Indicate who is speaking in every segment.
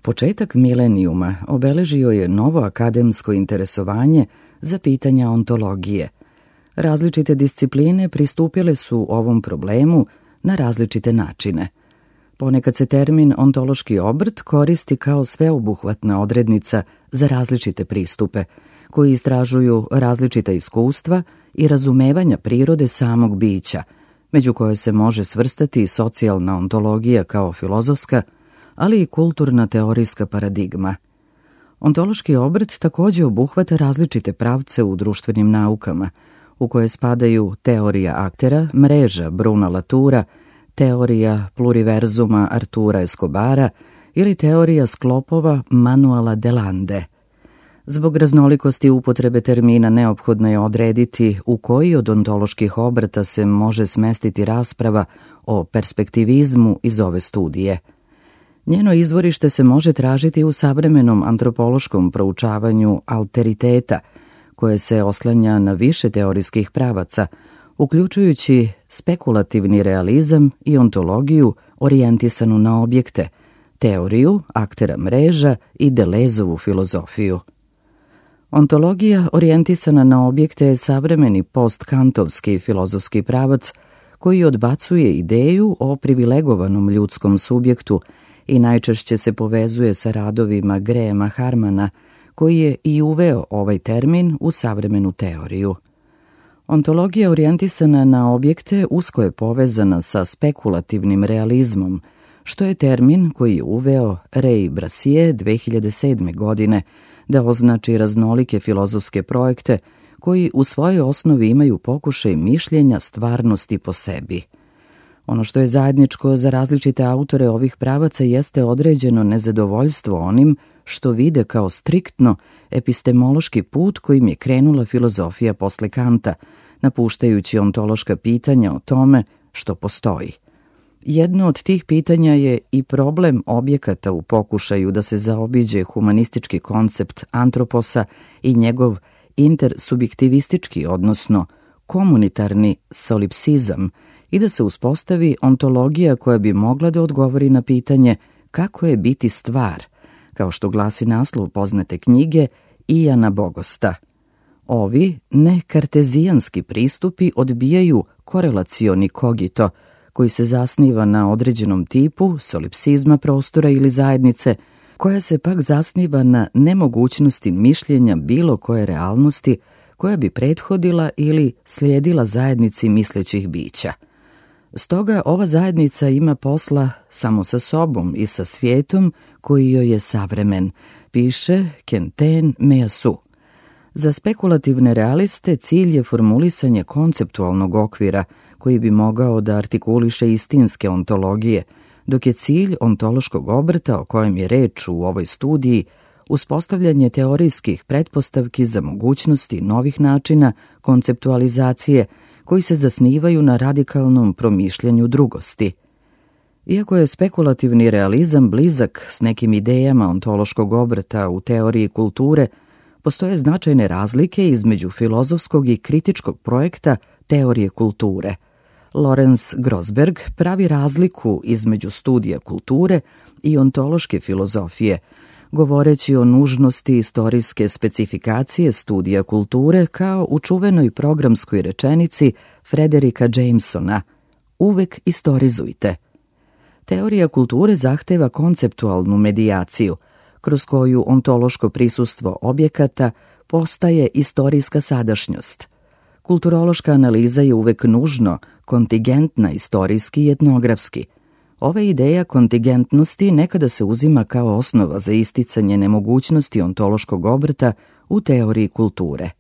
Speaker 1: Početak milenijuma obeležio je novo akademsko interesovanje za pitanja ontologije. Različite discipline pristupile su ovom problemu na različite načine. Ponekad se termin ontološki obrt koristi kao sveobuhvatna odrednica za različite pristupe, koji istražuju različita iskustva i razumevanja prirode samog bića, među koje se može svrstati socijalna ontologija kao filozofska, ali i kulturna teorijska paradigma. Ontološki obrt također obuhvata različite pravce u društvenim naukama, u koje spadaju teorija aktera, mreža Bruna Latura, teorija pluriverzuma Artura Escobara ili teorija sklopova Manuela Delande. Zbog raznolikosti upotrebe termina neophodno je odrediti u koji od ontoloških obrta se može smestiti rasprava o perspektivizmu iz ove studije. Njeno izvorište se može tražiti u savremenom antropološkom proučavanju alteriteta, koje se oslanja na više teorijskih pravaca, uključujući spekulativni realizam i ontologiju orijentisanu na objekte, teoriju aktera mreža i Delezovu filozofiju. Ontologija orijentisana na objekte je savremeni postkantovski filozofski pravac koji odbacuje ideju o privilegovanom ljudskom subjektu i najčešće se povezuje sa radovima Grahama Harmana, koji je i uveo ovaj termin u savremenu teoriju. Ontologija orijentisana na objekte usko je povezana sa spekulativnim realizmom, što je termin koji je uveo Ray Brassier 2007. godine, da označi raznolike filozofske projekte koji u svojoj osnovi imaju pokušaj mišljenja stvarnosti po sebi. Ono što je zajedničko za različite autore ovih pravaca jeste određeno nezadovoljstvo onim što vide kao striktno epistemološki put kojim je krenula filozofija posle Kanta, napuštajući ontološka pitanja o tome što postoji. Jedno od tih pitanja je i problem objekata u pokušaju da se zaobiđe humanistički koncept antroposa i njegov intersubjektivistički, odnosno komunitarni solipsizam, i da se uspostavi ontologija koja bi mogla da odgovori na pitanje kako je biti stvar, kao što glasi naslov poznate knjige Iana Bogosta. Ovi nekartezijanski pristupi odbijaju korelacioni kogito, koji se zasniva na određenom tipu solipsizma prostora ili zajednice, koja se pak zasniva na nemogućnosti mišljenja bilo koje realnosti koja bi prethodila ili slijedila zajednici mislećih bića. Stoga ova zajednica ima posla samo sa sobom i sa svijetom koji joj je savremen, piše Quentin Meillassoux. Za spekulativne realiste cilj je formulisanje konceptualnog okvira koji bi mogao da artikuliše istinske ontologije, dok je cilj ontološkog obrta o kojem je reč u ovoj studiji uspostavljanje teorijskih pretpostavki za mogućnosti novih načina konceptualizacije koji se zasnivaju na radikalnom promišljanju drugosti. Iako je spekulativni realizam blizak s nekim idejama ontološkog obrta u teoriji kulture, postoje značajne razlike između filozofskog i kritičkog projekta teorije kulture. Lorenz Grossberg pravi razliku između studija kulture i ontološke filozofije, govoreći o nužnosti istorijske specifikacije studija kulture kao u čuvenoj programskoj rečenici Frederika Jamesona: uvek istorizujte. Teorija kulture zahteva konceptualnu medijaciju, kroz koju ontološko prisustvo objekata postaje istorijska sadašnjost. Kulturološka analiza je uvek nužno kontingentna istorijski i etnografski. Ova ideja kontingentnosti nekada se uzima kao osnova za isticanje nemogućnosti ontološkog obrta u teoriji kulture.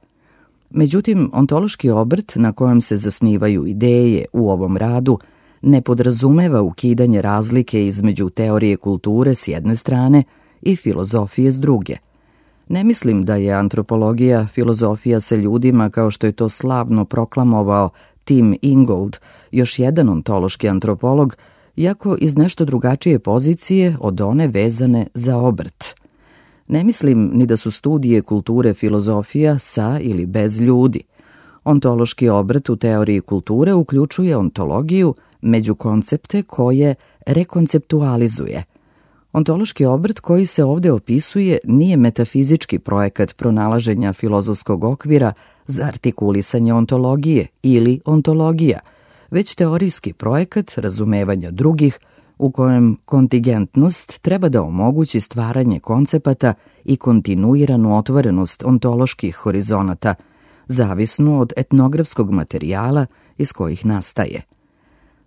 Speaker 1: Međutim, ontološki obrt na kojem se zasnivaju ideje u ovom radu ne podrazumeva ukidanje razlike između teorije kulture s jedne strane i filozofije s druge. Ne mislim da je antropologija filozofija sa ljudima kao što je to slavno proklamovao Tim Ingold, još jedan ontološki antropolog, iako iz nešto drugačije pozicije od one vezane za obrt. Ne mislim ni da su studije kulture filozofija sa ili bez ljudi. Ontološki obrt u teoriji kulture uključuje ontologiju među koncepte koje rekonceptualizuje. Ontološki obrt koji se ovdje opisuje nije metafizički projekat pronalaženja filozofskog okvira za artikulisanje ontologije ili ontologija, već teorijski projekat razumevanja drugih u kojem kontingentnost treba da omogući stvaranje koncepata i kontinuiranu otvorenost ontoloških horizonata, zavisnu od etnografskog materijala iz kojih nastaje.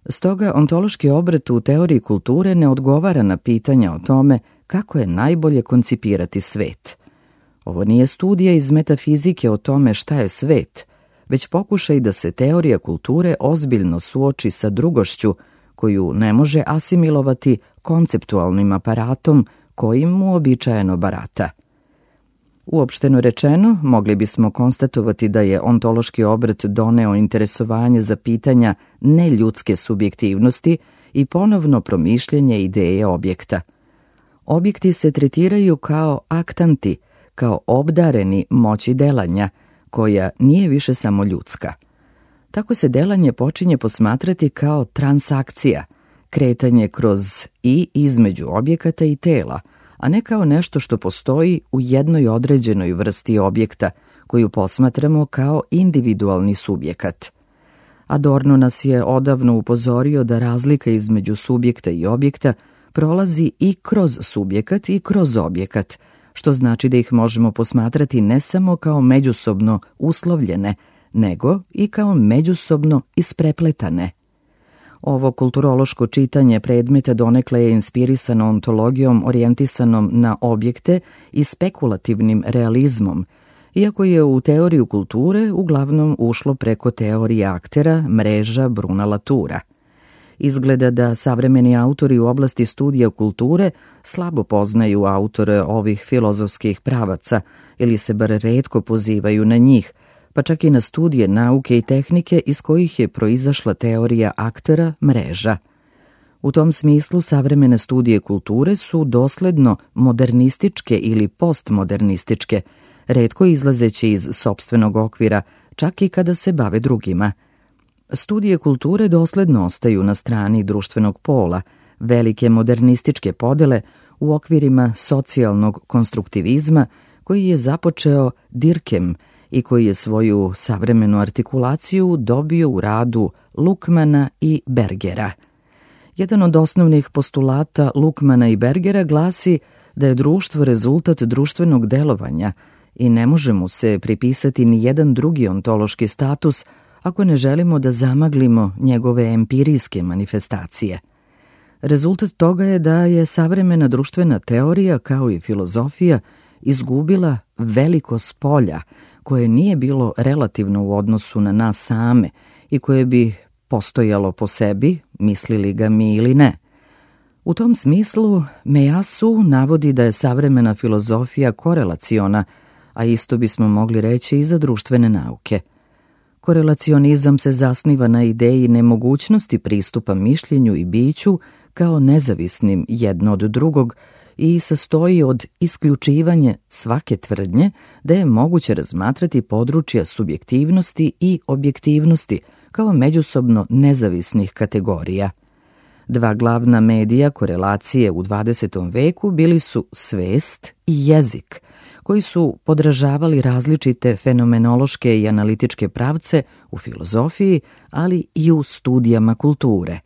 Speaker 1: Stoga ontološki obrt u teoriji kulture ne odgovara na pitanja o tome kako je najbolje koncipirati svet. Ovo nije studija iz metafizike o tome šta je svet, već pokušaj da se teorija kulture ozbiljno suoči sa drugošću koju ne može asimilovati konceptualnim aparatom kojim mu uobičajeno barata. Uopšteno rečeno, mogli bismo konstatovati da je ontološki obrt doneo interesovanje za pitanja neljudske subjektivnosti i ponovno promišljanje ideje objekta. Objekti se tretiraju kao aktanti, kao obdareni moći delanja, koja nije više samo ljudska. Tako se delanje počinje posmatrati kao transakcija, kretanje kroz i između objekata i tela, a ne kao nešto što postoji u jednoj određenoj vrsti objekta, koju posmatramo kao individualni subjekat. Adorno nas je odavno upozorio da razlika između subjekta i objekta prolazi i kroz subjekat i kroz objekat, što znači da ih možemo posmatrati ne samo kao međusobno uslovljene, nego i kao međusobno isprepletane. Ovo kulturološko čitanje predmeta donekle je inspirisano ontologijom orijentisanom na objekte i spekulativnim realizmom, iako je u teoriju kulture uglavnom ušlo preko teorije aktera, mreža Bruna Latura. Izgleda da savremeni autori u oblasti studija kulture slabo poznaju autore ovih filozofskih pravaca ili se bar retko pozivaju na njih, pa čak i na studije nauke i tehnike iz kojih je proizašla teorija aktera, mreža. U tom smislu savremene studije kulture su dosledno modernističke ili postmodernističke, retko izlazeći iz sopstvenog okvira, čak i kada se bave drugima. Studije kulture dosledno ostaju na strani društvenog pola, velike modernističke podele u okvirima socijalnog konstruktivizma koji je započeo Dirkem i koji je svoju savremenu artikulaciju dobio u radu Luckmana i Bergera. Jedan od osnovnih postulata Luckmana i Bergera glasi da je društvo rezultat društvenog delovanja i ne može mu se pripisati ni jedan drugi ontološki status ako ne želimo da zamaglimo njegove empirijske manifestacije. Rezultat toga je da je savremena društvena teorija, kao i filozofija, izgubila veliko spolja koje nije bilo relativno u odnosu na nas same i koje bi postojalo po sebi, mislili ga mi ili ne. U tom smislu Mejasu navodi da je savremena filozofija korelaciona, a isto bismo mogli reći i za društvene nauke. Korelacionizam se zasniva na ideji nemogućnosti pristupa mišljenju i biću kao nezavisnim jedno od drugog i sastoji od isključivanja svake tvrdnje da je moguće razmatrati područja subjektivnosti i objektivnosti kao međusobno nezavisnih kategorija. Dva glavna medija korelacije u 20. veku bili su svest i jezik, koji su podražavali različite fenomenološke i analitičke pravce u filozofiji, ali i u studijama kulture.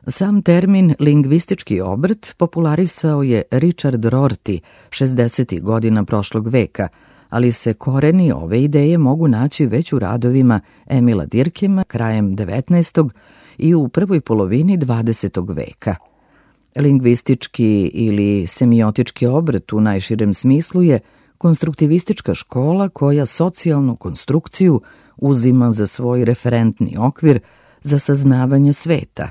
Speaker 1: Sam termin lingvistički obrt popularisao je Richard Rorty 60. godina prošlog veka, ali se koreni ove ideje mogu naći već u radovima Emila Durkheima krajem 19. i u prvoj polovini 20. veka. Lingvistički ili semiotički obrt u najširem smislu je konstruktivistička škola koja socijalnu konstrukciju uzima za svoj referentni okvir za saznavanje sveta.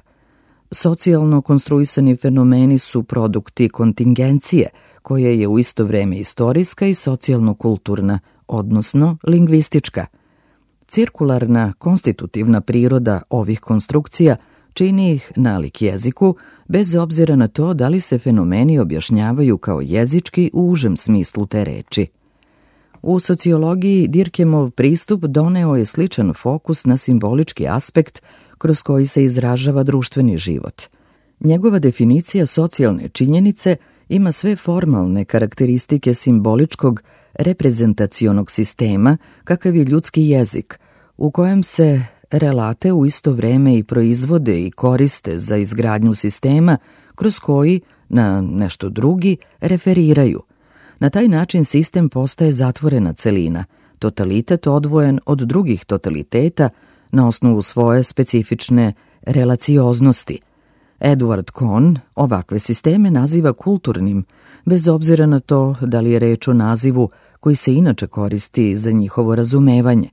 Speaker 1: Socijalno konstruisani fenomeni su produkti kontingencije, koja je u isto vreme istorijska i socijalno-kulturna, odnosno lingvistička. Cirkularna, konstitutivna priroda ovih konstrukcija čini ih nalik jeziku, bez obzira na to da li se fenomeni objašnjavaju kao jezički u užem smislu te reči. U sociologiji Durkheimov pristup doneo je sličan fokus na simbolički aspekt kroz koji se izražava društveni život. Njegova definicija socijalne činjenice ima sve formalne karakteristike simboličkog reprezentacionog sistema kakav je ljudski jezik, u kojem se relate u isto vreme i proizvode i koriste za izgradnju sistema kroz koji na nešto drugi referiraju. Na taj način sistem postaje zatvorena celina, totalitet odvojen od drugih totaliteta na osnovu svoje specifične relacioznosti. Edward Cohn ovakve sisteme naziva kulturnim, bez obzira na to da li je reč o nazivu koji se inače koristi za njihovo razumevanje.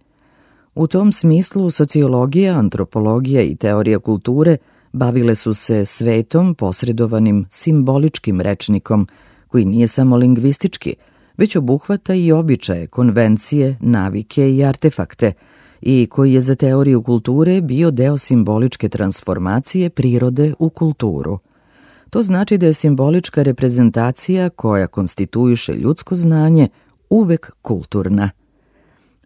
Speaker 1: U tom smislu sociologija, antropologija i teorija kulture bavile su se svetom posredovanim simboličkim rečnikom, koji nije samo lingvistički, već obuhvata i običaje, konvencije, navike i artefakte, i koji je za teoriju kulture bio deo simboličke transformacije prirode u kulturu. To znači da je simbolička reprezentacija koja konstituiše ljudsko znanje uvek kulturna.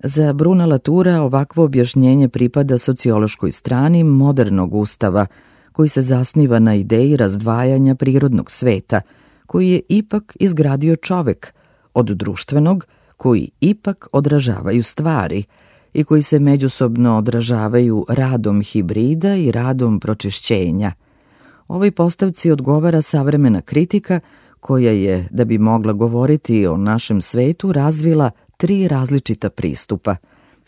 Speaker 1: Za Bruna Latoura ovakvo objašnjenje pripada sociološkoj strani modernog ustava, koji se zasniva na ideji razdvajanja prirodnog sveta, koji je ipak izgradio čovek, od društvenog, koji ipak odražavaju stvari i koji se međusobno odražavaju radom hibrida i radom pročišćenja. Ovoj postavci odgovara savremena kritika koja je, da bi mogla govoriti o našem svetu, razvila 3 različita pristupa: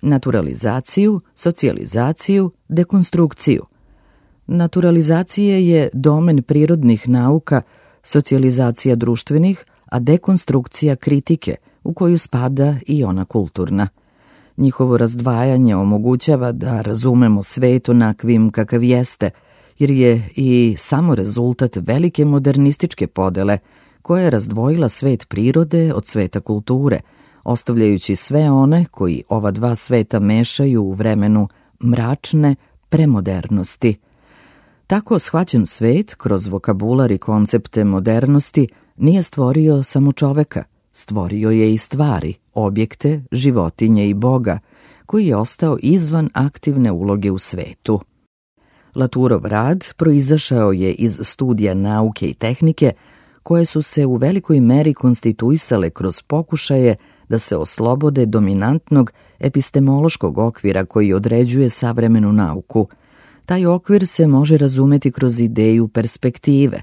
Speaker 1: naturalizaciju, socijalizaciju, dekonstrukciju. Naturalizacija je domen prirodnih nauka, socijalizacija društvenih, a dekonstrukcija kritike, u koju spada i ona kulturna. Njihovo razdvajanje omogućava da razumemo svet onakvim kakav jeste, jer je i samo rezultat velike modernističke podele koja je razdvojila svet prirode od sveta kulture, ostavljajući sve one koji ova dva sveta mešaju u vremenu mračne premodernosti. Tako shvaćen svet, kroz vokabular i koncepte modernosti, nije stvorio samo čoveka, stvorio je i stvari, objekte, životinje i Boga, koji je ostao izvan aktivne uloge u svetu. Latourov rad proizašao je iz studija nauke i tehnike, koje su se u velikoj meri konstituisale kroz pokušaje da se oslobode dominantnog epistemološkog okvira koji određuje savremenu nauku. Taj okvir se može razumeti kroz ideju perspektive.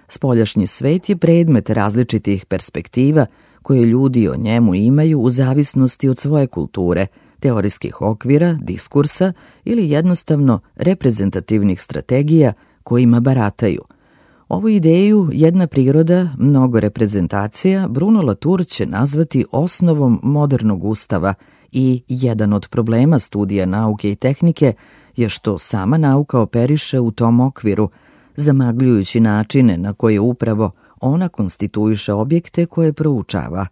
Speaker 1: Spoljašnji svet je predmet različitih perspektiva koje ljudi o njemu imaju u zavisnosti od svoje kulture, teorijskih okvira, diskursa ili jednostavno reprezentativnih strategija kojima barataju. Ovu ideju jedna priroda, mnogo reprezentacija, Bruno Latour će nazvati osnovom modernog ustava i jedan od problema studija nauke i tehnike je što sama nauka operiše u tom okviru, zamagljujući načine na koje upravo ona konstituiše objekte koje proučava.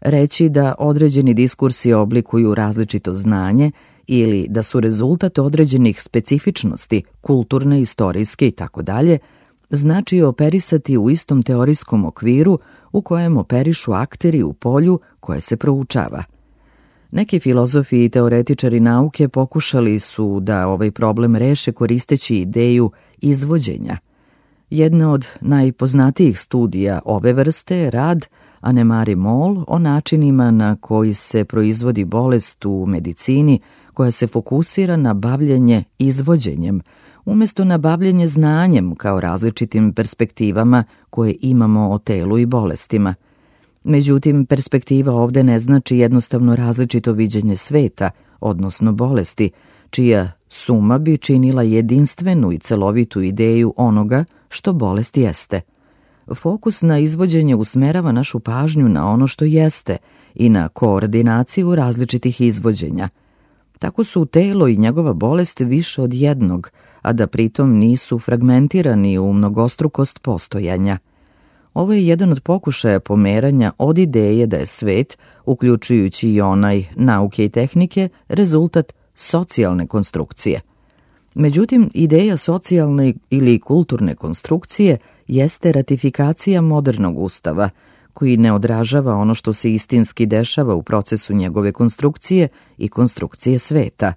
Speaker 1: Reći da određeni diskursi oblikuju različito znanje ili da su rezultat određenih specifičnosti, kulturne, istorijske itd., znači operisati u istom teorijskom okviru u kojem operišu akteri u polju koje se proučava. Neki filozofi i teoretičari nauke pokušali su da ovaj problem reše koristeći ideju izvođenja. Jedna od najpoznatijih studija ove vrste je rad Annemarie Moll o načinima na koji se proizvodi bolest u medicini koja se fokusira na bavljenje izvođenjem, umjesto na bavljenje znanjem kao različitim perspektivama koje imamo o telu i bolestima. Međutim, perspektiva ovde ne znači jednostavno različito viđenje sveta, odnosno bolesti, čija suma bi činila jedinstvenu i celovitu ideju onoga što bolest jeste. Fokus na izvođenje usmerava našu pažnju na ono što jeste i na koordinaciju različitih izvođenja. Tako su telo i njegova bolest više od jednog, a da pritom nisu fragmentirani u mnogostrukost postojanja. Ovo je jedan od pokušaja pomeranja od ideje da je svet, uključujući i onaj nauke i tehnike, rezultat socijalne konstrukcije. Međutim, ideja socijalne ili kulturne konstrukcije jeste ratifikacija modernog ustava, koji ne odražava ono što se istinski dešava u procesu njegove konstrukcije i konstrukcije sveta.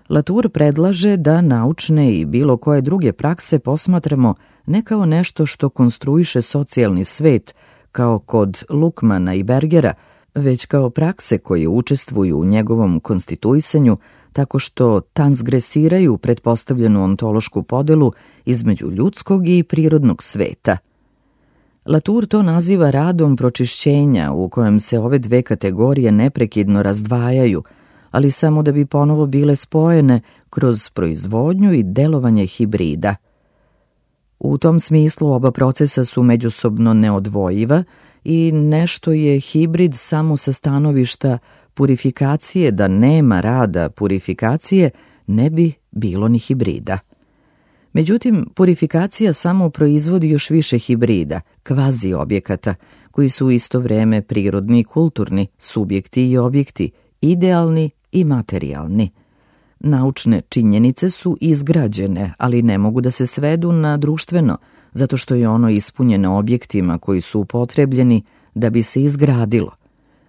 Speaker 1: Latour predlaže da naučne i bilo koje druge prakse posmatramo ne kao nešto što konstruiše socijalni svet, kao kod Lukmana i Bergera, već kao prakse koje učestvuju u njegovom konstituisanju tako što transgresiraju pretpostavljenu ontološku podelu između ljudskog i prirodnog sveta. Latour to naziva radom pročišćenja u kojem se ove dve kategorije neprekidno razdvajaju, ali samo da bi ponovo bile spojene kroz proizvodnju i delovanje hibrida. U tom smislu oba procesa su međusobno neodvojiva i nešto je hibrid samo sa stanovišta purifikacije, da nema rada purifikacije, ne bi bilo ni hibrida. Međutim, purifikacija samo proizvodi još više hibrida, kvazi objekata, koji su u isto vreme prirodni i kulturni, subjekti i objekti, idealni i materijalni. Naučne činjenice su izgrađene, ali ne mogu da se svedu na društveno, zato što je ono ispunjeno objektima koji su upotrebljeni da bi se izgradilo.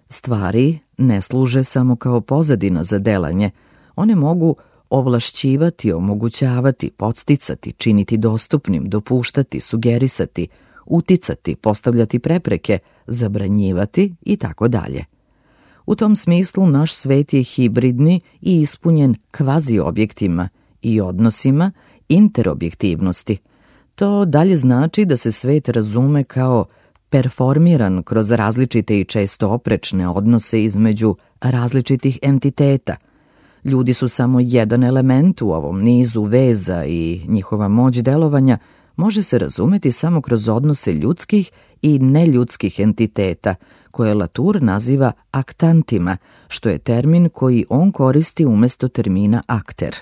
Speaker 1: Stvari ne služe samo kao pozadina za delanje, one mogu ovlašćivati, omogućavati, podsticati, činiti dostupnim, dopuštati, sugerisati, uticati, postavljati prepreke, zabranjivati i tako dalje. U tom smislu naš svet je hibridni i ispunjen kvazi objektima i odnosima interobjektivnosti. To dalje znači da se svet razume kao performiran kroz različite i često oprečne odnose između različitih entiteta. Ljudi su samo jedan element u ovom nizu veza i njihova moć delovanja može se razumeti samo kroz odnose ljudskih i neljudskih entiteta, koje Latour naziva aktantima, što je termin koji on koristi umjesto termina akter.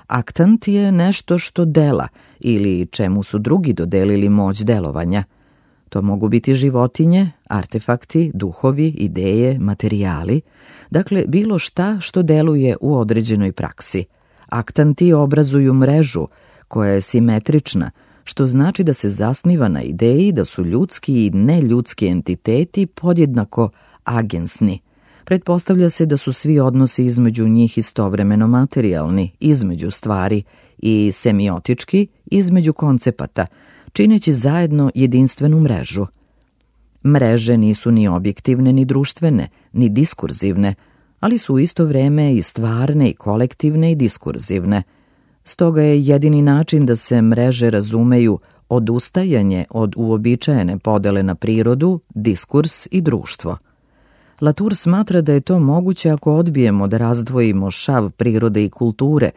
Speaker 1: Aktant je nešto što dela ili čemu su drugi dodelili moć delovanja. To mogu biti životinje, artefakti, duhovi, ideje, materijali, dakle bilo šta što deluje u određenoj praksi. Aktanti obrazuju mrežu koja je simetrična, što znači da se zasniva na ideji da su ljudski i neljudski entiteti podjednako agensni. Pretpostavlja se da su svi odnosi između njih istovremeno materijalni, između stvari, i semiotički, između koncepata, čineći zajedno jedinstvenu mrežu. Mreže nisu ni objektivne, ni društvene, ni diskurzivne, ali su u isto vreme i stvarne, i kolektivne, i diskurzivne. Stoga je jedini način da se mreže razumeju odustajanje od uobičajene podele na prirodu, diskurs i društvo. Latour smatra da je to moguće ako odbijemo da razdvojimo šav prirode i kulture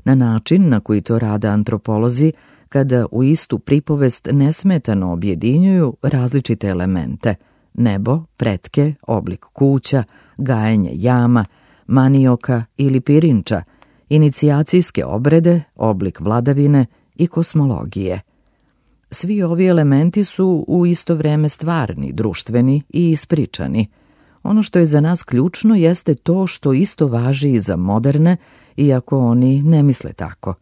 Speaker 1: na način na koji to rade antropolozi, kada u istu pripovest nesmetano objedinjuju različite elemente: nebo, pretke, oblik kuća, gajenje jama, manioka ili pirinča, inicijacijske obrede, oblik vladavine i kosmologije. Svi ovi elementi su u isto vreme stvarni, društveni i ispričani. Ono što je za nas ključno jeste to što isto važi i za moderne, iako oni ne misle tako.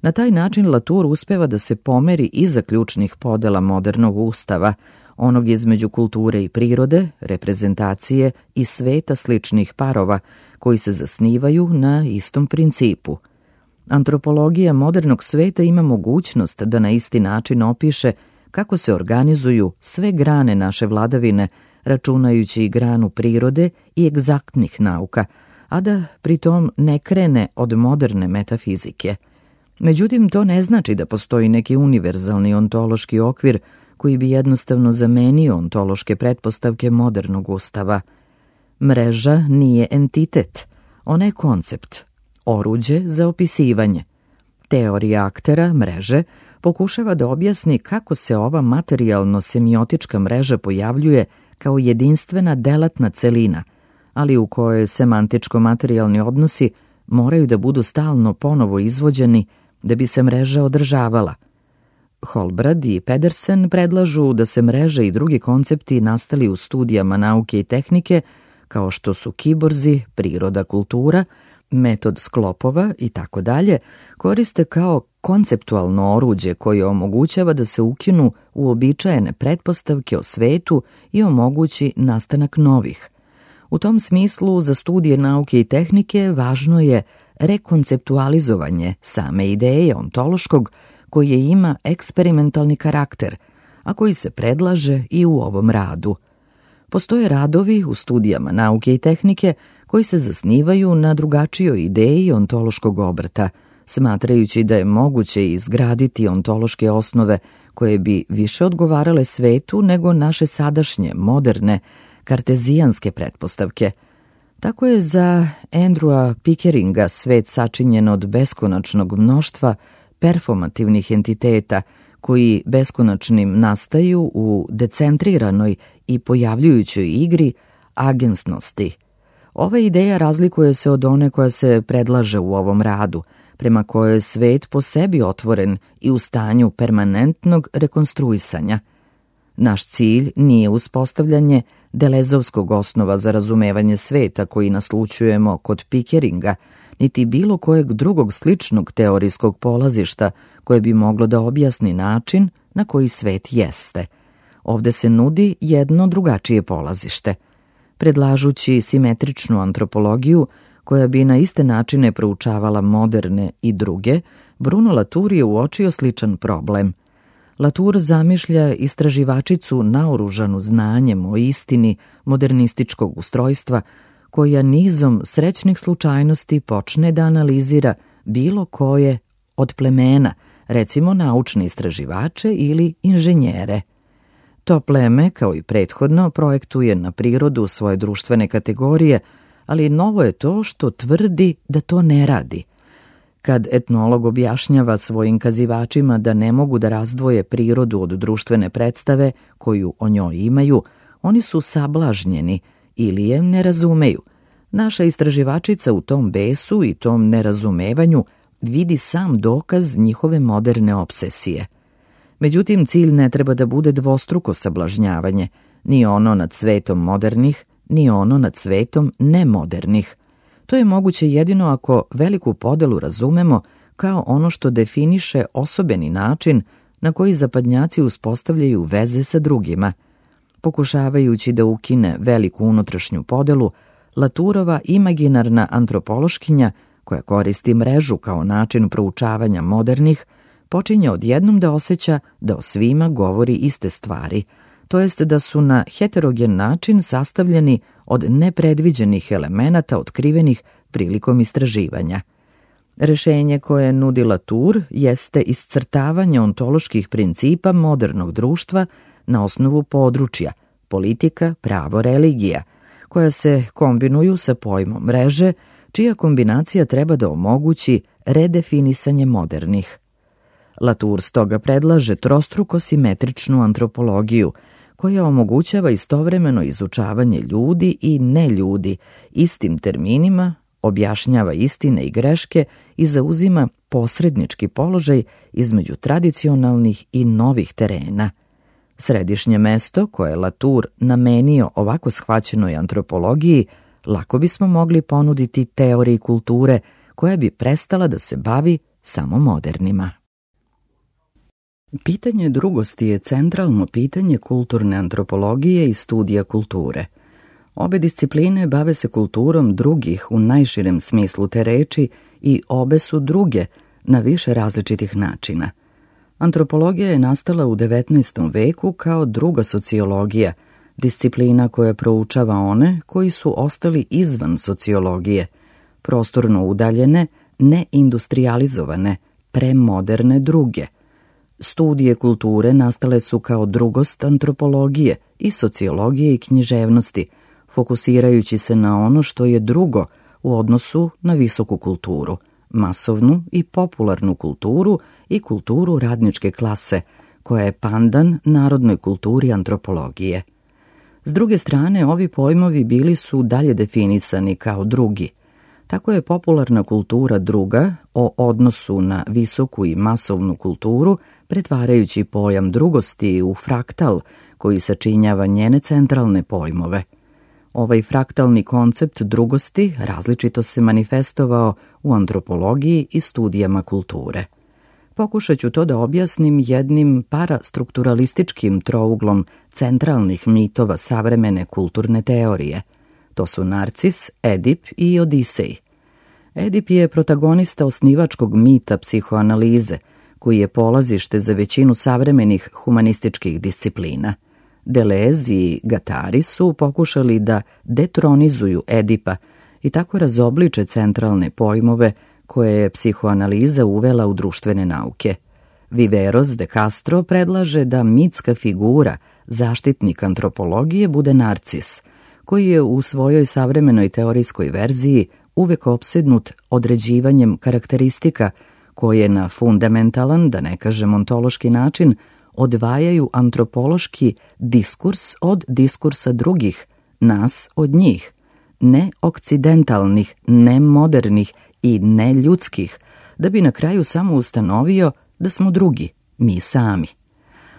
Speaker 1: Na taj način Latour uspeva da se pomeri iza ključnih podela modernog ustava, onog između kulture i prirode, reprezentacije i sveta sličnih parova, koji se zasnivaju na istom principu. Antropologija modernog sveta ima mogućnost da na isti način opiše kako se organizuju sve grane naše vladavine, računajući i granu prirode i egzaktnih nauka, a da pritom ne krene od moderne metafizike. Međutim, to ne znači da postoji neki univerzalni ontološki okvir koji bi jednostavno zamenio ontološke pretpostavke modernog ustava. Mreža nije entitet, ona je koncept, oruđe za opisivanje. Teorija aktera, mreže, pokušava da objasni kako se ova materijalno-semiotička mreža pojavljuje kao jedinstvena delatna celina, ali u kojoj semantičko-materijalni odnosi moraju da budu stalno ponovo izvođeni da bi se mreža održavala. Holbrad i Pedersen predlažu da se mreže i drugi koncepti nastali u studijama nauke i tehnike, kao što su kiborzi, priroda, kultura, metod sklopova i tako dalje, koriste kao konceptualno oruđe koje omogućava da se ukinu uobičajene pretpostavke o svetu i omogući nastanak novih. U tom smislu, za studije nauke i tehnike važno je rekonceptualizovanje same ideje ontološkog koji ima eksperimentalni karakter, a koji se predlaže i u ovom radu. Postoje radovi u studijama nauke i tehnike koji se zasnivaju na drugačijoj ideji ontološkog obrta, smatrajući da je moguće izgraditi ontološke osnove koje bi više odgovarale svetu nego naše sadašnje, moderne, kartezijanske pretpostavke. Tako je za Andrewa Pickeringa svet sačinjen od beskonačnog mnoštva performativnih entiteta koji beskonačnim nastaju u decentriranoj i pojavljujućoj igri agensnosti. Ova ideja razlikuje se od one koja se predlaže u ovom radu, prema kojoj je svet po sebi otvoren i u stanju permanentnog rekonstruisanja. Naš cilj nije uspostavljanje delezovskog osnova za razumevanje sveta koji naslućujemo kod Pickeringa, niti bilo kojeg drugog sličnog teorijskog polazišta koje bi moglo da objasni način na koji svet jeste. Ovde se nudi jedno drugačije polazište. Predlažući simetričnu antropologiju, koja bi na iste načine proučavala moderne i druge, Bruno Latour je uočio sličan problem. Latour zamišlja istraživačicu naoružanu znanjem o istini modernističkog ustrojstva, koja nizom srećnih slučajnosti počne da analizira bilo koje od plemena, recimo naučne istraživače ili inženjere. To pleme, kao i prethodno, projektuje na prirodu svoje društvene kategorije, ali novo je to što tvrdi da to ne radi. Kad etnolog objašnjava svojim kazivačima da ne mogu da razdvoje prirodu od društvene predstave koju o njoj imaju, oni su sablažnjeni ili je ne razumeju. Naša istraživačica u tom besu i tom nerazumevanju vidi sam dokaz njihove moderne obsesije. Međutim, cilj ne treba da bude dvostruko sablažnjavanje, ni ono nad svetom modernih, ni ono nad svetom nemodernih. To je moguće jedino ako veliku podelu razumemo kao ono što definiše osobeni način na koji zapadnjaci uspostavljaju veze sa drugima. Pokušavajući da ukine veliku unutrašnju podelu, Latourova imaginarna antropološkinja, koja koristi mrežu kao način proučavanja modernih, počinje odjednom da osjeća da o svima govori iste stvari, to jest da su na heterogen način sastavljeni od nepredviđenih elemenata otkrivenih prilikom istraživanja. Rešenje koje nudi Latour jeste iscrtavanje ontoloških principa modernog društva na osnovu područja, politika, pravo, religija, koja se kombinuju sa pojmom mreže, čija kombinacija treba da omogući redefinisanje modernih. Latour stoga predlaže trostruko simetričnu antropologiju, koja omogućava istovremeno izučavanje ljudi i neljudi istim terminima, objašnjava istine i greške i zauzima posrednički položaj između tradicionalnih i novih terena. Središnje mesto koje je Latour namenio ovako shvaćenoj antropologiji lako bismo mogli ponuditi teoriji kulture koja bi prestala da se bavi samo modernima. Pitanje drugosti je centralno pitanje kulturne antropologije i studija kulture. Obe discipline bave se kulturom drugih u najširem smislu te reči i obe su druge na više različitih načina. Antropologija je nastala u 19. veku kao druga sociologija, disciplina koja proučava one koji su ostali izvan sociologije, prostorno udaljene, neindustrializovane, premoderne druge. Studije kulture nastale su kao drugost antropologije i sociologije i književnosti, fokusirajući se na ono što je drugo u odnosu na visoku kulturu, masovnu i popularnu kulturu i kulturu radničke klase, koja je pandan narodnoj kulturi antropologije. S druge strane, ovi pojmovi bili su dalje definisani kao drugi. Tako je popularna kultura druga o odnosu na visoku i masovnu kulturu, pretvarajući pojam drugosti u fraktal koji sačinjava njene centralne pojmove. Ovaj fraktalni koncept drugosti različito se manifestovao u antropologiji i studijama kulture. Pokušat ću to da objasnim jednim parastrukturalističkim trouglom centralnih mitova savremene kulturne teorije. To su Narcis, Edip i Odisej. Edip je protagonista osnivačkog mita psihoanalize, koji je polazište za većinu savremenih humanističkih disciplina. Deleuze i Guattari su pokušali da detronizuju Edipa i tako razobliče centralne pojmove koje je psihoanaliza uvela u društvene nauke. Viveros de Castro predlaže da mitska figura, zaštitnik antropologije, bude narcis, koji je u svojoj savremenoj teorijskoj verziji uvek opsednut određivanjem karakteristika koje na fundamentalan, da ne kažem ontološki način, odvajaju antropološki diskurs od diskursa drugih, nas od njih, ne okcidentalnih, ne modernih i ne ljudskih, da bi na kraju samo ustanovio da smo drugi, mi sami.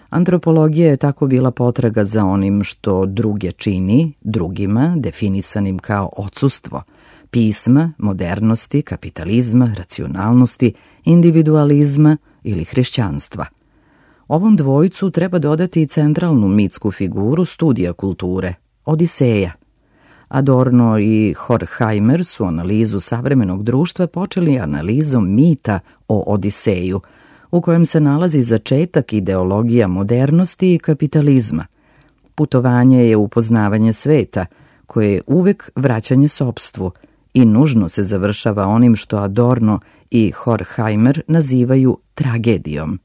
Speaker 1: Antropologija je tako bila potraga za onim što druge čini, drugima, definisanim kao odsustvo, pisma, modernosti, kapitalizma, racionalnosti, individualizma ili hrišćanstva. Ovom dvojicu treba dodati i centralnu mitsku figuru studija kulture, Odiseja. Adorno i Horkheimer su analizu savremenog društva počeli analizom mita o Odiseju, u kojem se nalazi začetak ideologija modernosti i kapitalizma. Putovanje je upoznavanje sveta, koje je uvek vraćanje sopstvu i nužno se završava onim što Adorno i Horkheimer nazivaju tragedijom.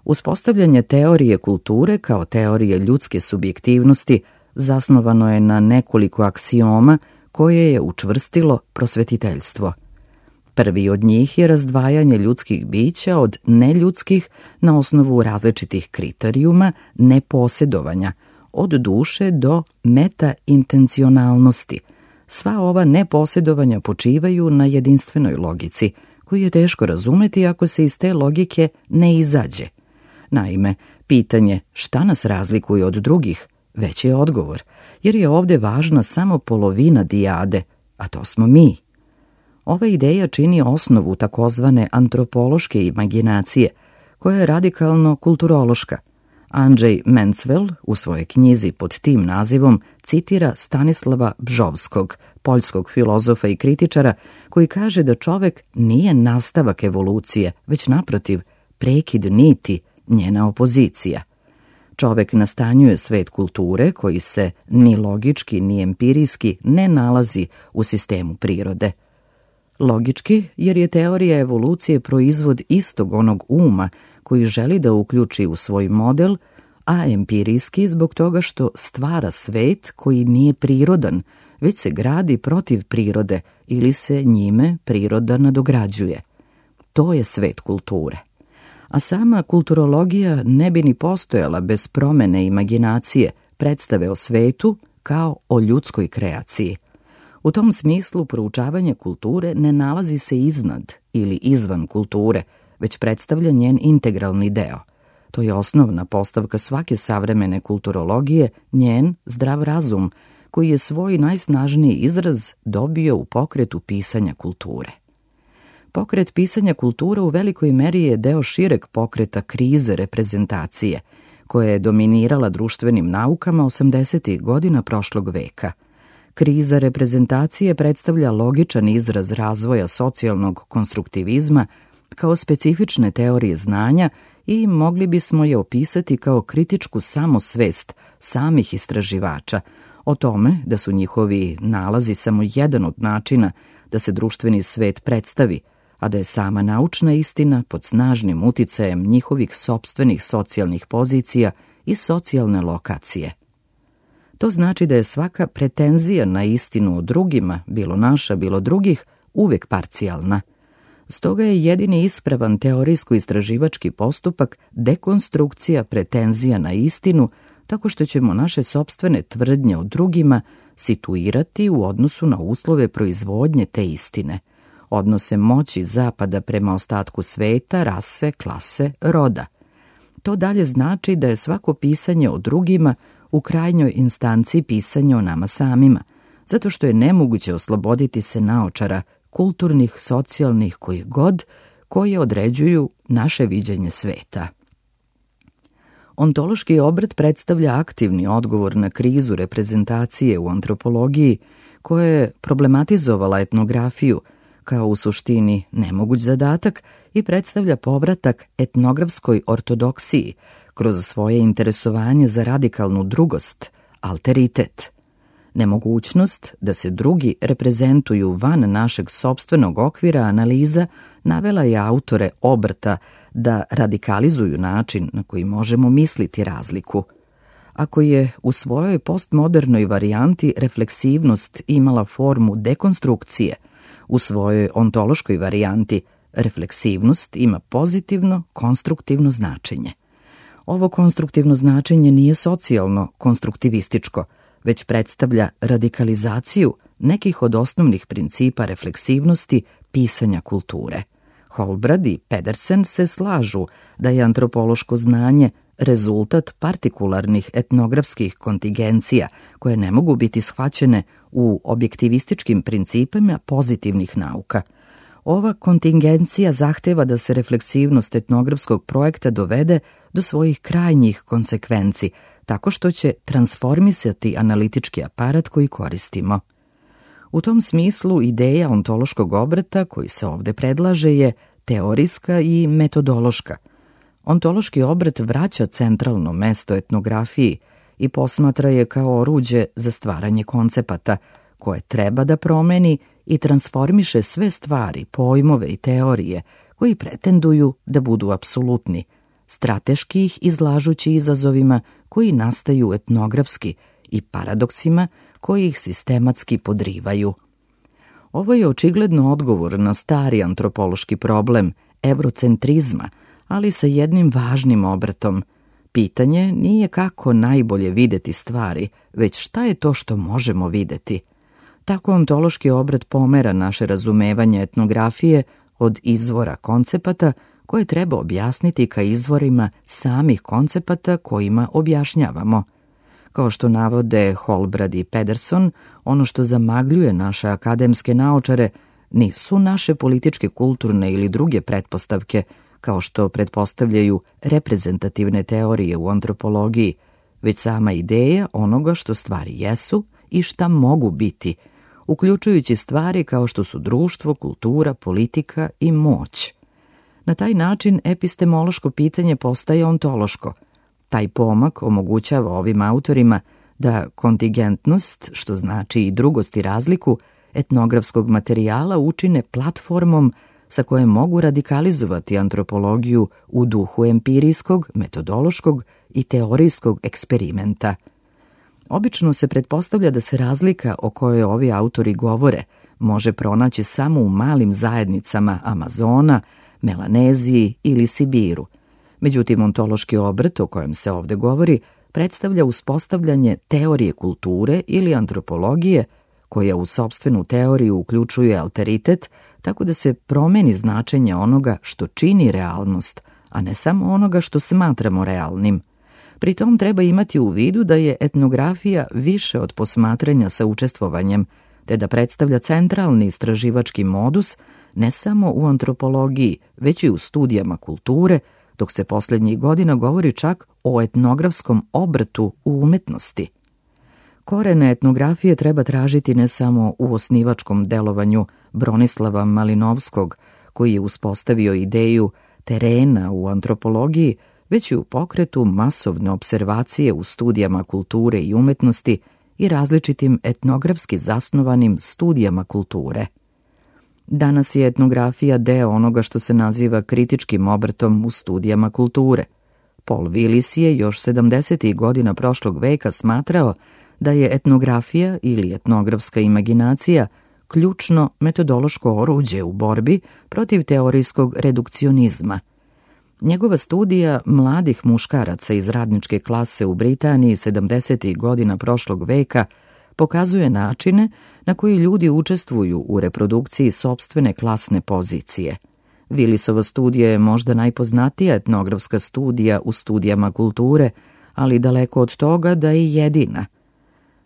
Speaker 1: Uspostavljanje teorije kulture kao teorije ljudske subjektivnosti zasnovano je na nekoliko aksioma koje je učvrstilo prosvetiteljstvo. Prvi od njih je razdvajanje ljudskih bića od neljudskih na osnovu različitih kriterijuma neposjedovanja, od duše do meta-intencionalnosti. Sva ova neposjedovanja počivaju na jedinstvenoj logici, koju je teško razumeti ako se iz te logike ne izađe. Naime, pitanje šta nas razlikuje od drugih već je odgovor, jer je ovde važna samo polovina dijade, a to smo mi. Ova ideja čini osnovu takozvane antropološke imaginacije, koja je radikalno kulturološka. Andrzej Mencvel u svojoj knjizi pod tim nazivom citira Stanislava Bžovskog, poljskog filozofa i kritičara, koji kaže da čovek nije nastavak evolucije, već naprotiv, prekid niti, njena opozicija. Čovek nastanjuje svet kulture koji se ni logički ni empirijski ne nalazi u sistemu prirode. Logički, jer je teorija evolucije proizvod istog onog uma koji želi da uključi u svoj model, a empirijski zbog toga što stvara svet koji nije prirodan, već se gradi protiv prirode ili se njime priroda nadograđuje. To je svet kulture. A sama kulturologija ne bi ni postojala bez promene imaginacije, predstave o svetu kao o ljudskoj kreaciji. U tom smislu proučavanje kulture ne nalazi se iznad ili izvan kulture, već predstavlja njen integralni deo. To je osnovna postavka svake savremene kulturologije, njen zdrav razum, koji je svoj najsnažniji izraz dobio u pokretu pisanja kulture. Pokret pisanja kulture u velikoj meri je deo šireg pokreta krize reprezentacije, koja je dominirala društvenim naukama 80. godina prošlog veka. Kriza reprezentacije predstavlja logičan izraz razvoja socijalnog konstruktivizma kao specifične teorije znanja i mogli bismo je opisati kao kritičku samosvest samih istraživača o tome da su njihovi nalazi samo jedan od načina da se društveni svet predstavi, a da je sama naučna istina pod snažnim uticajem njihovih sopstvenih socijalnih pozicija i socijalne lokacije. To znači da je svaka pretenzija na istinu o drugima, bilo naša, bilo drugih, uvek parcijalna. Stoga je jedini ispravan teorijsko-istraživački postupak dekonstrukcija pretenzija na istinu, tako što ćemo naše sopstvene tvrdnje o drugima situirati u odnosu na uslove proizvodnje te istine, odnose moći zapada prema ostatku sveta, rase, klase, roda. To dalje znači da je svako pisanje o drugima u krajnjoj instanci pisanje o nama samima, zato što je nemoguće osloboditi se naočara kulturnih, socijalnih, kojih god, koje određuju naše viđenje sveta. Ontološki obrt predstavlja aktivni odgovor na krizu reprezentacije u antropologiji, koja je problematizovala etnografiju kao u suštini nemoguć zadatak i predstavlja povratak etnografskoj ortodoksiji kroz svoje interesovanje za radikalnu drugost, alteritet. Nemogućnost da se drugi reprezentuju van našeg sopstvenog okvira analiza navela je autore obrta da radikalizuju način na koji možemo misliti razliku. Ako je u svojoj postmodernoj varijanti refleksivnost imala formu dekonstrukcije, u svojoj ontološkoj varijanti refleksivnost ima pozitivno, konstruktivno značenje. Ovo konstruktivno značenje nije socijalno konstruktivističko, već predstavlja radikalizaciju nekih od osnovnih principa refleksivnosti pisanja kulture. Holbrad i Pedersen se slažu da je antropološko znanje rezultat partikularnih etnografskih kontingencija koje ne mogu biti shvaćene u objektivističkim principima pozitivnih nauka. Ova kontingencija zahteva da se refleksivnost etnografskog projekta dovede do svojih krajnjih konsekvenci, tako što će transformisati analitički aparat koji koristimo. U tom smislu ideja ontološkog obrata koji se ovde predlaže je teorijska i metodološka. Ontološki obrat vraća centralno mesto etnografiji i posmatra je kao oruđe za stvaranje koncepata, koje treba da promeni i transformiše sve stvari, pojmove i teorije koji pretenduju da budu apsolutni, strateški ih izlažući izazovima koji nastaju etnografski i paradoksima koji ih sistematski podrivaju. Ovo je očigledno odgovor na stari antropološki problem evrocentrizma, ali sa jednim važnim obratom. Pitanje nije kako najbolje videti stvari, već šta je to što možemo videti. Tako ontološki obrat pomera naše razumevanje etnografije od izvora koncepata koje treba objasniti ka izvorima samih koncepata kojima objašnjavamo. Kao što navode Holbrad i Pedersen, ono što zamagljuje naše akademske naučare nisu naše političke, kulturne ili druge pretpostavke, kao što pretpostavljaju reprezentativne teorije u antropologiji, već sama ideja onoga što stvari jesu i šta mogu biti, uključujući stvari kao što su društvo, kultura, politika i moć. Na taj način epistemološko pitanje postaje ontološko. Taj pomak omogućava ovim autorima da kontingentnost, što znači i drugost i razliku, etnografskog materijala učine platformom sa koje mogu radikalizovati antropologiju u duhu empirijskog, metodološkog i teorijskog eksperimenta. Obično se pretpostavlja da se razlika o kojoj ovi autori govore može pronaći samo u malim zajednicama Amazona, Melaneziji ili Sibiru. Međutim, ontološki obrt o kojem se ovde govori predstavlja uspostavljanje teorije kulture ili antropologije koja u sopstvenu teoriju uključuje alteritet, tako da se promeni značenje onoga što čini realnost, a ne samo onoga što smatramo realnim. Pri tom treba imati u vidu da je etnografija više od posmatranja sa učestvovanjem, te da predstavlja centralni istraživački modus ne samo u antropologiji, već i u studijama kulture, dok se poslednjih godina govori čak o etnografskom obratu u umetnosti. Korene etnografije treba tražiti ne samo u osnivačkom delovanju Bronislava Malinovskog, koji je uspostavio ideju terena u antropologiji, već i u pokretu masovne observacije u studijama kulture i umetnosti i različitim etnografski zasnovanim studijama kulture. Danas je etnografija deo onoga što se naziva kritičkim obrtom u studijama kulture. Paul Willis je još 70. godina prošlog veka smatrao da je etnografija ili etnografska imaginacija ključno metodološko oruđe u borbi protiv teorijskog redukcionizma. Njegova studija mladih muškaraca iz radničke klase u Britaniji 70. godina prošlog veka pokazuje načine na koji ljudi učestvuju u reprodukciji sopstvene klasne pozicije. Willisova studija je možda najpoznatija etnografska studija u studijama kulture, ali daleko od toga da je jedina.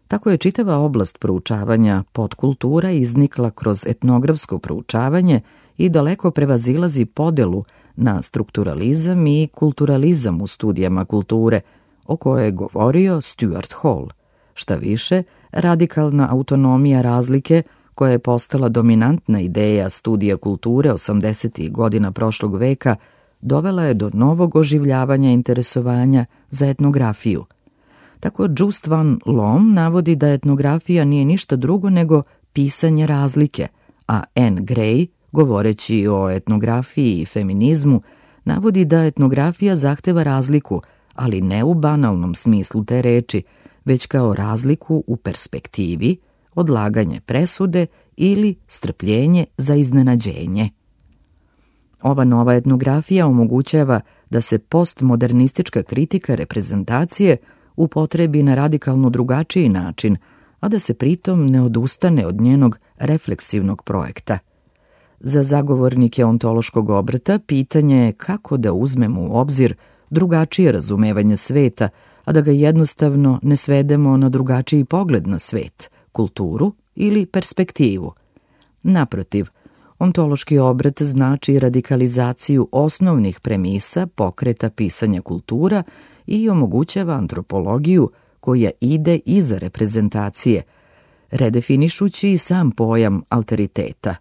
Speaker 1: Tako je čitava oblast proučavanja podkultura iznikla kroz etnografsko proučavanje i daleko prevazilazi podelu na strukturalizam i kulturalizam u studijama kulture, o kojoj je govorio Stuart Hall. Šta više, radikalna autonomija razlike, koja je postala dominantna ideja studija kulture 80. godina prošlog veka, dovela je do novog oživljavanja interesovanja za etnografiju. Tako Just van Loom navodi da etnografija nije ništa drugo nego pisanje razlike, a Anne Gray, govoreći o etnografiji i feminizmu, navodi da etnografija zahteva razliku, ali ne u banalnom smislu te reči, već kao razliku u perspektivi, odlaganje presude ili strpljenje za iznenađenje. Ova nova etnografija omogućava da se postmodernistička kritika reprezentacije upotrebi na radikalno drugačiji način, a da se pritom ne odustane od njenog refleksivnog projekta. Za zagovornike ontološkog obrta pitanje je kako da uzmemo u obzir drugačije razumevanje sveta, a da ga jednostavno ne svedemo na drugačiji pogled na svet, kulturu ili perspektivu. Naprotiv, ontološki obrat znači radikalizaciju osnovnih premisa pokreta pisanja kultura i omogućava antropologiju koja ide iza reprezentacije, redefinišući i sam pojam alteriteta.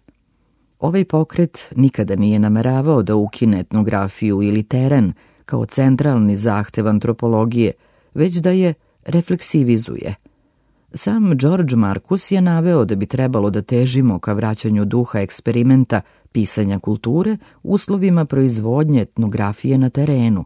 Speaker 1: Ovaj pokret nikada nije nameravao da ukine etnografiju ili teren kao centralni zahtev antropologije, već da je refleksivizuje. Sam George Marcus je naveo da bi trebalo da težimo ka vraćanju duha eksperimenta pisanja kulture uslovima proizvodnje etnografije na terenu.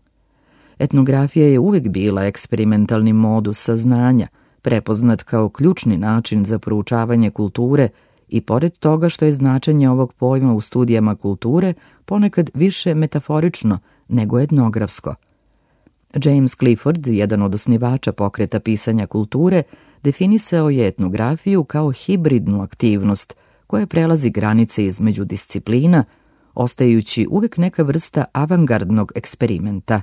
Speaker 1: Etnografija je uvek bila eksperimentalni modus saznanja, prepoznat kao ključni način za proučavanje kulture i pored toga što je značenje ovog pojma u studijama kulture ponekad više metaforično nego etnografsko. James Clifford, jedan od osnivača pokreta pisanja kulture, definisao je etnografiju kao hibridnu aktivnost koja prelazi granice između disciplina, ostajući uvek neka vrsta avangardnog eksperimenta.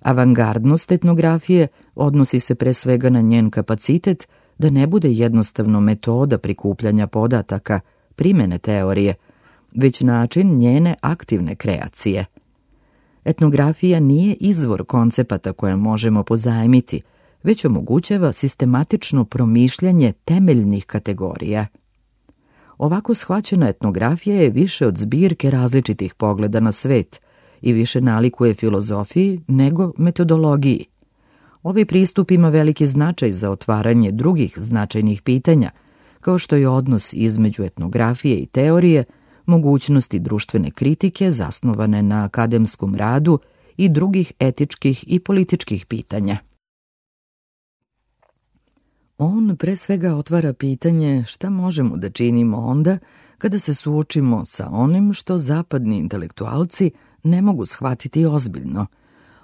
Speaker 1: Avangardnost etnografije odnosi se pre svega na njen kapacitet da ne bude jednostavno metoda prikupljanja podataka, primene teorije, već način njene aktivne kreacije. Etnografija nije izvor koncepata koje možemo pozajmiti, već omogućava sistematično promišljanje temeljnih kategorija. Ovako shvaćena etnografija je više od zbirke različitih pogleda na svet i više nalikuje filozofiji nego metodologiji. Ovaj pristup ima veliki značaj za otvaranje drugih značajnih pitanja, kao što je odnos između etnografije i teorije, mogućnosti društvene kritike zasnovane na akademskom radu i drugih etičkih i političkih pitanja. On pre svega otvara pitanje šta možemo da činimo onda kada se suočimo sa onim što zapadni intelektualci ne mogu shvatiti ozbiljno.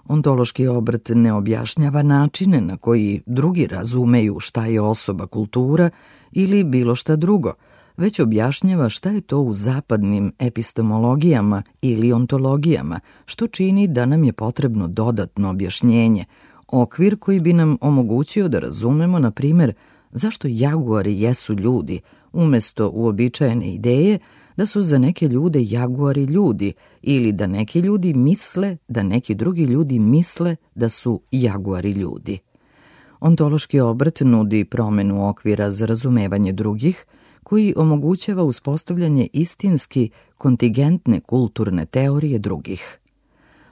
Speaker 1: Ontološki obrt ne objašnjava načine na koji drugi razumeju šta je osoba, kultura ili bilo šta drugo, već objašnjava šta je to u zapadnim epistemologijama ili ontologijama, što čini da nam je potrebno dodatno objašnjenje, okvir koji bi nam omogućio da razumemo, na primjer, zašto jaguari jesu ljudi, umesto uobičajene ideje da su za neke ljude jaguari ljudi ili da neki ljudi misle da neki drugi ljudi misle da su jaguari ljudi. Ontološki obrt nudi promenu okvira za razumevanje drugih, koji omogućava uspostavljanje istinski kontingentne kulturne teorije drugih.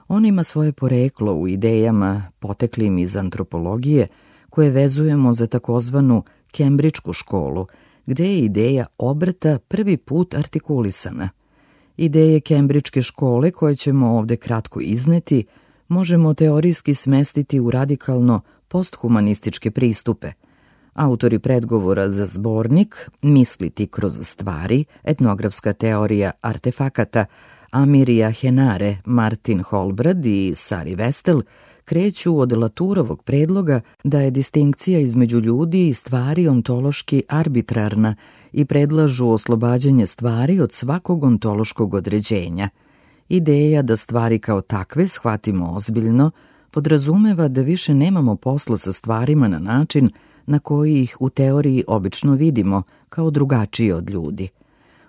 Speaker 1: On ima svoje poreklo u idejama poteklim iz antropologije, koje vezujemo za takozvanu Kembridžku školu, gde je ideja obrta prvi put artikulisana. Ideje Kembridžke škole, koje ćemo ovde kratko izneti, možemo teorijski smestiti u radikalno posthumanističke pristupe. Autori predgovora za zbornik Misliti kroz stvari, etnografska teorija artefakata, Amirija Henare, Martin Holbrad i Sari Vestel kreću od Laturovog predloga da je distinkcija između ljudi i stvari ontološki arbitrarna i predlažu oslobađanje stvari od svakog ontološkog određenja. Ideja da stvari kao takve shvatimo ozbiljno podrazumeva da više nemamo posla sa stvarima na način na koji ih u teoriji obično vidimo kao drugačije od ljudi.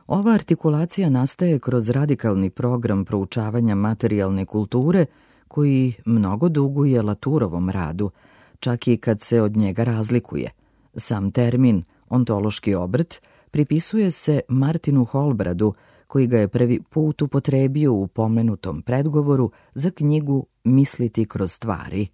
Speaker 1: Ova artikulacija nastaje kroz radikalni program proučavanja materijalne kulture koji mnogo duguje Laturovom radu, čak i kad se od njega razlikuje. Sam termin ontološki obrt pripisuje se Martinu Holbradu, koji ga je prvi put upotrebio u pomenutom predgovoru za knjigu Misliti kroz stvari.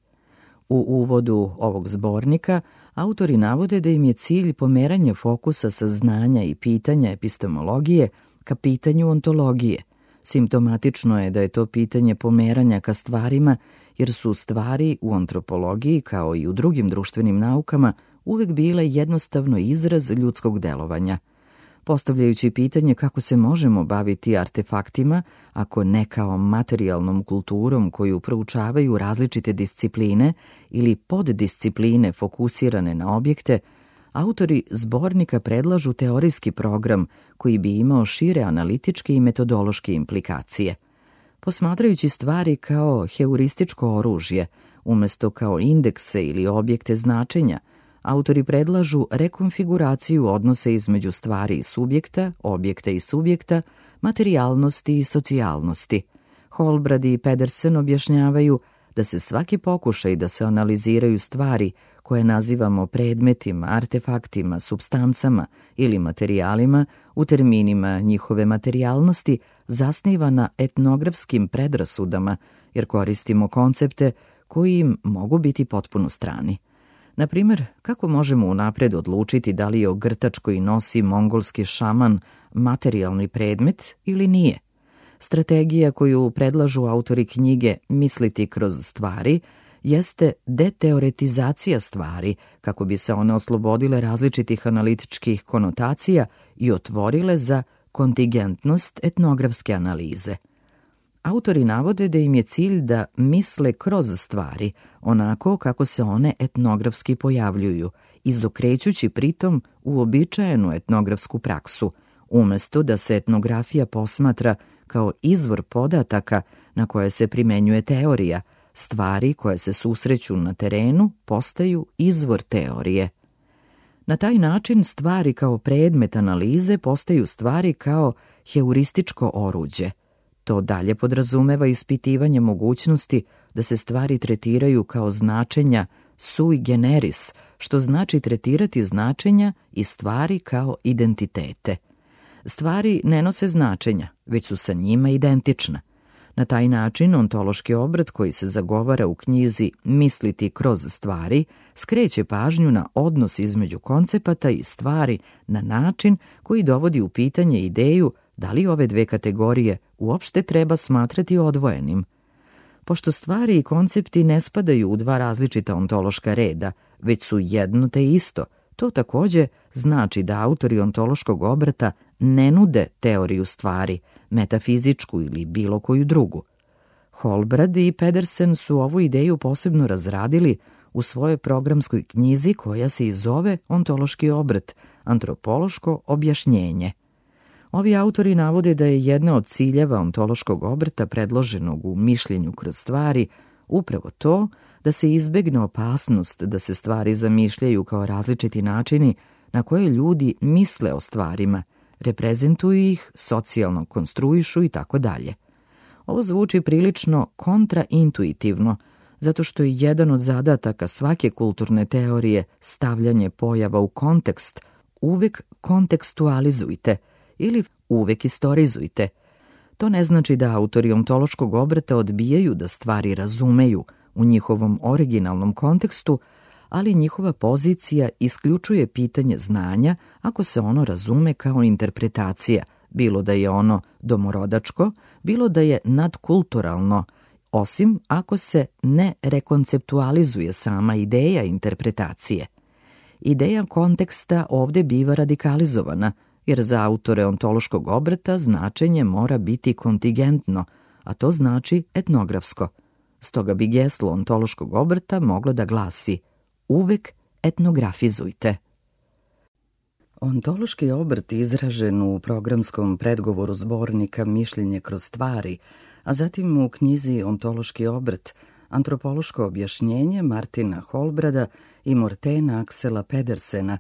Speaker 1: U uvodu ovog zbornika autori navode da im je cilj pomeranje fokusa sa znanja i pitanja epistemologije ka pitanju ontologije. Simptomatično je da je to pitanje pomeranja ka stvarima, jer su stvari u antropologiji, kao i u drugim društvenim naukama, uvek bile jednostavno izraz ljudskog delovanja. Postavljajući pitanje kako se možemo baviti artefaktima, ako ne kao materijalnom kulturom koju proučavaju različite discipline ili poddiscipline fokusirane na objekte, autori zbornika predlažu teorijski program koji bi imao šire analitičke i metodološke implikacije. Posmatrajući stvari kao heurističko oružje, umesto kao indekse ili objekte značenja, autori predlažu rekonfiguraciju odnosa između stvari i subjekta, objekta i subjekta, materijalnosti i socijalnosti. Holbrad i Pedersen objašnjavaju da se svaki pokušaj da se analiziraju stvari koje nazivamo predmetima, artefaktima, supstancama ili materijalima u terminima njihove materijalnosti zasniva na etnografskim predrasudama, jer koristimo koncepte koji im mogu biti potpuno strani. Na primjer, kako možemo unapred odlučiti da li je ogrtač koji nosi mongolski šaman materijalni predmet ili nije? Strategija koju predlažu autori knjige Misliti kroz stvari jeste deteoretizacija stvari, kako bi se one oslobodile različitih analitičkih konotacija i otvorile za kontingentnost etnografske analize. Autori navode da im je cilj da misle kroz stvari, onako kako se one etnografski pojavljuju, izokrećući pritom uobičajenu etnografsku praksu, umesto da se etnografija posmatra kao izvor podataka na koje se primenjuje teorija. Stvari koje se susreću na terenu postaju izvor teorije. Na taj način stvari kao predmet analize postaju stvari kao heurističko oruđe. To dalje podrazumeva ispitivanje mogućnosti da se stvari tretiraju kao značenja sui generis, što znači tretirati značenja i stvari kao identitete. Stvari ne nose značenja, već su sa njima identična. Na taj način ontološki obrat koji se zagovara u knjizi Misliti kroz stvari skreće pažnju na odnos između koncepata i stvari na način koji dovodi u pitanje ideju da li ove dve kategorije uopšte treba smatrati odvojenim. Pošto stvari i koncepti ne spadaju u dva različita ontološka reda, već su jedno te isto, to takođe znači da autori ontološkog obrata ne nude teoriju stvari, metafizičku ili bilo koju drugu. Holbrad i Pedersen su ovu ideju posebno razradili u svojoj programskoj knjizi koja se i zove Ontološki obrat, antropološko objašnjenje. Ovi autori navode da je jedna od ciljeva ontološkog obrata predloženog u Mišljenju kroz stvari upravo to da se izbegne opasnost da se stvari zamišljaju kao različiti načini na koje ljudi misle o stvarima, reprezentuju ih, socijalno konstruišu i tako dalje. Ovo zvuči prilično kontraintuitivno, zato što je jedan od zadataka svake kulturne teorije stavljanje pojava u kontekst. Uvek kontekstualizujte ili uvek istorizujte. To ne znači da autori ontološkog obrata odbijaju da stvari razumeju u njihovom originalnom kontekstu, ali njihova pozicija isključuje pitanje znanja ako se ono razume kao interpretacija, bilo da je ono domorodačko, bilo da je nadkulturalno, osim ako se ne rekonceptualizuje sama ideja interpretacije. Ideja konteksta ovde biva radikalizovana, jer za autore ontološkog obrata značenje mora biti kontingentno, a to znači etnografsko. Stoga bi geslo ontološkog obrata moglo da glasi: uvek etnografizujte. Ontološki obrt izražen u programskom predgovoru zbornika Mišljenje kroz stvari, a zatim u knjizi Ontološki obrt, antropološko objašnjenje Martina Holbrada i Mortena Aksela Pedersena,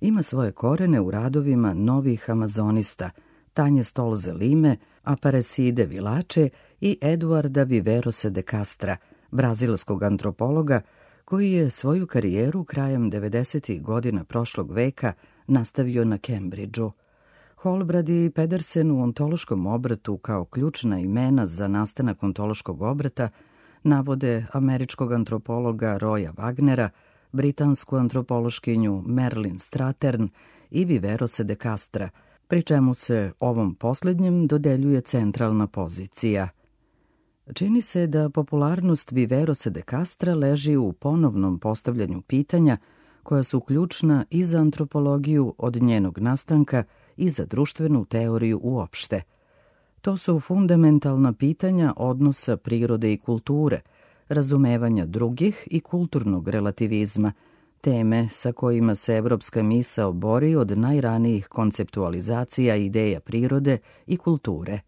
Speaker 1: ima svoje korene u radovima novih amazonista Tanje Stolze Lime, Aparecide Vilače i Eduarda Viverose de Castra, brazilskog antropologa koji je svoju karijeru krajem 90. godina prošlog veka nastavio na Cambridgeu. Holbrad i Pedersen u ontološkom obratu kao ključna imena za nastanak ontološkog obrata navode američkog antropologa Roya Wagnera, britansku antropološkinju Merlin Strattern i Viverose de Castra, pri čemu se ovom posljednjem dodeljuje centralna pozicija. Čini se da popularnost Viverose de Castra leži u ponovnom postavljanju pitanja koja su ključna i za antropologiju od njenog nastanka i za društvenu teoriju uopšte. To su fundamentalna pitanja odnosa prirode i kulture, razumevanja drugih i kulturnog relativizma, teme sa kojima se evropska misao bori od najranijih konceptualizacija ideja prirode i kulture.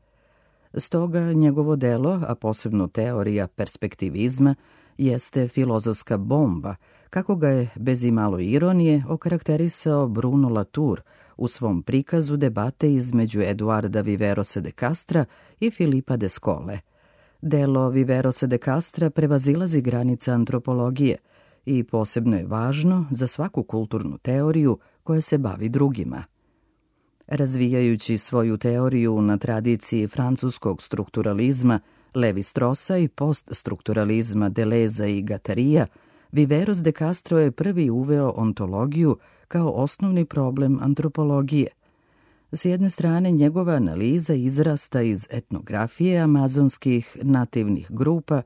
Speaker 1: Stoga njegovo delo, a posebno teorija perspektivizma, jeste filozofska bomba, kako ga je bez imalo ironije okarakterisao Bruno Latour u svom prikazu debate između Eduarda Viverose de Castra i Filipa de Scole. Delo Viverose de Castra prevazilazi granice antropologije i posebno je važno za svaku kulturnu teoriju koja se bavi drugima. Razvijajući svoju teoriju na tradiciji francuskog strukturalizma, Levi-Strossa i poststrukturalizma Deleza i Guattari'a, Viveros de Castro je prvi uveo ontologiju kao osnovni problem antropologije. S jedne strane, njegova analiza izrasta iz etnografije amazonskih nativnih grupa,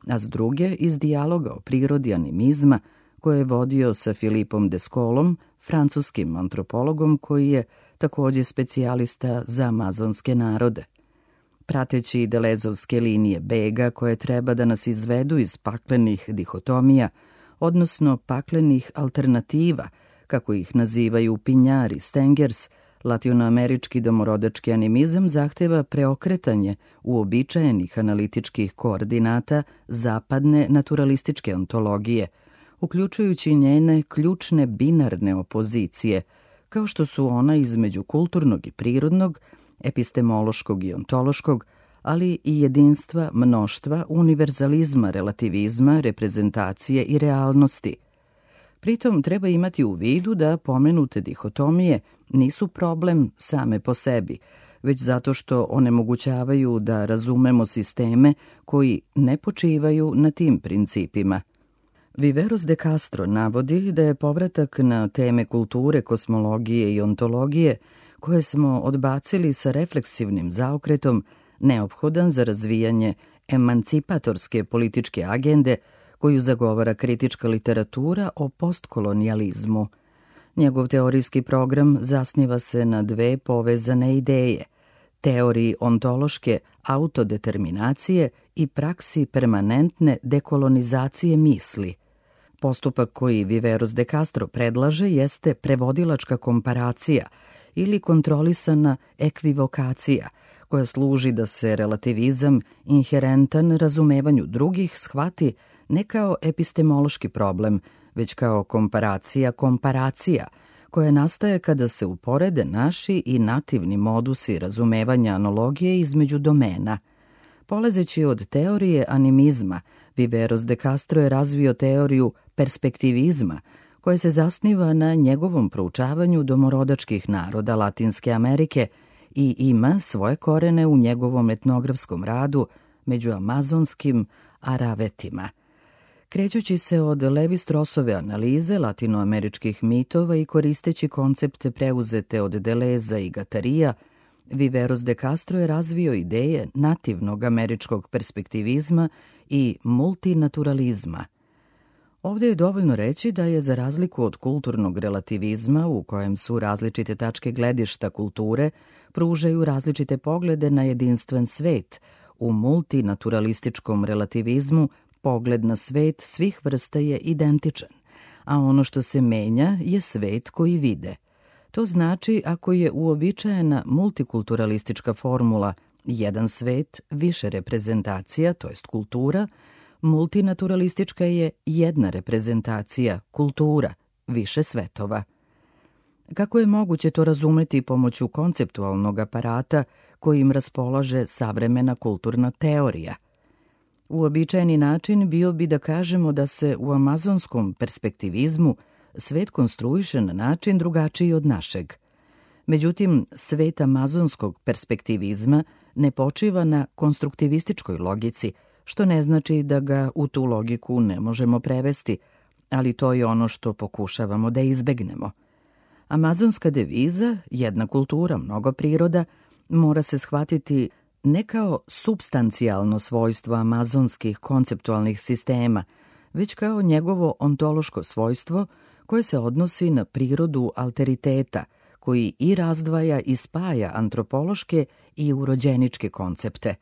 Speaker 1: a s druge iz dijaloga o prirodi animizma koje je vodio sa Filipom de Scolom, francuskim antropologom koji je također specijalista za amazonske narode. Prateći delezovske linije bega koje treba da nas izvedu iz paklenih dihotomija, odnosno paklenih alternativa, kako ih nazivaju Pinjar i Stengers, latinoamerički domorodački animizam zahteva preokretanje uobičajenih analitičkih koordinata zapadne naturalističke ontologije, uključujući njene ključne binarne opozicije, kao što su ona između kulturnog i prirodnog, epistemološkog i ontološkog, ali i jedinstva, mnoštva, univerzalizma, relativizma, reprezentacije i realnosti. Pritom treba imati u vidu da pomenute dihotomije nisu problem same po sebi, već zato što onemogućavaju da razumemo sisteme koji ne počivaju na tim principima. Viveros de Castro navodi da je povratak na teme kulture, kosmologije i ontologije, koje smo odbacili sa refleksivnim zaokretom, neophodan za razvijanje emancipatorske političke agende koju zagovara kritička literatura o postkolonijalizmu. Njegov teorijski program zasniva se na dve povezane ideje, teoriji ontološke autodeterminacije i praksi permanentne dekolonizacije misli. Postupak koji Viveros de Castro predlaže jeste prevodilačka komparacija ili kontrolisana ekvivokacija, koja služi da se relativizam inherentan razumevanju drugih shvati ne kao epistemološki problem, već kao komparacija, koja nastaje kada se uporede naši i nativni modusi razumevanja analogije između domena. Polazeći od teorije animizma, Viveros de Castro je razvio teoriju perspektivizma, koja se zasniva na njegovom proučavanju domorodačkih naroda Latinske Amerike i ima svoje korene u njegovom etnografskom radu među amazonskim Aravetima. Krećući se od Levi-Strossove analize latinoameričkih mitova i koristeći koncepte preuzete od Deleza i Guattari'a, Viveros de Castro je razvio ideje nativnog američkog perspektivizma i multinaturalizma. Ovdje je dovoljno reći da je, za razliku od kulturnog relativizma u kojem su različite tačke gledišta kulture pružaju različite poglede na jedinstven svet, u multinaturalističkom relativizmu pogled na svet svih vrsta je identičan, a ono što se menja je svet koji vide. To znači, ako je uobičajena multikulturalistička formula jedan svet, više reprezentacija, to jest kultura, multinaturalistička je jedna reprezentacija, kultura, više svetova. Kako je moguće to razumeti pomoću konceptualnog aparata kojim raspolaže savremena kulturna teorija? Uobičajeni način bio bi da kažemo da se u amazonskom perspektivizmu svet konstruiše na način drugačiji od našeg. Međutim, svet amazonskog perspektivizma ne počiva na konstruktivističkoj logici, što ne znači da ga u tu logiku ne možemo prevesti, ali to je ono što pokušavamo da izbegnemo. Amazonska deviza, jedna kultura, mnogo priroda, mora se shvatiti ne kao supstancijalno svojstvo amazonskih konceptualnih sistema, već kao njegovo ontološko svojstvo koje se odnosi na prirodu alteriteta, koji i razdvaja i spaja antropološke i urođeničke koncepte.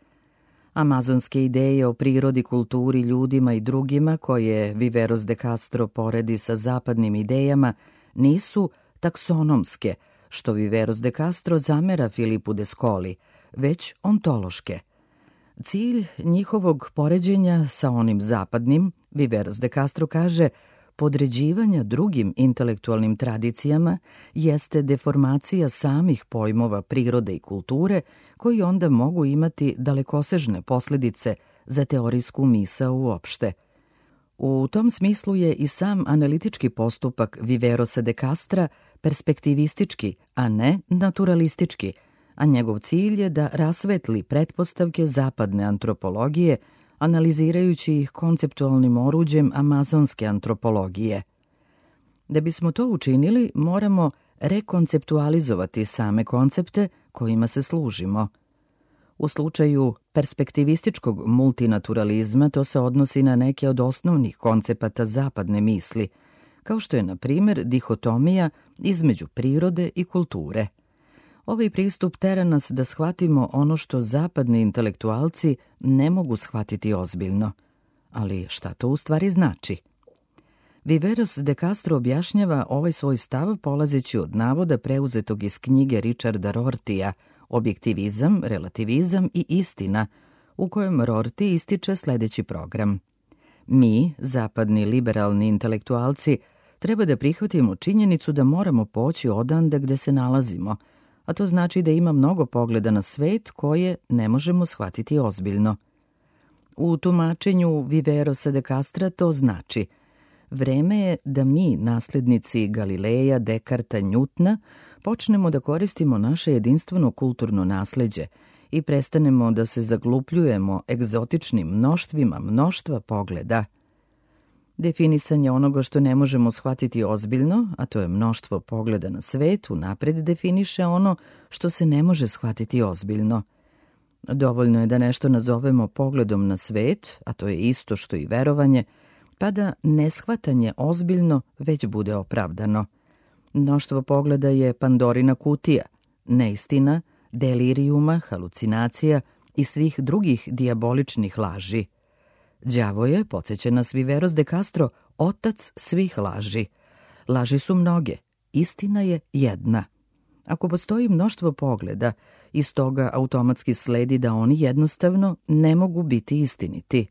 Speaker 1: Amazonske ideje o prirodi, kulturi, ljudima i drugima, koje Viveros de Castro poredi sa zapadnim idejama, nisu taksonomske, što Viveros de Castro zamera Filipu de Scoli, već ontološke. Cilj njihovog poređenja sa onim zapadnim, Viveros de Castro kaže, podređivanja drugim intelektualnim tradicijama jeste deformacija samih pojmova prirode i kulture, koji onda mogu imati dalekosežne posledice za teorijsku misao uopšte. U tom smislu je i sam analitički postupak Viverosa de Castra perspektivistički, a ne naturalistički, a njegov cilj je da rasvetli pretpostavke zapadne antropologije, analizirajući ih konceptualnim oruđem amazonske antropologije. Da bismo to učinili, moramo rekonceptualizovati same koncepte kojima se služimo. U slučaju perspektivističkog multinaturalizma to se odnosi na neke od osnovnih koncepata zapadne misli, kao što je, na primjer, dihotomija između prirode i kulture. Ovaj pristup tera nas da shvatimo ono što zapadni intelektualci ne mogu shvatiti ozbiljno. Ali šta to u stvari znači? Viveros de Castro objašnjava ovaj svoj stav polazeći od navoda preuzetog iz knjige Richarda Rortija Objektivizam, relativizam i istina, u kojem Rorty ističe sledeći program. Mi, zapadni liberalni intelektualci, treba da prihvatimo činjenicu da moramo poći odande gde se nalazimo, a to znači da ima mnogo pogleda na svet koje ne možemo shvatiti ozbiljno. U tumačenju Viverosa de Castra to znači: vreme je da mi, naslednici Galileja, Dekarta, Njutna, počnemo da koristimo naše jedinstveno kulturno nasleđe i prestanemo da se zaglupljujemo egzotičnim mnoštvima mnoštva pogleda. Definisanje onoga što ne možemo shvatiti ozbiljno, a to je mnoštvo pogleda na svet, unapred definiše ono što se ne može shvatiti ozbiljno. Dovoljno je da nešto nazovemo pogledom na svet, a to je isto što i verovanje, pa da neshvatanje ozbiljno već bude opravdano. Mnoštvo pogleda je Pandorina kutija, neistina, delirijuma, halucinacija i svih drugih dijaboličnih laži. Đavo je, podsjeća nas Viveros de Castro, otac svih laži. Laži su mnoge, istina je jedna. Ako postoji mnoštvo pogleda, iz toga automatski sledi da oni jednostavno ne mogu biti istiniti.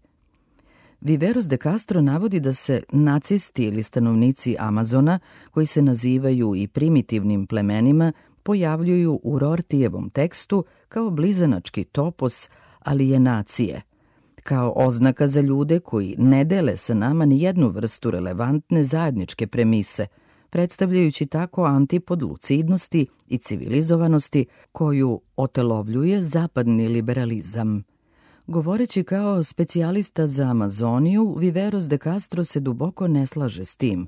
Speaker 1: Viveros de Castro navodi da se nacisti ili stanovnici Amazona, koji se nazivaju i primitivnim plemenima, pojavljuju u Rortijevom tekstu kao blizanački topos alijenacije, kao oznaka za ljude koji ne dele sa nama ni jednu vrstu relevantne zajedničke premise, predstavljajući tako antipod lucidnosti i civilizovanosti koju otelovljuje zapadni liberalizam. Govoreći kao specijalista za Amazoniju, Viveros de Castro se duboko ne slaže s tim,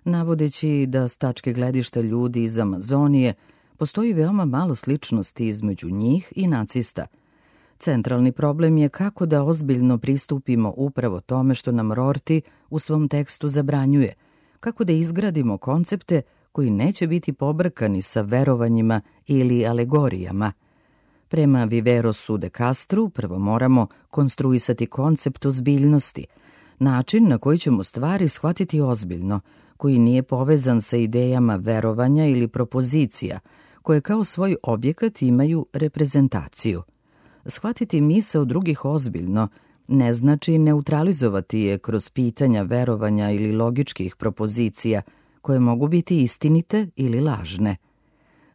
Speaker 1: navodeći da s tačke gledišta ljudi iz Amazonije postoji veoma malo sličnosti između njih i nacista. Centralni problem je kako da ozbiljno pristupimo upravo tome što nam Rorty u svom tekstu zabranjuje, kako da izgradimo koncepte koji neće biti pobrkani sa verovanjima ili alegorijama. Prema Viverosu de Castru prvo moramo konstruisati koncept ozbiljnosti, način na koji ćemo stvari shvatiti ozbiljno, koji nije povezan sa idejama verovanja ili propozicija, koje kao svoj objekat imaju reprezentaciju. Shvatiti misao drugih ozbiljno ne znači neutralizovati je kroz pitanja verovanja ili logičkih propozicija, koje mogu biti istinite ili lažne.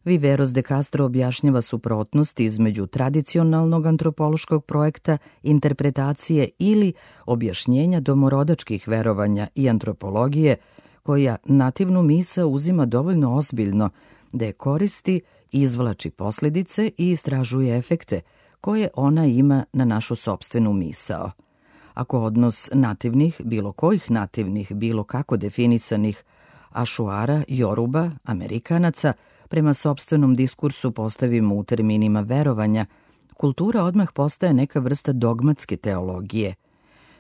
Speaker 1: Viveros de Castro objašnjava suprotnost između tradicionalnog antropološkog projekta, interpretacije ili objašnjenja domorodačkih verovanja i antropologije, koja nativnu misao uzima dovoljno ozbiljno da je koristi izvlači posljedice i istražuje efekte koje ona ima na našu sopstvenu misao. Ako odnos nativnih, bilo kojih nativnih, bilo kako definisanih, Ašuara, Joruba, Amerikanaca, prema sopstvenom diskursu postavimo u terminima verovanja, kultura odmah postaje neka vrsta dogmatske teologije.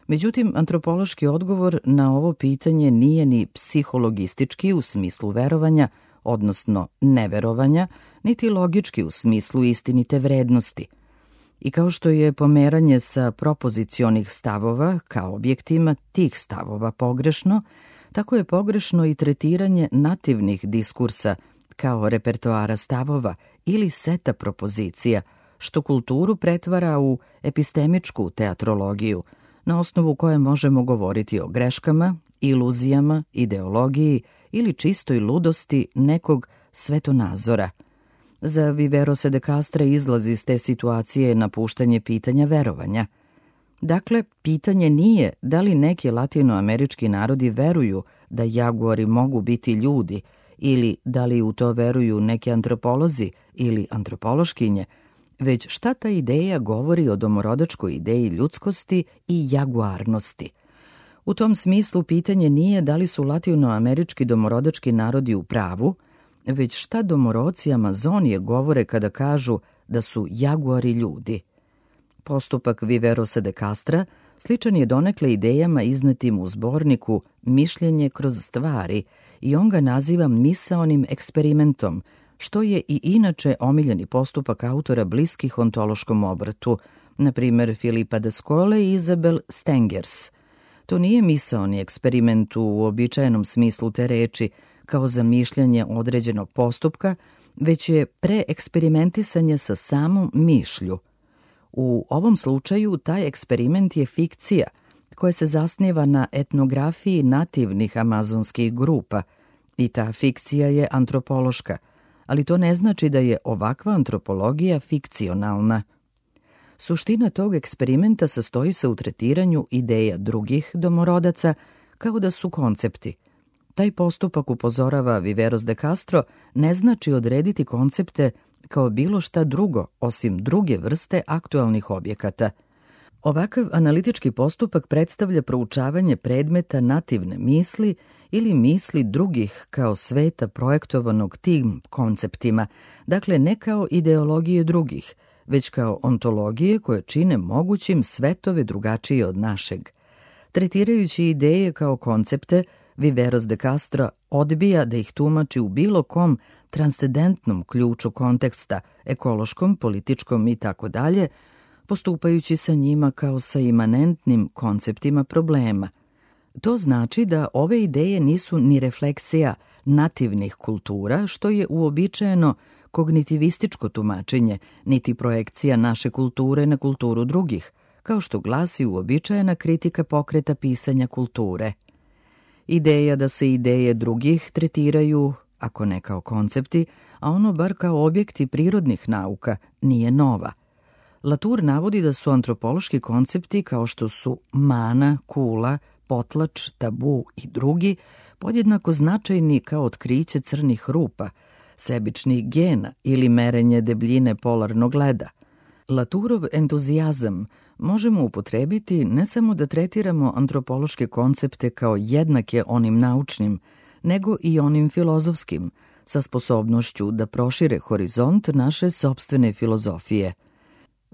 Speaker 1: Međutim, antropološki odgovor na ovo pitanje nije ni psihologistički u smislu verovanja, odnosno neverovanja, niti logički u smislu istinite vrednosti. I kao što je pomeranje sa propozicionih stavova kao objektima tih stavova pogrešno, tako je pogrešno i tretiranje nativnih diskursa kao repertoara stavova ili seta propozicija, što kulturu pretvara u epistemičku teatrologiju, na osnovu koje možemo govoriti o greškama, iluzijama, ideologiji ili čistoj ludosti nekog svetonazora. Za Viverosa de Castra izlaz iz te situacije napuštanje pitanja verovanja. Dakle, pitanje nije da li neki latinoamerički narodi veruju da jaguari mogu biti ljudi ili da li u to veruju neki antropolozi ili antropološkinje, već šta ta ideja govori o domorodačkoj ideji ljudskosti i jaguarnosti. U tom smislu pitanje nije da li su latinoamerički domorodački narodi u pravu, već šta domoroci Amazonije govore kada kažu da su jaguari ljudi. Postupak Viverosa de Castra sličan je donekle idejama iznetim u zborniku Mišljenje kroz stvari i on ga naziva misaonim eksperimentom, što je i inače omiljeni postupak autora bliskih ontološkom obrtu, na primjer Filipa de Skole i Isabel Stengers. To nije misaoni eksperiment u uobičajenom smislu te reči, kao zamišljanje određenog postupka, već je preeksperimentisanje sa samom mišlju. U ovom slučaju taj eksperiment je fikcija koja se zasniva na etnografiji nativnih amazonskih grupa i ta fikcija je antropološka, ali to ne znači da je ovakva antropologija fikcionalna. Suština tog eksperimenta sastoji se u tretiranju ideja drugih domorodaca kao da su koncepti. Taj postupak, upozorava Viveros de Castro, ne znači odrediti koncepte kao bilo šta drugo osim druge vrste aktualnih objekata. Ovakav analitički postupak predstavlja proučavanje predmeta nativne misli ili misli drugih kao sveta projektovanog tim konceptima, dakle ne kao ideologije drugih, već kao ontologije koje čine mogućim svetove drugačije od našeg. Tretirajući ideje kao koncepte, Viveros de Castro odbija da ih tumači u bilo kom transcendentnom ključu konteksta, ekološkom, političkom i tako dalje, postupajući sa njima kao sa imanentnim konceptima problema. To znači da ove ideje nisu ni refleksija nativnih kultura, što je uobičajeno kognitivističko tumačenje, niti projekcija naše kulture na kulturu drugih, kao što glasi uobičajena kritika pokreta pisanja kulture. Ideja da se ideje drugih tretiraju, ako ne kao koncepti, a ono bar kao objekti prirodnih nauka, nije nova. Latour navodi da su antropološki koncepti kao što su mana, kula, potlač, tabu i drugi podjednako značajni kao otkriće crnih rupa, sebičnih gena ili merenje debljine polarnog leda. Latourov entuzijazam možemo upotrebiti ne samo da tretiramo antropološke koncepte kao jednake onim naučnim, nego i onim filozofskim, sa sposobnošću da prošire horizont naše sopstvene filozofije.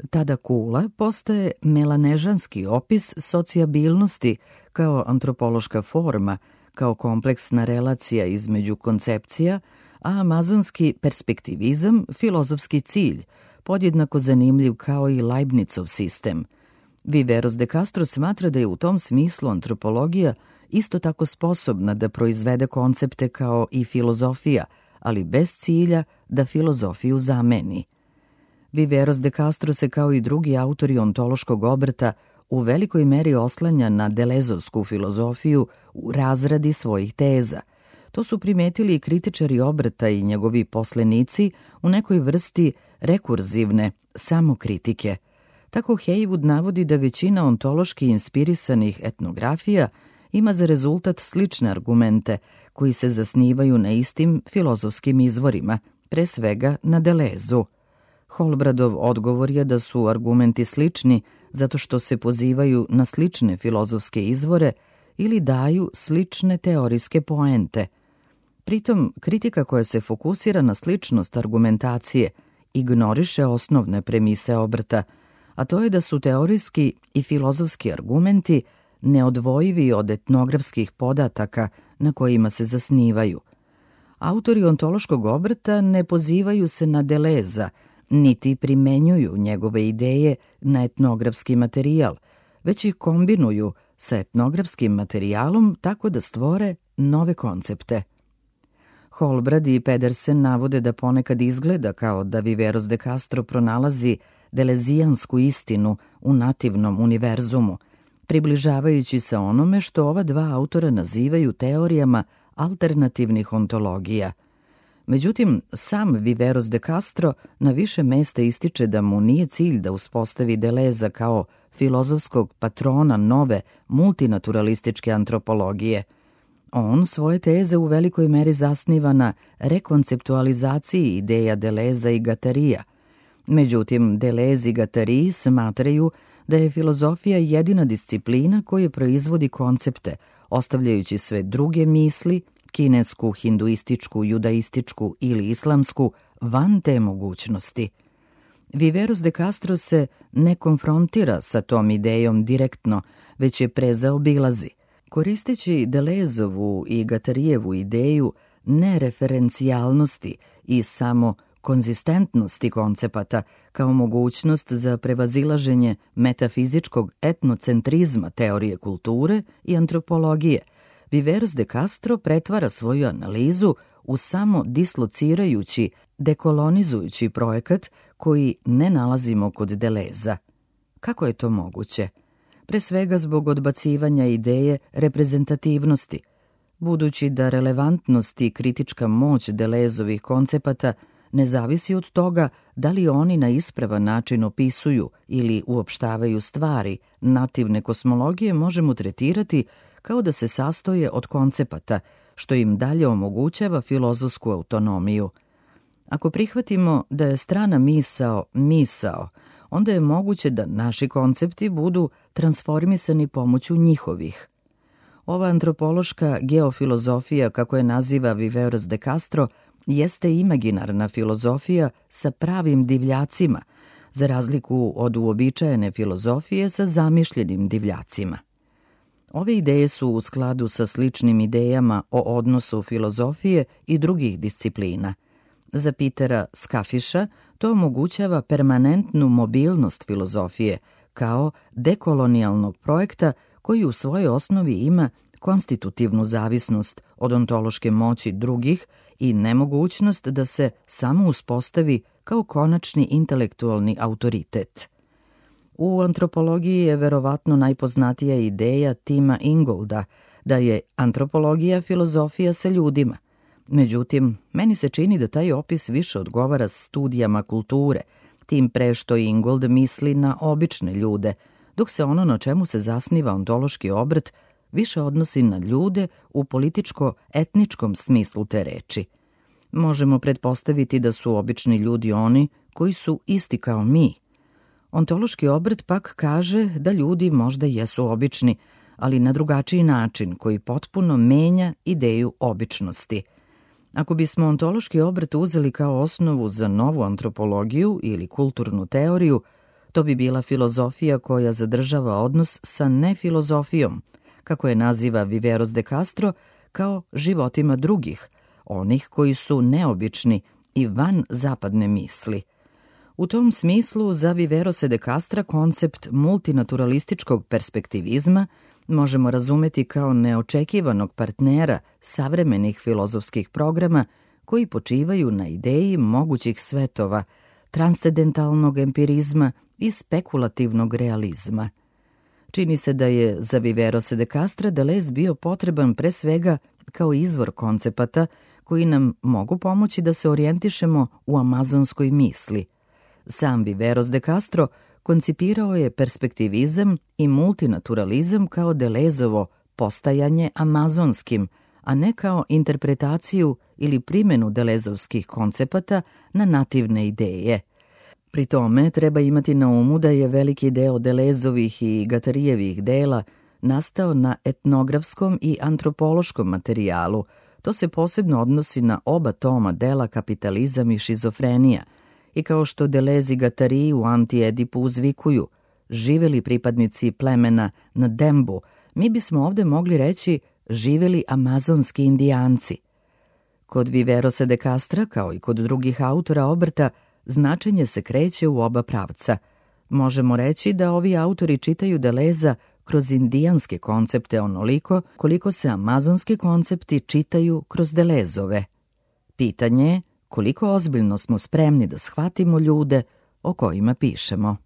Speaker 1: Tada kula postaje melanežanski opis socijabilnosti kao antropološka forma, kao kompleksna relacija između koncepcija, a amazonski perspektivizam filozofski cilj, podjednako zanimljiv kao i Leibnizov sistem. Viveros de Castro smatra da je u tom smislu antropologija isto tako sposobna da proizvede koncepte kao i filozofija, ali bez cilja da filozofiju zameni. Viveros de Castro se kao i drugi autori ontološkog obrta u velikoj meri oslanja na delezovsku filozofiju u razradi svojih teza. To su primetili i kritičari obrta i njegovi poslenici u nekoj vrsti rekurzivne samokritike. Tako Heywood navodi da većina ontološki inspirisanih etnografija ima za rezultat slične argumente koji se zasnivaju na istim filozofskim izvorima, pre svega na Delezu. Holbradov odgovor je da su argumenti slični zato što se pozivaju na slične filozofske izvore ili daju slične teorijske poente. Pritom, kritika koja se fokusira na sličnost argumentacije ignoriše osnovne premise obrta, a to je da su teorijski i filozofski argumenti neodvojivi od etnografskih podataka na kojima se zasnivaju. Autori ontološkog obrta ne pozivaju se na Deleza, niti primenjuju njegove ideje na etnografski materijal, već ih kombinuju sa etnografskim materijalom tako da stvore nove koncepte. Holbrad i Pedersen navode da ponekad izgleda kao da Viveros de Castro pronalazi delezijansku istinu u nativnom univerzumu, približavajući se onome što ova dva autora nazivaju teorijama alternativnih ontologija. Međutim, sam Viveros de Castro na više mesta ističe da mu nije cilj da uspostavi Deleza kao filozofskog patrona nove multinaturalističke antropologije. On svoje teze u velikoj meri zasniva na rekonceptualizaciji ideja Deleza i Guattarija. Međutim, Deleuze i Guattari smatraju da je filozofija jedina disciplina koja proizvodi koncepte, ostavljajući sve druge misli, kinesku, hinduističku, judaističku ili islamsku, van te mogućnosti. Viveros de Castro se ne konfrontira sa tom idejom direktno, već je prezaobilazi. Koristeći Deleuzovu i Guattarijevu ideju nereferencijalnosti i samo konzistentnosti koncepata kao mogućnost za prevazilaženje metafizičkog etnocentrizma teorije kulture i antropologije, Viveros de Castro pretvara svoju analizu u samo dislocirajući, dekolonizujući projekat koji ne nalazimo kod Deleza. Kako je to moguće? Pre svega zbog odbacivanja ideje reprezentativnosti, budući da relevantnost i kritička moć Delezovih koncepata ne zavisi od toga da li oni na ispravan način opisuju ili uopštavaju stvari, nativne kosmologije možemo tretirati kao da se sastoje od koncepata, što im dalje omogućava filozofsku autonomiju. Ako prihvatimo da je strana misao, onda je moguće da naši koncepti budu transformisani pomoću njihovih. Ova antropološka geofilozofija, kako je naziva Viveros de Castro, jeste imaginarna filozofija sa pravim divljacima, za razliku od uobičajene filozofije sa zamišljenim divljacima. Ove ideje su u skladu sa sličnim idejama o odnosu filozofije i drugih disciplina. Za Petera Skafiša to omogućava permanentnu mobilnost filozofije kao dekolonijalnog projekta koji u svojoj osnovi ima konstitutivnu zavisnost od ontološke moći drugih i nemogućnost da se samo uspostavi kao konačni intelektualni autoritet. U antropologiji je verovatno najpoznatija ideja Tima Ingolda da je antropologija filozofija sa ljudima. Međutim, meni se čini da taj opis više odgovara studijama kulture, tim pre što Ingold misli na obične ljude, dok se ono na čemu se zasniva ontološki obrt više odnosi na ljude u političko-etničkom smislu te reči. Možemo pretpostaviti da su obični ljudi oni koji su isti kao mi. Ontološki obrt pak kaže da ljudi možda jesu obični, ali na drugačiji način koji potpuno menja ideju običnosti. Ako bismo ontološki obrt uzeli kao osnovu za novu antropologiju ili kulturnu teoriju, to bi bila filozofija koja zadržava odnos sa nefilozofijom, kako je naziva Viveros de Castro, kao životima drugih, onih koji su neobični i van zapadne misli. U tom smislu za Viverose de Castra koncept multinaturalističkog perspektivizma možemo razumeti kao neočekivanog partnera savremenih filozofskih programa koji počivaju na ideji mogućih svetova, transcendentalnog empirizma i spekulativnog realizma. Čini se da je za Viverose de Castra Deleuze bio potreban pre svega kao izvor koncepata koji nam mogu pomoći da se orijentišemo u amazonskoj misli. Sam Viveros de Castro koncipirao je perspektivizam i multinaturalizam kao Deleuzovo postajanje amazonskim, a ne kao interpretaciju ili primjenu delezovskih koncepata na nativne ideje. Pri tome treba imati na umu da je veliki deo Delezovih i Gatarijevih dela nastao na etnografskom i antropološkom materijalu. To se posebno odnosi na oba toma dela Kapitalizam i šizofrenija. I kao što Delez i Gatariji u Anti-Edipu uzvikuju, živeli pripadnici plemena na Dembu, mi bismo ovde mogli reći živeli amazonski indijanci. Kod Viverosa de Castra, kao i kod drugih autora obrta, značenje se kreće u oba pravca. Možemo reći da ovi autori čitaju Deleza kroz indijanske koncepte onoliko koliko se amazonski koncepti čitaju kroz Delezove. Pitanje je koliko ozbiljno smo spremni da shvatimo ljude o kojima pišemo.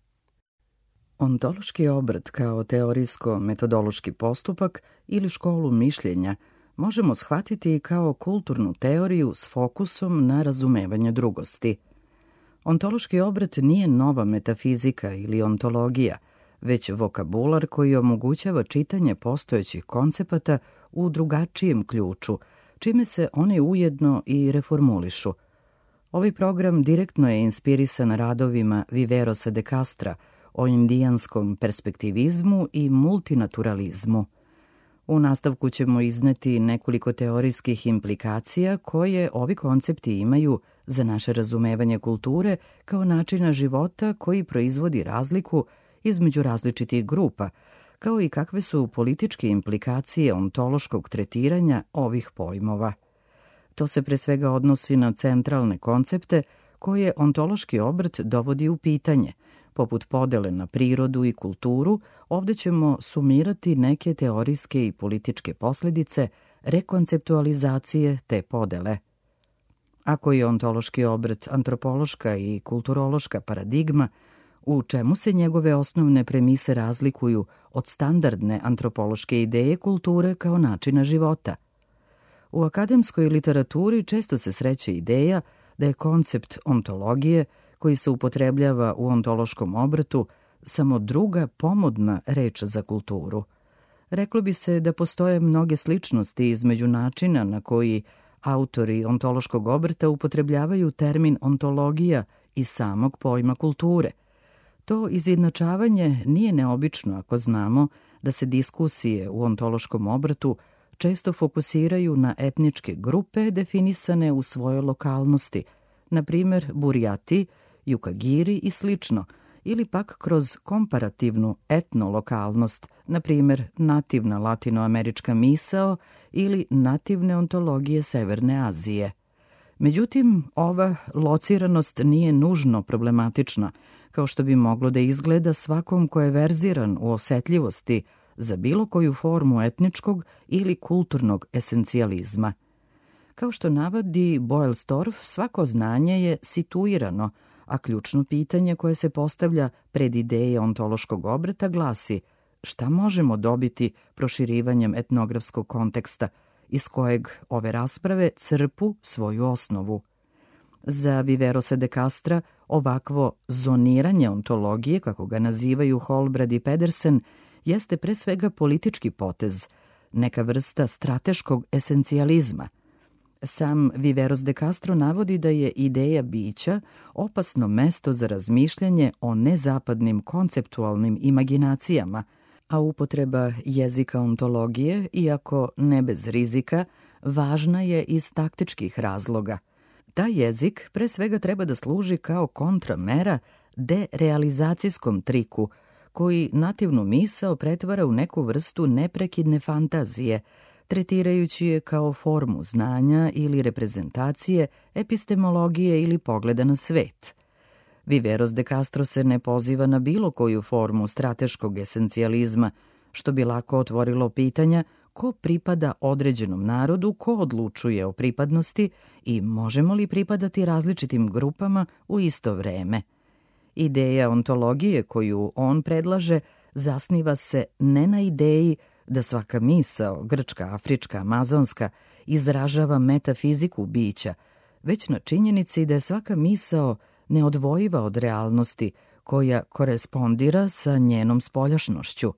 Speaker 1: Ontološki obrt kao teorijsko-metodološki postupak ili školu mišljenja možemo shvatiti kao kulturnu teoriju s fokusom na razumevanje drugosti. Ontološki obrt nije nova metafizika ili ontologija, već vokabular koji omogućava čitanje postojećih koncepata u drugačijem ključu, čime se oni ujedno i reformulišu. Ovaj program direktno je inspirisan radovima Viverosa de Castra o indijanskom perspektivizmu i multinaturalizmu. U nastavku ćemo izneti nekoliko teorijskih implikacija koje ovi koncepti imaju za naše razumevanje kulture kao načina života koji proizvodi razliku između različitih grupa, kao i kakve su političke implikacije ontološkog tretiranja ovih pojmova. To se pre svega odnosi na centralne koncepte koje ontološki obrt dovodi u pitanje. Poput podele na prirodu i kulturu, ovde ćemo sumirati neke teorijske i političke posljedice rekonceptualizacije te podele. Ako je ontološki obrt antropološka i kulturološka paradigma, u čemu se njegove osnovne premise razlikuju od standardne antropološke ideje kulture kao načina života? U akademskoj literaturi često se sreće ideja da je koncept ontologije, koji se upotrebljava u ontološkom obrtu, samo druga pomodna reč za kulturu. Reklo bi se da postoje mnoge sličnosti između načina na koji autori ontološkog obrta upotrebljavaju termin ontologija i samog pojma kulture. To izjednačavanje nije neobično ako znamo da se diskusije u ontološkom obrtu često fokusiraju na etničke grupe definisane u svojoj lokalnosti, na primjer Burijati, Jukagiri i slično, ili pak kroz komparativnu etnolokalnost, na primjer nativna latinoamerička misao ili nativne ontologije Severne Azije. Međutim, ova lociranost nije nužno problematična, kao što bi moglo da izgleda svakom ko je verziran u osetljivosti za bilo koju formu etničkog ili kulturnog esencijalizma. Kao što navodi Boelstorff, svako znanje je situirano, a ključno pitanje koje se postavlja pred ideje ontološkog obrta glasi šta možemo dobiti proširivanjem etnografskog konteksta, iz kojeg ove rasprave crpu svoju osnovu. Za Viverosa de Castra ovakvo zoniranje ontologije, kako ga nazivaju Holbrad i Pedersen, jeste pre svega politički potez, neka vrsta strateškog esencijalizma. Sam Viveros de Castro navodi da je ideja bića opasno mesto za razmišljanje o nezapadnim konceptualnim imaginacijama, a upotreba jezika ontologije, iako ne bez rizika, važna je iz taktičkih razloga. Taj jezik pre svega treba da služi kao kontramera derealizacijskom triku, koji nativnu misao pretvara u neku vrstu neprekidne fantazije, tretirajući je kao formu znanja ili reprezentacije, epistemologije ili pogleda na svet. Viveros de Castro se ne poziva na bilo koju formu strateškog esencijalizma, što bi lako otvorilo pitanja ko pripada određenom narodu, ko odlučuje o pripadnosti i možemo li pripadati različitim grupama u isto vreme. Ideja ontologije koju on predlaže zasniva se ne na ideji da svaka misao, grčka, afrička, amazonska, izražava metafiziku bića, već na činjenici da je svaka misao neodvojiva od realnosti koja korespondira sa njenom spoljašnošću.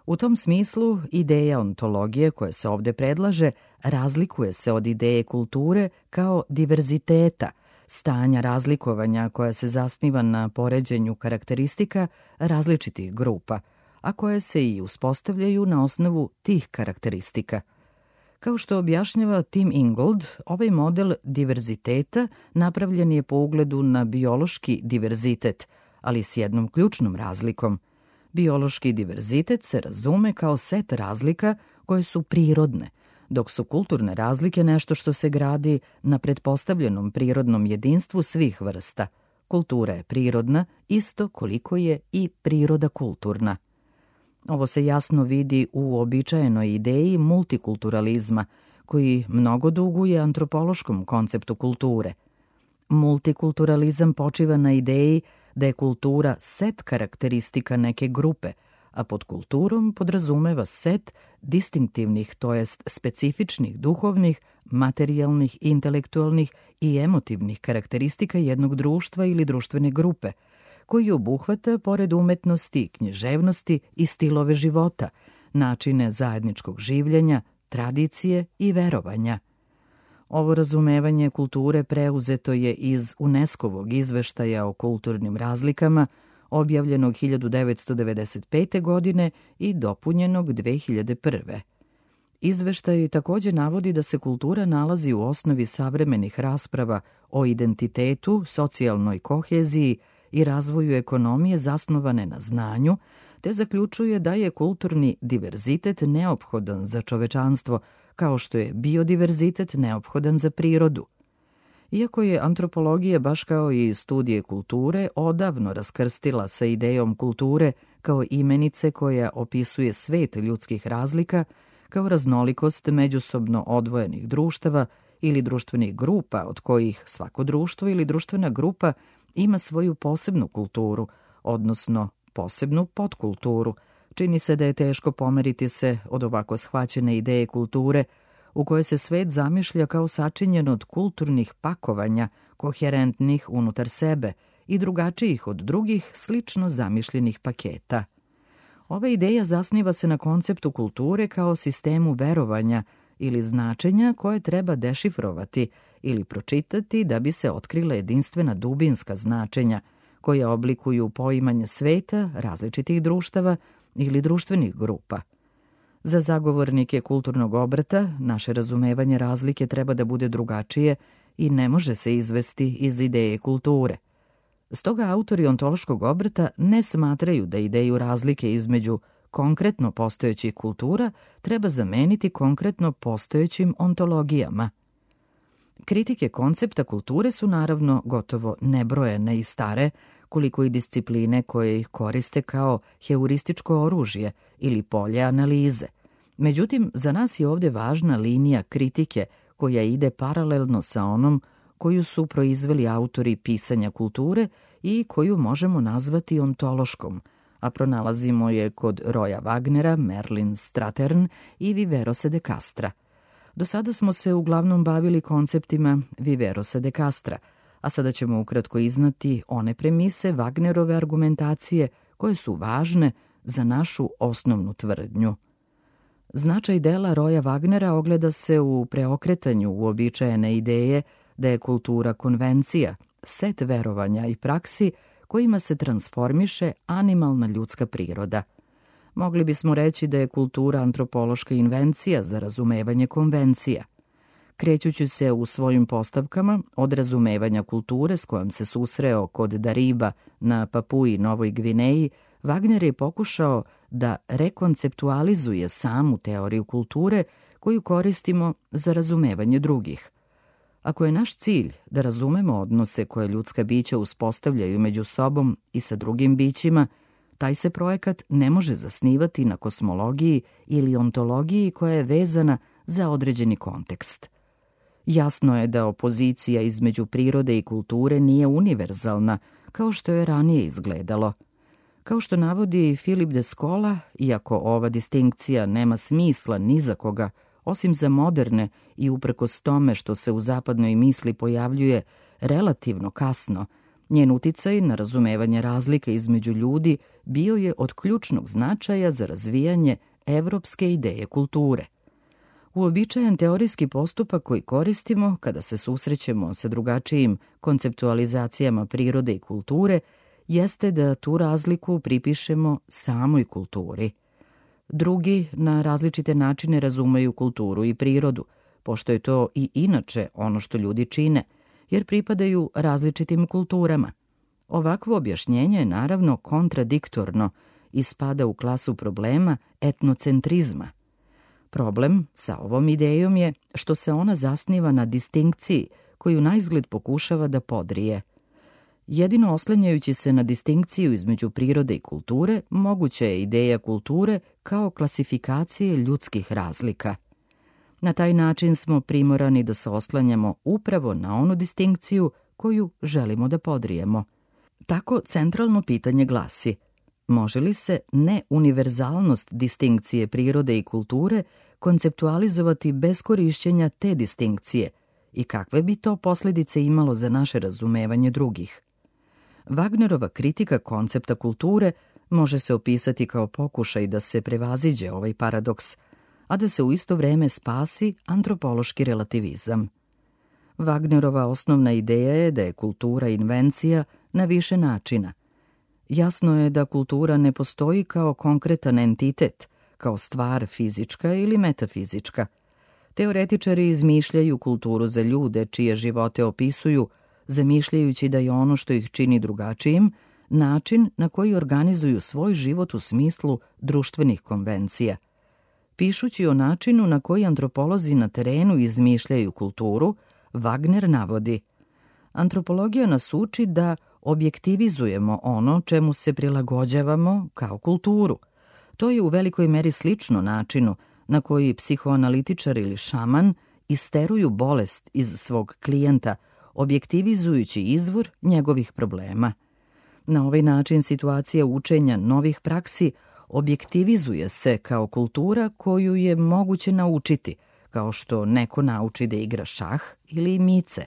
Speaker 1: U tom smislu, ideja ontologije koja se ovde predlaže razlikuje se od ideje kulture kao diverziteta, stanja razlikovanja koja se zasniva na poređenju karakteristika različitih grupa, a koje se i uspostavljaju na osnovu tih karakteristika. Kao što objašnjava Tim Ingold, ovaj model diverziteta napravljen je po ugledu na biološki diverzitet, ali s jednom ključnom razlikom. Biološki diverzitet se razume kao set razlika koje su prirodne, dok su kulturne razlike nešto što se gradi na pretpostavljenom prirodnom jedinstvu svih vrsta. Kultura je prirodna isto koliko je i priroda kulturna. Ovo se jasno vidi u uobičajenoj ideji multikulturalizma, koji mnogo duguje antropološkom konceptu kulture. Multikulturalizam počiva na ideji da je kultura set karakteristika neke grupe, a pod kulturom podrazumeva set distinktivnih, to jest specifičnih duhovnih, materijalnih, intelektualnih i emotivnih karakteristika jednog društva ili društvene grupe, koji obuhvata, pored umetnosti, književnosti i stilove života, načine zajedničkog življenja, tradicije i verovanja. Ovo razumevanje kulture preuzeto je iz UNESCO-vog izveštaja o kulturnim razlikama, objavljenog 1995. godine i dopunjenog 2001. Izveštaj takođe navodi da se kultura nalazi u osnovi savremenih rasprava o identitetu, socijalnoj koheziji i razvoju ekonomije zasnovane na znanju, te zaključuje da je kulturni diverzitet neophodan za čovečanstvo, kao što je biodiverzitet neophodan za prirodu. Iako je antropologija, baš kao i studije kulture, odavno raskrstila sa idejom kulture kao imenice koja opisuje svet ljudskih razlika, kao raznolikost međusobno odvojenih društava ili društvenih grupa od kojih svako društvo ili društvena grupa ima svoju posebnu kulturu, odnosno posebnu podkulturu, čini se da je teško pomeriti se od ovako shvaćene ideje kulture u kojoj se svet zamišlja kao sačinjen od kulturnih pakovanja, koherentnih unutar sebe i drugačijih od drugih slično zamišljenih paketa. Ova ideja zasniva se na konceptu kulture kao sistemu verovanja ili značenja koje treba dešifrovati ili pročitati da bi se otkrila jedinstvena dubinska značenja koja oblikuju poimanje sveta, različitih društava ili društvenih grupa. Za zagovornike kulturnog obrata naše razumevanje razlike treba da bude drugačije i ne može se izvesti iz ideje kulture. Stoga autori ontološkog obrata ne smatraju da ideju razlike između konkretno postojećih kultura treba zameniti konkretno postojećim ontologijama. Kritike koncepta kulture su naravno gotovo nebrojene i stare, koliko i discipline koje ih koriste kao heurističko oružje ili polje analize. Međutim, za nas je ovde važna linija kritike koja ide paralelno sa onom koju su proizveli autori pisanja kulture i koju možemo nazvati ontološkom, a pronalazimo je kod Roya Wagnera, Merlin Strathern i Viverosa de Castra. Do sada smo se uglavnom bavili konceptima Viverosa de Castra, a sada ćemo ukratko iznati one premise Wagnerove argumentacije koje su važne za našu osnovnu tvrdnju. Značaj dela Roya Wagnera ogleda se u preokretanju uobičajene ideje da je kultura konvencija, set verovanja i praksi kojima se transformiše animalna ljudska priroda. Mogli bismo reći da je kultura antropološka invencija za razumevanje konvencija. Krećući se u svojim postavkama od razumevanja kulture s kojom se susreo kod Dariba na Papui Novoj Gvineji, Wagner je pokušao da rekonceptualizuje samu teoriju kulture koju koristimo za razumevanje drugih. Ako je naš cilj da razumemo odnose koje ljudska bića uspostavljaju među sobom i sa drugim bićima, taj se projekat ne može zasnivati na kosmologiji ili ontologiji koja je vezana za određeni kontekst. Jasno je da opozicija između prirode i kulture nije univerzalna, kao što je ranije izgledalo. Kao što navodi Philip de Scola, iako ova distinkcija nema smisla ni za koga, osim za moderne i uprkos tome što se u zapadnoj misli pojavljuje relativno kasno, njen uticaj na razumevanje razlika između ljudi bio je od ključnog značaja za razvijanje evropske ideje kulture. Uobičajen teorijski postupak koji koristimo kada se susrećemo sa drugačijim konceptualizacijama prirode i kulture jeste da tu razliku pripišemo samoj kulturi. Drugi na različite načine razumeju kulturu i prirodu, pošto je to i inače ono što ljudi čine, jer pripadaju različitim kulturama. Ovakvo objašnjenje je naravno kontradiktorno i spada u klasu problema etnocentrizma. Problem sa ovom idejom je što se ona zasniva na distinkciji koju naizgled pokušava da podrije. Jedino oslanjajući se na distinkciju između prirode i kulture, moguća je ideja kulture kao klasifikacije ljudskih razlika. Na taj način smo primorani da se oslanjamo upravo na onu distinkciju koju želimo da podrijemo. Tako centralno pitanje glasi: može li se neuniverzalnost distinkcije prirode i kulture konceptualizovati bez korišćenja te distinkcije i kakve bi to posljedice imalo za naše razumevanje drugih? Wagnerova kritika koncepta kulture može se opisati kao pokušaj da se prevaziđe ovaj paradoks, a da se u isto vreme spasi antropološki relativizam. Wagnerova osnovna ideja je da je kultura invencija na više načina. Jasno je da kultura ne postoji kao konkretan entitet, kao stvar fizička ili metafizička. Teoretičari izmišljaju kulturu za ljude čije živote opisuju, zamišljajući da je ono što ih čini drugačijim način na koji organizuju svoj život u smislu društvenih konvencija. Pišući o načinu na koji antropolozi na terenu izmišljaju kulturu, Wagner navodi: antropologija nas uči da objektivizujemo ono čemu se prilagođavamo kao kulturu. To je u velikoj meri slično načinu na koji psihoanalitičar ili šaman isteruju bolest iz svog klijenta, objektivizujući izvor njegovih problema. Na ovaj način situacija učenja novih praksi objektivizuje se kao kultura koju je moguće naučiti, kao što neko nauči da igra šah ili mice.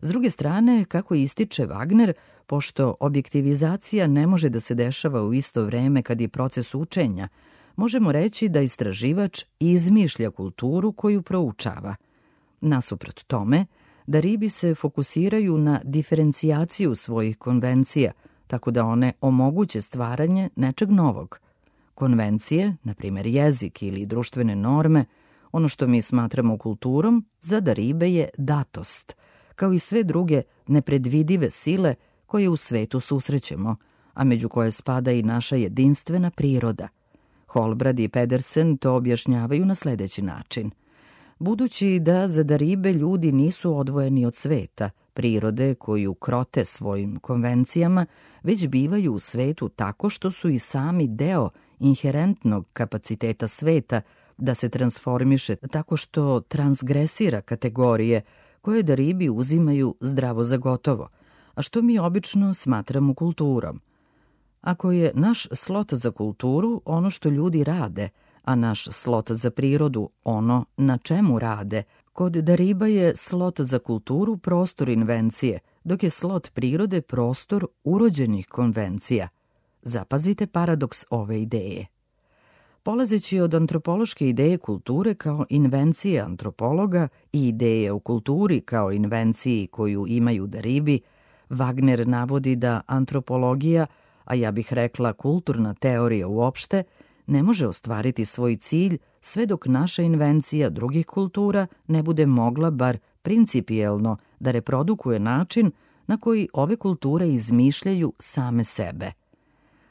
Speaker 1: S druge strane, kako ističe Wagner, pošto objektivizacija ne može da se dešava u isto vreme kad je proces učenja, možemo reći da istraživač izmišlja kulturu koju proučava. Nasuprot tome, da ribi se fokusiraju na diferencijaciju svojih konvencija, tako da one omoguće stvaranje nečeg novog. Konvencije, na primjer jezik ili društvene norme, ono što mi smatramo kulturom, za daribe je datost, kao i sve druge nepredvidive sile koje u svetu susrećemo, a među koje spada i naša jedinstvena priroda. Holbrad i Pedersen to objašnjavaju na sljedeći način. Budući da za daribe ljudi nisu odvojeni od sveta, prirode koju krote svojim konvencijama, već bivaju u svetu tako što su i sami deo inherentnog kapaciteta sveta da se transformiše tako što transgresira kategorije koje daribi uzimaju zdravo za gotovo, a što mi obično smatramo kulturom. Ako je naš slot za kulturu ono što ljudi rade, a naš slot za prirodu ono na čemu rade, kod dariba je slot za kulturu prostor invencije, dok je slot prirode prostor urođenih konvencija. Zapazite paradoks ove ideje. Polazeći od antropološke ideje kulture kao invencije antropologa i ideje o kulturi kao invenciji koju imaju daribi, Wagner navodi da antropologija, a ja bih rekla kulturna teorija uopšte, ne može ostvariti svoj cilj sve dok naša invencija drugih kultura ne bude mogla bar principijelno da reprodukuje način na koji ove kulture izmišljaju same sebe.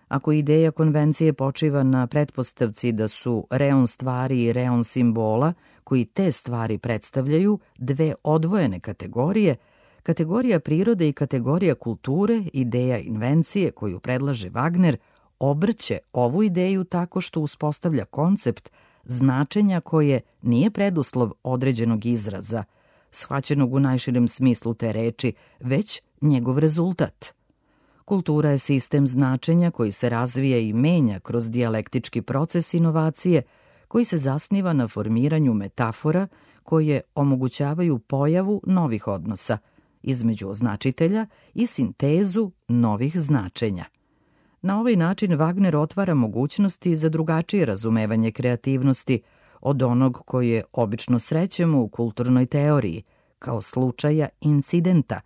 Speaker 1: Ako ideja konvencije počiva na pretpostavci da su reon stvari i reon simbola, koji te stvari predstavljaju, dve odvojene kategorije, kategorija prirode i kategorija kulture, ideja invencije koju predlaže Wagner, obrće ovu ideju tako što uspostavlja koncept značenja koje nije preduslov određenog izraza, shvaćenog u najširem smislu te reči, već njegov rezultat. Kultura je sistem značenja koji se razvija i menja kroz dijalektički proces inovacije, koji se zasniva na formiranju metafora koje omogućavaju pojavu novih odnosa između označitelja i sintezu novih značenja. Na ovaj način Wagner otvara mogućnosti za drugačije razumevanje kreativnosti od onog koje obično srećemo u kulturnoj teoriji, kao slučaja incidenta,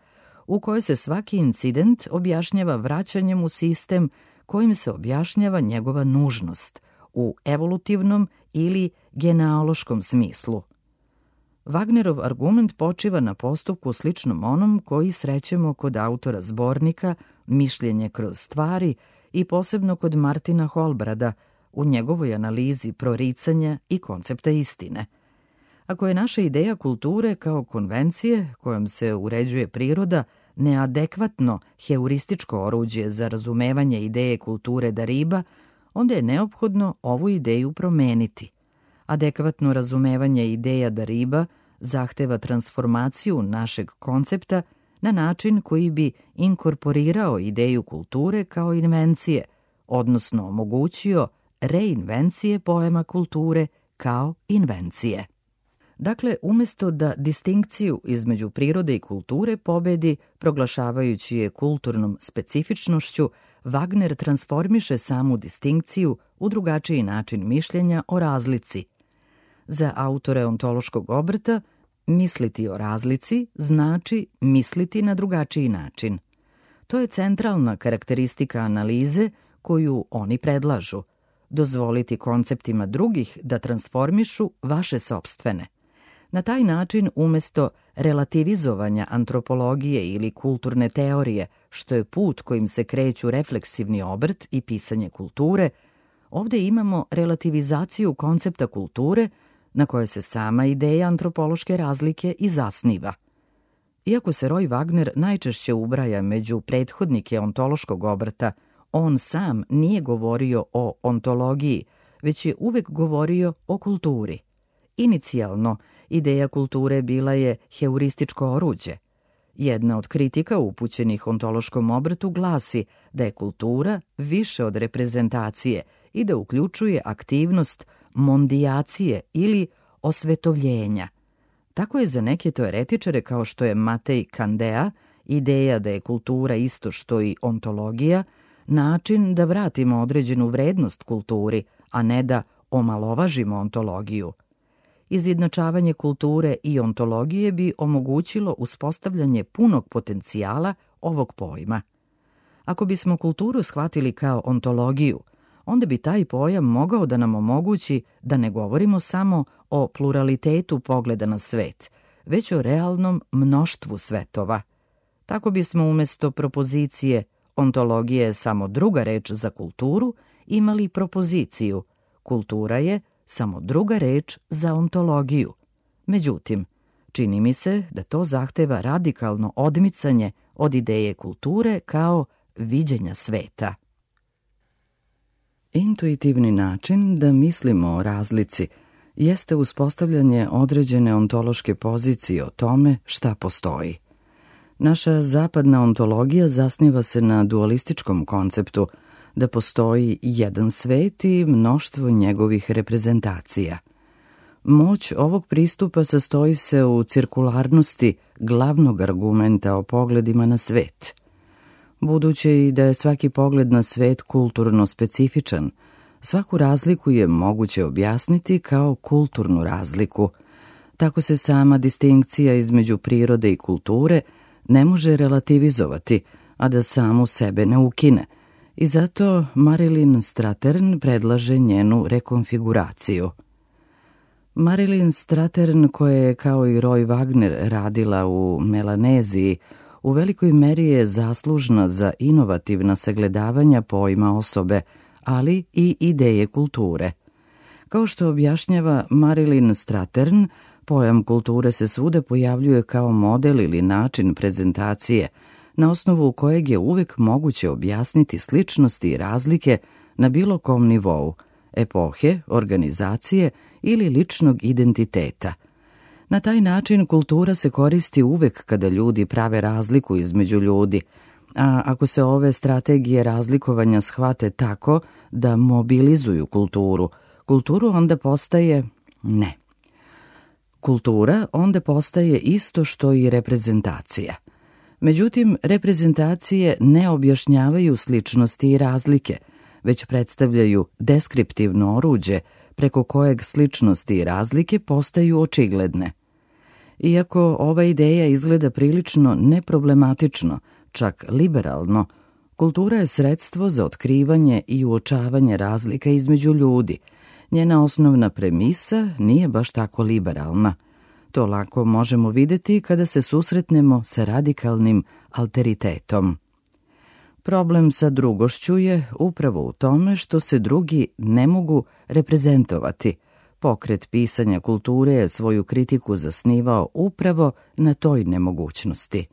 Speaker 1: u kojoj se svaki incident objašnjava vraćanjem u sistem kojim se objašnjava njegova nužnost u evolutivnom ili genealoškom smislu. Wagnerov argument počiva na postupku sličnom onom koji srećemo kod autora zbornika Mišljenje kroz stvari i posebno kod Martina Holbrada u njegovoj analizi proricanja i koncepta istine. Ako je naša ideja kulture kao konvencije kojom se uređuje priroda neadekvatno heurističko oruđe za razumevanje ideje kulture Dariba, onda je neophodno ovu ideju promeniti. Adekvatno razumevanje ideja Dariba zahteva transformaciju našeg koncepta na način koji bi inkorporirao ideju kulture kao invencije, odnosno omogućio reinvencije pojma kulture kao invencije. Dakle, umjesto da distinkciju između prirode i kulture pobedi, proglašavajući je kulturnom specifičnošću, Wagner transformiše samu distinkciju u drugačiji način mišljenja o razlici. Za autore ontološkog obrta, misliti o razlici znači misliti na drugačiji način. To je centralna karakteristika analize koju oni predlažu. Dozvoliti konceptima drugih da transformišu vaše sopstvene. Na taj način, umjesto relativizovanja antropologije ili kulturne teorije, što je put kojim se kreću refleksivni obrt i pisanje kulture, ovdje imamo relativizaciju koncepta kulture na koje se sama ideja antropološke razlike i zasniva. Iako se Roy Wagner najčešće ubraja među prethodnike ontološkog obrta, on sam nije govorio o ontologiji, već je uvek govorio o kulturi. Inicijalno, ideja kulture bila je heurističko oruđe. Jedna od kritika upućenih ontološkom obrtu glasi da je kultura više od reprezentacije i da uključuje aktivnost mondijacije ili osvetovljenja. Tako je za neke teoretičare kao što je Matej Kandea ideja da je kultura isto što i ontologija, način da vratimo određenu vrednost kulturi, a ne da omalovažimo ontologiju. Izjednačavanje kulture i ontologije bi omogućilo uspostavljanje punog potencijala ovog pojma. Ako bismo kulturu shvatili kao ontologiju, onda bi taj pojam mogao da nam omogući da ne govorimo samo o pluralitetu pogleda na svet, već o realnom mnoštvu svetova. Tako bismo umjesto propozicije ontologija je samo druga reč za kulturu imali propoziciju kultura je samo druga reč za ontologiju. Međutim, čini mi se da to zahteva radikalno odmicanje od ideje kulture kao viđenja sveta. Intuitivni način da mislimo o razlici jeste uspostavljanje određene ontološke pozicije o tome šta postoji. Naša zapadna ontologija zasniva se na dualističkom konceptu da postoji jedan svet i mnoštvo njegovih reprezentacija. Moć ovog pristupa sastoji se u cirkularnosti glavnog argumenta o pogledima na svet. Budući da je svaki pogled na svet kulturno specifičan, svaku razliku je moguće objasniti kao kulturnu razliku. Tako se sama distinkcija između prirode i kulture ne može relativizovati, a da samu sebe ne ukine, i zato Marilyn Strathern predlaže njenu rekonfiguraciju. Marilyn Strathern, koja je kao i Roy Wagner radila u Melaneziji, u velikoj meri je zaslužna za inovativna sagledavanja pojma osobe, ali i ideje kulture. Kao što objašnjava Marilyn Strathern, pojam kulture se svuda pojavljuje kao model ili način prezentacije, na osnovu kojeg je uvek moguće objasniti sličnosti i razlike na bilo kom nivou, epohe, organizacije ili ličnog identiteta. Na taj način kultura se koristi uvek kada ljudi prave razliku između ljudi, a ako se ove strategije razlikovanja shvate tako da mobilizuju kulturu, kulturu onda postaje ne. Kultura onda postaje isto što i reprezentacija. Međutim, reprezentacije ne objašnjavaju sličnosti i razlike, već predstavljaju deskriptivno oruđe preko kojeg sličnosti i razlike postaju očigledne. Iako ova ideja izgleda prilično neproblematično, čak liberalno, kultura je sredstvo za otkrivanje i uočavanje razlika između ljudi. Njena osnovna premisa nije baš tako liberalna. To lako možemo vidjeti kada se susretnemo sa radikalnim alteritetom. Problem sa drugošću je upravo u tome što se drugi ne mogu reprezentovati. Pokret pisanja kulture je svoju kritiku zasnivao upravo na toj nemogućnosti.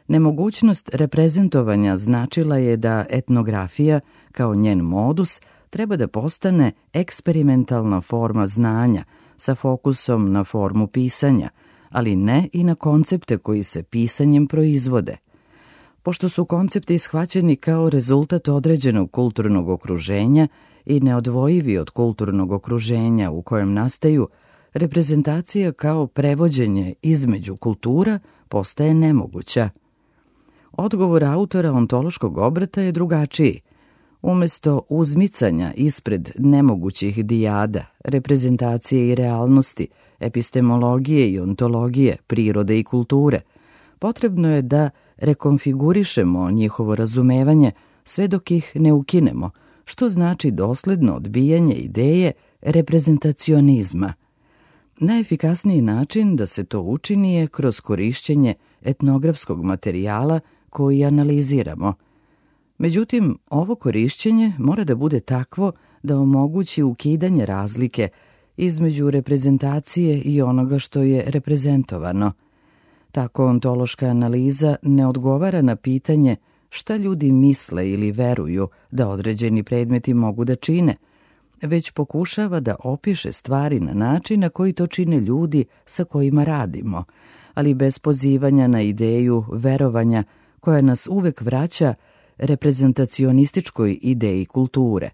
Speaker 1: Nemogućnost reprezentovanja značila je da etnografija, kao njen modus, treba da postane eksperimentalna forma znanja sa fokusom na formu pisanja, ali ne i na koncepte koji se pisanjem proizvode. Pošto su koncepti shvaćeni kao rezultat određenog kulturnog okruženja i neodvojivi od kulturnog okruženja u kojem nastaju, reprezentacija kao prevođenje između kultura postaje nemoguća. Odgovor autora ontološkog obrata je drugačiji. Umjesto uzmicanja ispred nemogućih dijada, reprezentacije i realnosti, epistemologije i ontologije, prirode i kulture, potrebno je da rekonfigurišemo njihovo razumevanje sve dok ih ne ukinemo, što znači dosledno odbijanje ideje reprezentacionizma. Najefikasniji način da se to učini je kroz korišćenje etnografskog materijala koji analiziramo. Međutim, ovo korišćenje mora da bude takvo da omogući ukidanje razlike između reprezentacije i onoga što je reprezentovano. Tako ontološka analiza ne odgovara na pitanje šta ljudi misle ili veruju da određeni predmeti mogu da čine, već pokušava da opiše stvari na način na koji to čine ljudi sa kojima radimo, ali bez pozivanja na ideju verovanja koja nas uvek vraća reprezentacionističkoj ideji kulture.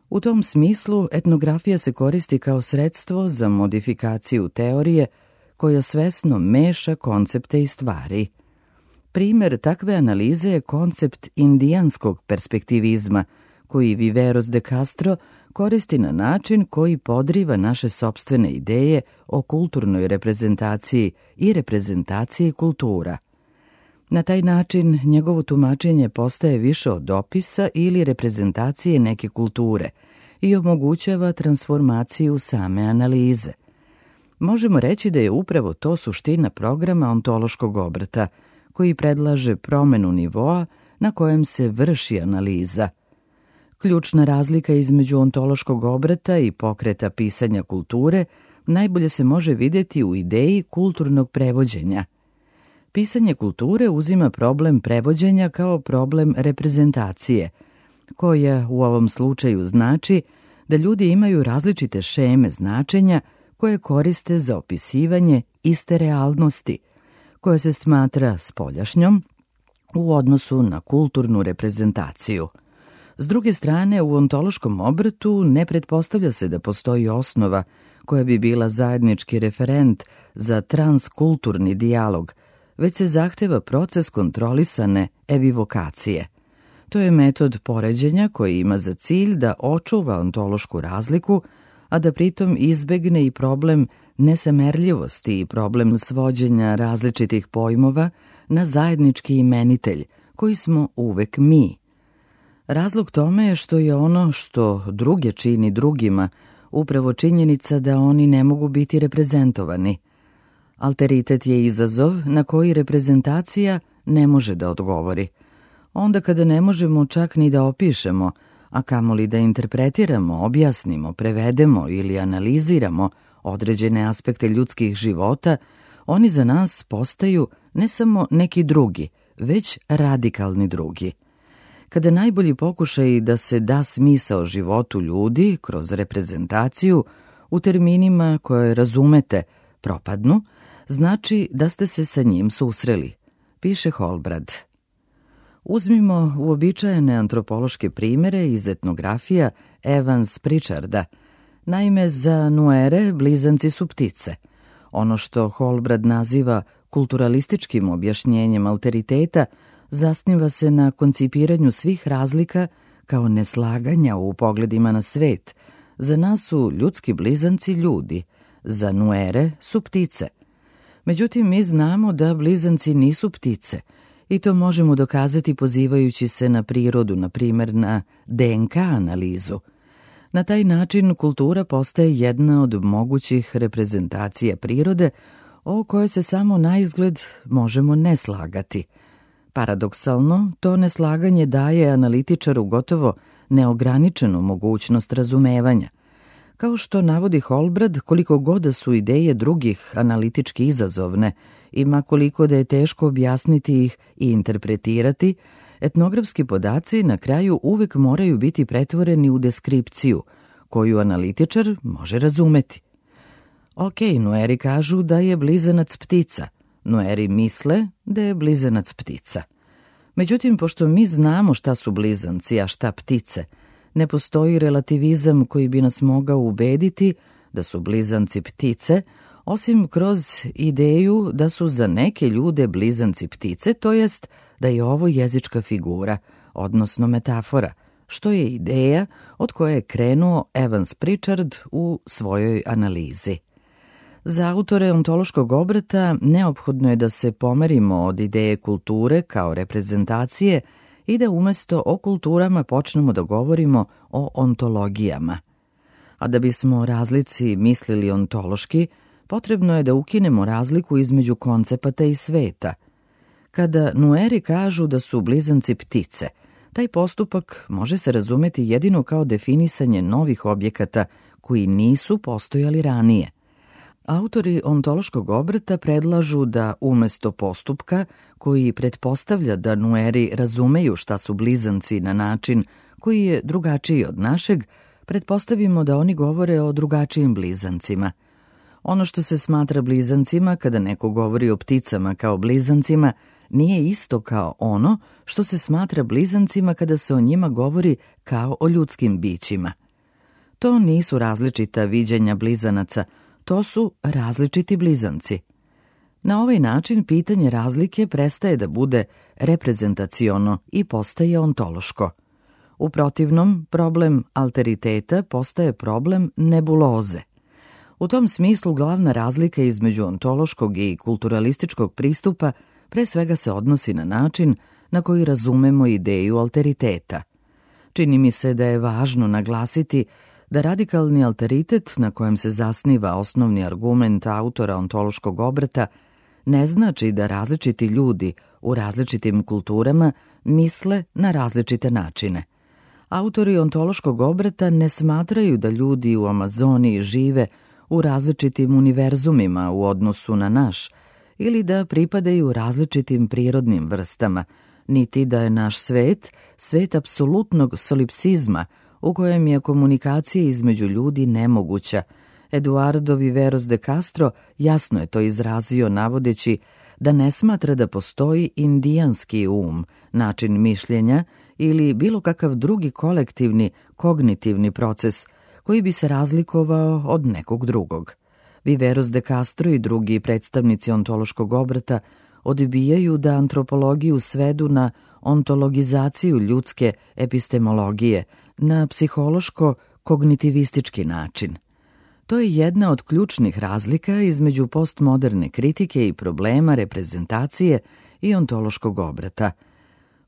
Speaker 1: U tom smislu etnografija se koristi kao sredstvo za modifikaciju teorije koja svesno meša koncepte i stvari. Primer takve analize je koncept indijanskog perspektivizma, koji Viveros de Castro koristi na način koji podriva naše sopstvene ideje o kulturnoj reprezentaciji i reprezentaciji kultura. Na taj način njegovo tumačenje postaje više od opisa ili reprezentacije neke kulture i omogućava transformaciju same analize. Možemo reći da je upravo to suština programa ontološkog obrata, koji predlaže promenu nivoa na kojem se vrši analiza. Ključna razlika između ontološkog obrata i pokreta pisanja kulture najbolje se može vidjeti u ideji kulturnog prevođenja. Pisanje kulture uzima problem prevođenja kao problem reprezentacije, koja u ovom slučaju znači da ljudi imaju različite šeme značenja koje koriste za opisivanje iste realnosti, koja se smatra spoljašnjom u odnosu na kulturnu reprezentaciju. S druge strane, u ontološkom obratu ne pretpostavlja se da postoji osnova koja bi bila zajednički referent za transkulturni dijalog, već se zahteva proces kontrolisane evivokacije. To je metod poređenja koji ima za cilj da očuva ontološku razliku, a da pritom izbegne i problem nesamerljivosti i problem svođenja različitih pojmova na zajednički imenitelj, koji smo uvek mi. Razlog tome je što je ono što druge čini drugima upravo činjenica da oni ne mogu biti reprezentovani. Alteritet je izazov na koji reprezentacija ne može da odgovori. Onda kada ne možemo čak ni da opišemo, a kamoli da interpretiramo, objasnimo, prevedemo ili analiziramo određene aspekte ljudskih života, oni za nas postaju ne samo neki drugi, već radikalni drugi. Kada najbolji pokušaj da se da smisao životu ljudi kroz reprezentaciju u terminima koje razumete propadnu, znači da ste se sa njim susreli, piše Holbrad. Uzmimo uobičajene antropološke primere iz etnografija Evans Pritcharda. Naime, za Nuere blizanci su ptice. Ono što Holbrad naziva kulturalističkim objašnjenjem alteriteta zasniva se na koncipiranju svih razlika kao neslaganja u pogledima na svet. Za nas su ljudski blizanci ljudi, za Nuere su ptice. Međutim, mi znamo da blizanci nisu ptice i to možemo dokazati pozivajući se na prirodu, na primjer na DNK analizu. Na taj način kultura postaje jedna od mogućih reprezentacija prirode o kojoj se samo naizgled možemo ne slagati. Paradoksalno, to neslaganje daje analitičaru gotovo neograničenu mogućnost razumevanja. Kao što navodi Holbrad, koliko god da su ideje drugih analitički izazovne, ima koliko da je teško objasniti ih i interpretirati, etnografski podaci na kraju uvek moraju biti pretvoreni u deskripciju, koju analitičar može razumeti. Ok, Nueri kažu da je blizanac ptica. Nueri misle da je blizanac ptica. Međutim, pošto mi znamo šta su blizanci, a šta ptice, ne postoji relativizam koji bi nas mogao ubediti da su blizanci ptice, osim kroz ideju da su za neke ljude blizanci ptice, to jest da je ovo jezička figura, odnosno metafora, što je ideja od koje je krenuo Evans Pritchard u svojoj analizi. Za autore ontološkog obrata neophodno je da se pomerimo od ideje kulture kao reprezentacije i da umesto o kulturama počnemo da govorimo o ontologijama. A da bismo o razlici mislili ontološki, potrebno je da ukinemo razliku između koncepata i sveta. Kada Nueri kažu da su blizanci ptice, taj postupak može se razumeti jedino kao definisanje novih objekata koji nisu postojali ranije. Autori ontološkog obrata predlažu da umesto postupka, koji pretpostavlja da Nueri razumeju šta su blizanci na način koji je drugačiji od našeg, pretpostavimo da oni govore o drugačijim blizancima. Ono što se smatra blizancima kada neko govori o pticama kao blizancima nije isto kao ono što se smatra blizancima kada se o njima govori kao o ljudskim bićima. To nisu različita viđenja blizanaca, to su različiti blizanci. Na ovaj način pitanje razlike prestaje da bude reprezentaciono i postaje ontološko. U protivnom, problem alteriteta postaje problem nebuloze. U tom smislu glavna razlika između ontološkog i kulturalističkog pristupa pre svega se odnosi na način na koji razumemo ideju alteriteta. Čini mi se da je važno naglasiti da radikalni alteritet na kojem se zasniva osnovni argument autora ontološkog obrata ne znači da različiti ljudi u različitim kulturama misle na različite načine. Autori ontološkog obrata ne smatraju da ljudi u Amazoniji žive u različitim univerzumima u odnosu na naš ili da pripadaju različitim prirodnim vrstama, niti da je naš svet, svet apsolutnog solipsizma u kojem je komunikacija između ljudi nemoguća. Eduardo Viveros de Castro jasno je to izrazio navodeći da ne smatra da postoji indijanski način mišljenja ili bilo kakav drugi kolektivni, kognitivni proces koji bi se razlikovao od nekog drugog. Viveros de Castro i drugi predstavnici ontološkog obrata odbijaju da antropologiju svedu na ontologizaciju ljudske epistemologije, na psihološko-kognitivistički način. To je jedna od ključnih razlika između postmoderne kritike i problema reprezentacije i ontološkog obrata.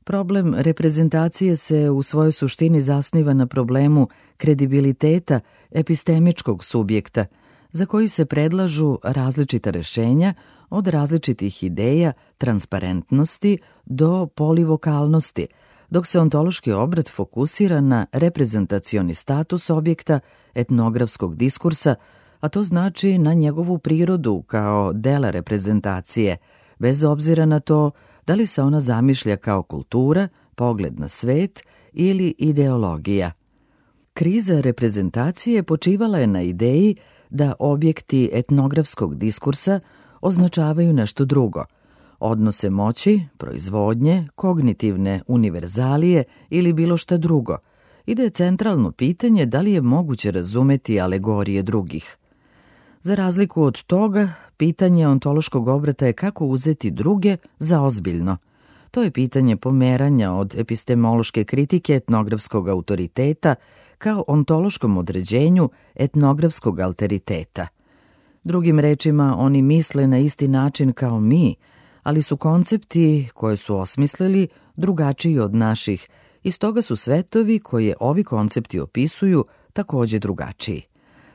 Speaker 1: Problem reprezentacije se u svojoj suštini zasniva na problemu kredibiliteta epistemičkog subjekta, za koji se predlažu različita rešenja od različitih ideja, transparentnosti do polivokalnosti, dok se ontološki obrat fokusira na reprezentacioni status objekta etnografskog diskursa, a to znači na njegovu prirodu kao dela reprezentacije, bez obzira na to da li se ona zamišlja kao kultura, pogled na svet ili ideologija. Kriza reprezentacije počivala je na ideji da objekti etnografskog diskursa označavaju nešto drugo, odnose moći, proizvodnje, kognitivne univerzalije ili bilo šta drugo, i da je centralno pitanje da li je moguće razumeti alegorije drugih. Za razliku od toga, pitanje ontološkog obrata je kako uzeti druge za ozbiljno. To je pitanje pomeranja od epistemološke kritike etnografskog autoriteta kao ontološkom određenju etnografskog alteriteta. Drugim rečima, oni misle na isti način kao mi, ali su koncepti koje su osmislili drugačiji od naših i stoga su svetovi koje ovi koncepti opisuju također drugačiji.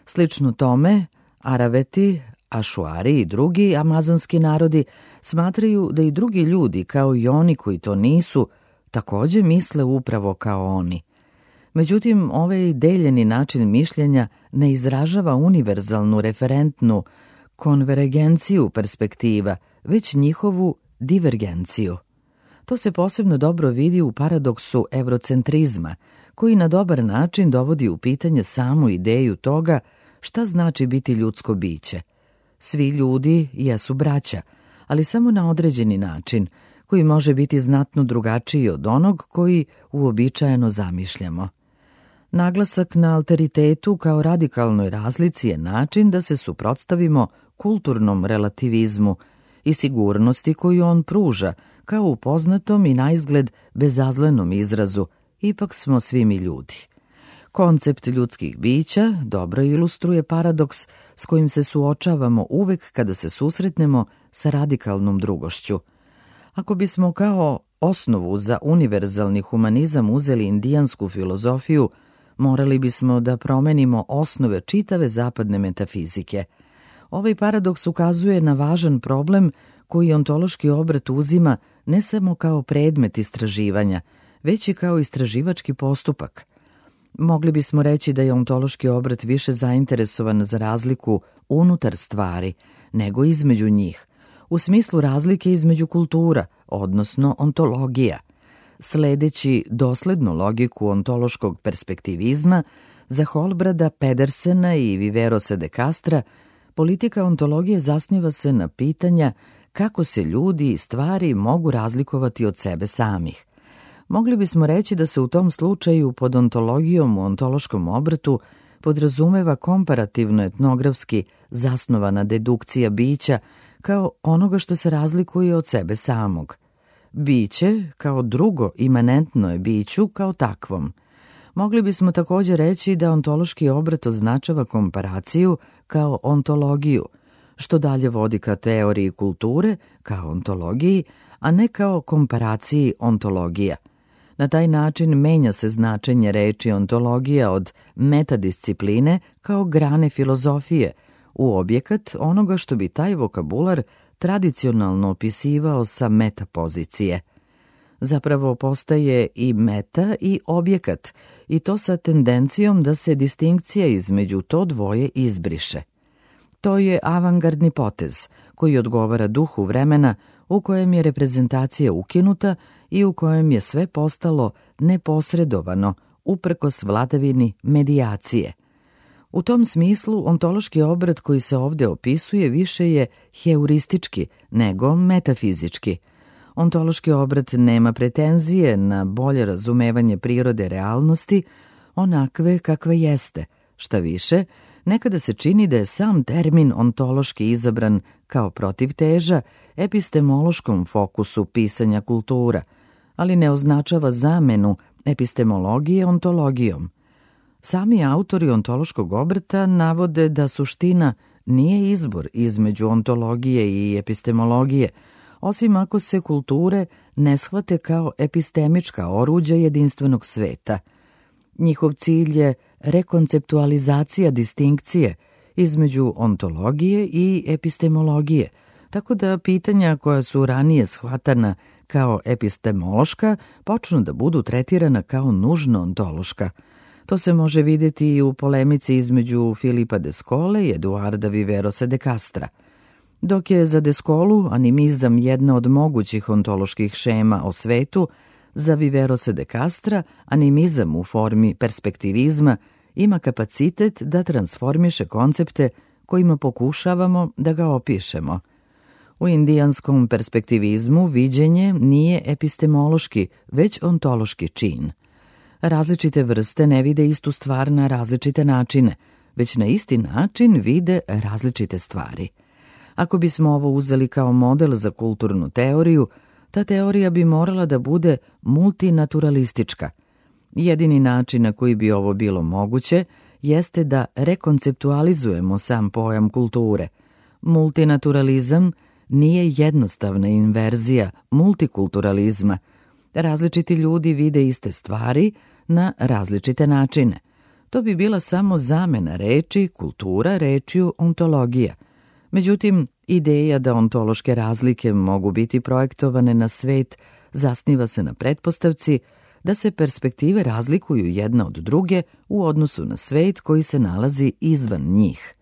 Speaker 1: Slično tome, Araveti, Ašuari i drugi amazonski narodi smatraju da i drugi ljudi, kao i oni koji to nisu, također misle upravo kao oni. Međutim, ovaj deljeni način mišljenja ne izražava univerzalnu referentnu konvergenciju perspektiva, već njihovu divergenciju. To se posebno dobro vidi u paradoksu eurocentrizma, koji na dobar način dovodi u pitanje samu ideju toga šta znači biti ljudsko biće. Svi ljudi jesu braća, ali samo na određeni način, koji može biti znatno drugačiji od onog koji uobičajeno zamišljamo. Naglasak na alteritetu kao radikalnoj razlici je način da se suprotstavimo kulturnom relativizmu i sigurnosti koju on pruža, kao u poznatom i naizgled bezazlenom izrazu ipak smo svi mi ljudi. Koncept ljudskih bića dobro ilustruje paradoks s kojim se suočavamo uvek kada se susretnemo sa radikalnom drugošću. Ako bismo kao osnovu za univerzalni humanizam uzeli indijansku filozofiju, morali bismo da promenimo osnove čitave zapadne metafizike. Ovaj paradoks ukazuje na važan problem koji ontološki obrat uzima ne samo kao predmet istraživanja, već i kao istraživački postupak. Mogli bismo reći da je ontološki obrat više zainteresovan za razliku unutar stvari nego između njih, u smislu razlike između kultura, odnosno ontologija. Sledeći doslednu logiku ontološkog perspektivizma, za Holbrada, Pedersena i Viverosa de Castra, politika ontologije zasniva se na pitanja kako se ljudi i stvari mogu razlikovati od sebe samih. Mogli bismo reći da se u tom slučaju pod ontologijom u ontološkom obratu podrazumeva komparativno-etnografski zasnovana dedukcija bića kao onoga što se razlikuje od sebe samog. Biće kao drugo imanentno je biću kao takvom. Mogli bismo također reći da ontološki obrat označava komparaciju kao ontologiju, što dalje vodi ka teoriji kulture kao ontologiji, a ne kao komparaciji ontologija. Na taj način menja se značenje reči ontologija od metadiscipline kao grane filozofije u objekat onoga što bi taj vokabular tradicionalno opisivao sa metapozicije. Zapravo postaje i meta i objekat, i to sa tendencijom da se distinkcija između to dvoje izbriše. To je avangardni potez koji odgovara duhu vremena u kojem je reprezentacija ukinuta i u kojem je sve postalo neposredovano uprkos vladavini medijacije. U tom smislu ontološki obrat koji se ovdje opisuje više je heuristički nego metafizički. Ontološki obrat nema pretenzije na bolje razumevanje prirode realnosti, onakve kakva jeste. Šta više, nekada se čini da je sam termin ontološki izabran kao protivteža epistemološkom fokusu pisanja kultura, ali ne označava zamenu epistemologije ontologijom. Sami autori ontološkog obrata navode da suština nije izbor između ontologije i epistemologije, osim ako se kulture ne shvate kao epistemička oruđa jedinstvenog sveta. Njihov cilj je rekonceptualizacija distinkcije između ontologije i epistemologije, tako da pitanja koja su ranije shvatana kao epistemološka počnu da budu tretirana kao nužno ontološka. To se može vidjeti i u polemici između Filipa de Scole i Eduarda Viverosa de Castra. Dok je za de Scolu animizam jedna od mogućih ontoloških šema o svetu, za Viverosa de Castra animizam u formi perspektivizma ima kapacitet da transformiše koncepte kojima pokušavamo da ga opišemo. U indijanskom perspektivizmu viđenje nije epistemološki, već ontološki čin. Različite vrste ne vide istu stvar na različite načine, već na isti način vide različite stvari. Ako bismo ovo uzeli kao model za kulturnu teoriju, ta teorija bi morala da bude multinaturalistička. Jedini način na koji bi ovo bilo moguće jeste da rekonceptualizujemo sam pojam kulture. Multinaturalizam nije jednostavna inverzija multikulturalizma. Različiti ljudi vide iste stvari na različite načine. To bi bila samo zamena reči kultura rečju ontologija. Međutim, ideja da ontološke razlike mogu biti projektovane na svet zasniva se na pretpostavci da se perspektive razlikuju jedna od druge u odnosu na svet koji se nalazi izvan njih.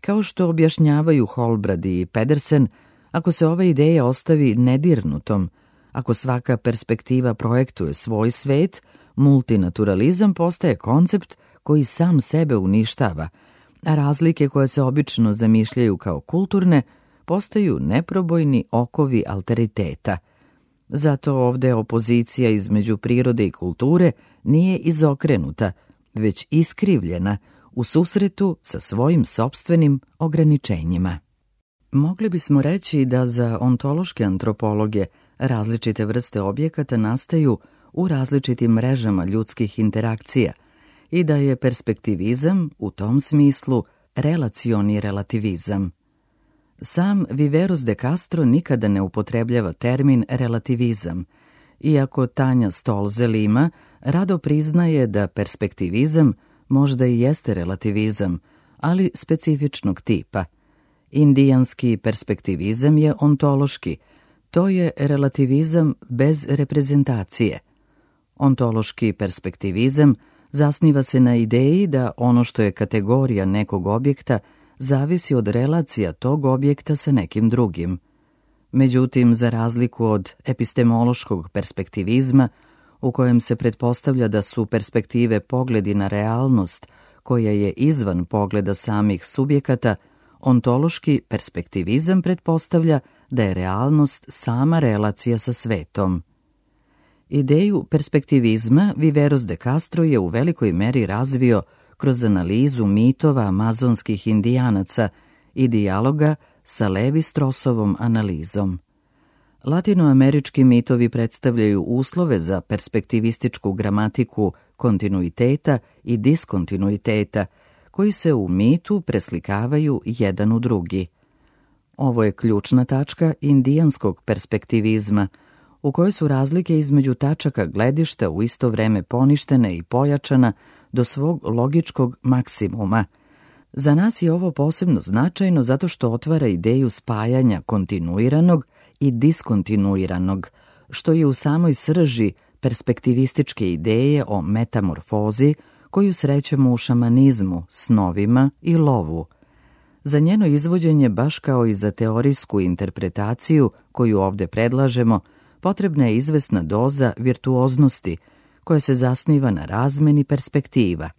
Speaker 1: Kao što objašnjavaju Holbrad i Pedersen, ako se ova ideja ostavi nedirnutom, ako svaka perspektiva projektuje svoj svet, multinaturalizam postaje koncept koji sam sebe uništava, a razlike koje se obično zamišljaju kao kulturne postaju neprobojni okovi alteriteta. Zato ovde opozicija između prirode i kulture nije izokrenuta, već iskrivljena u susretu sa svojim sopstvenim ograničenjima. Mogli bismo reći da za ontološke antropologe različite vrste objekata nastaju u različitim mrežama ljudskih interakcija i da je perspektivizam u tom smislu relacioni relativizam. Sam Viveros de Castro nikada ne upotrebljava termin relativizam, iako Tanja Stolze-Lima rado priznaje da perspektivizam možda i jeste relativizam, ali specifičnog tipa. Indijanski perspektivizam je ontološki, to je relativizam bez reprezentacije. Ontološki perspektivizam zasniva se na ideji da ono što je kategorija nekog objekta zavisi od relacija tog objekta sa nekim drugim. Međutim, za razliku od epistemološkog perspektivizma, u kojem se pretpostavlja da su perspektive pogledi na realnost koja je izvan pogleda samih subjekata, ontološki perspektivizam pretpostavlja da je realnost sama relacija sa svetom. Ideju perspektivizma Viveros de Castro je u velikoj meri razvio kroz analizu mitova amazonskih indijanaca i dijaloga sa Levi-Strossovom analizom. Latinoamerički mitovi predstavljaju uslove za perspektivističku gramatiku kontinuiteta i diskontinuiteta, koji se u mitu preslikavaju jedan u drugi. Ovo je ključna tačka indijanskog perspektivizma, u kojoj su razlike između tačaka gledišta u isto vreme poništene i pojačana do svog logičkog maksimuma. Za nas je ovo posebno značajno zato što otvara ideju spajanja kontinuiranog i diskontinuiranog, što je u samoj srži perspektivističke ideje o metamorfozi koju srećemo u šamanizmu, snovima i lovu. Za njeno izvođenje, baš kao i za teorijsku interpretaciju koju ovde predlažemo, potrebna je izvesna doza virtuoznosti koja se zasniva na razmeni perspektiva.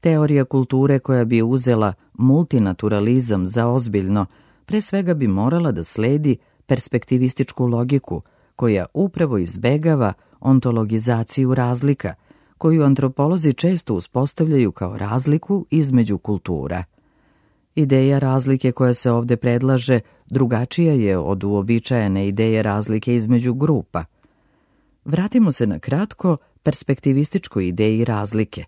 Speaker 1: Teorija kulture koja bi uzela multinaturalizam za ozbiljno, pre svega bi morala da sledi perspektivističku logiku koja upravo izbegava ontologizaciju razlika, koju antropolozi često uspostavljaju kao razliku između kultura. Ideja razlike koja se ovde predlaže drugačija je od uobičajene ideje razlike između grupa. Vratimo se na kratko perspektivističkoj ideji razlike.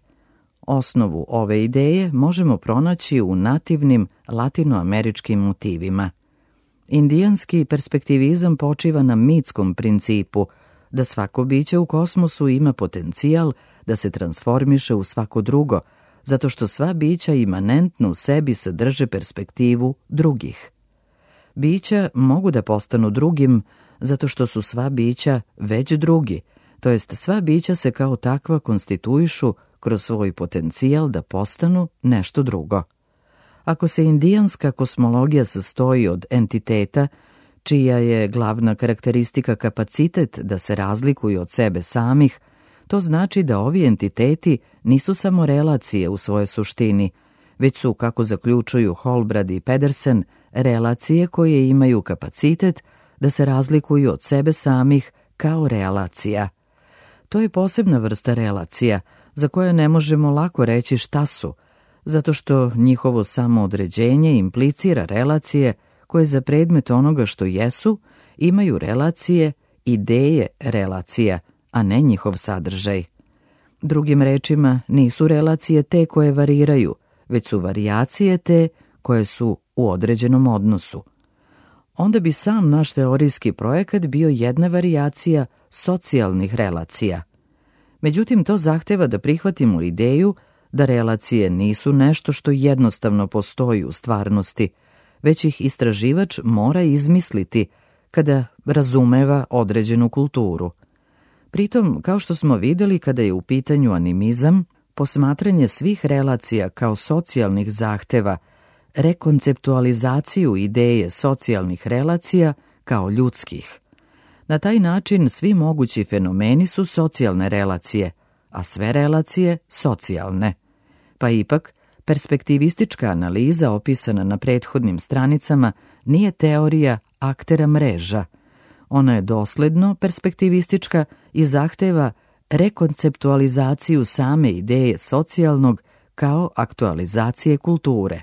Speaker 1: Osnovu ove ideje možemo pronaći u nativnim latinoameričkim motivima. Indijanski perspektivizam počiva na mitskom principu da svako biće u kosmosu ima potencijal da se transformiše u svako drugo, zato što sva bića imanentno u sebi sadrže perspektivu drugih. Bića mogu da postanu drugim zato što su sva bića već drugi, to jest sva bića se kao takva konstituišu kroz svoj potencijal da postanu nešto drugo. Ako se indijanska kosmologija sastoji od entiteta, čija je glavna karakteristika kapacitet da se razlikuju od sebe samih, to znači da ovi entiteti nisu samo relacije u svojoj suštini, već su, kako zaključuju Holbrad i Pedersen, relacije koje imaju kapacitet da se razlikuju od sebe samih kao relacija. To je posebna vrsta relacija, za koje ne možemo lako reći šta su, zato što njihovo samoodređenje implicira relacije koje za predmet onoga što jesu imaju relacije, ideje relacija, a ne njihov sadržaj. Drugim rečima, nisu relacije te koje variraju, već su varijacije te koje su u određenom odnosu. Onda bi sam naš teorijski projekat bio jedna varijacija socijalnih relacija. Međutim, to zahteva da prihvatimo ideju da relacije nisu nešto što jednostavno postoji u stvarnosti, već ih istraživač mora izmisliti kada razumeva određenu kulturu. Pritom, kao što smo videli kada je u pitanju animizam, posmatranje svih relacija kao socijalnih zahteva, rekonceptualizaciju ideje socijalnih relacija kao ljudskih. Na taj način svi mogući fenomeni su socijalne relacije, a sve relacije socijalne. Pa ipak, perspektivistička analiza opisana na prethodnim stranicama nije teorija aktera mreža. Ona je dosledno perspektivistička i zahteva rekonceptualizaciju same ideje socijalnog kao aktualizacije kulture.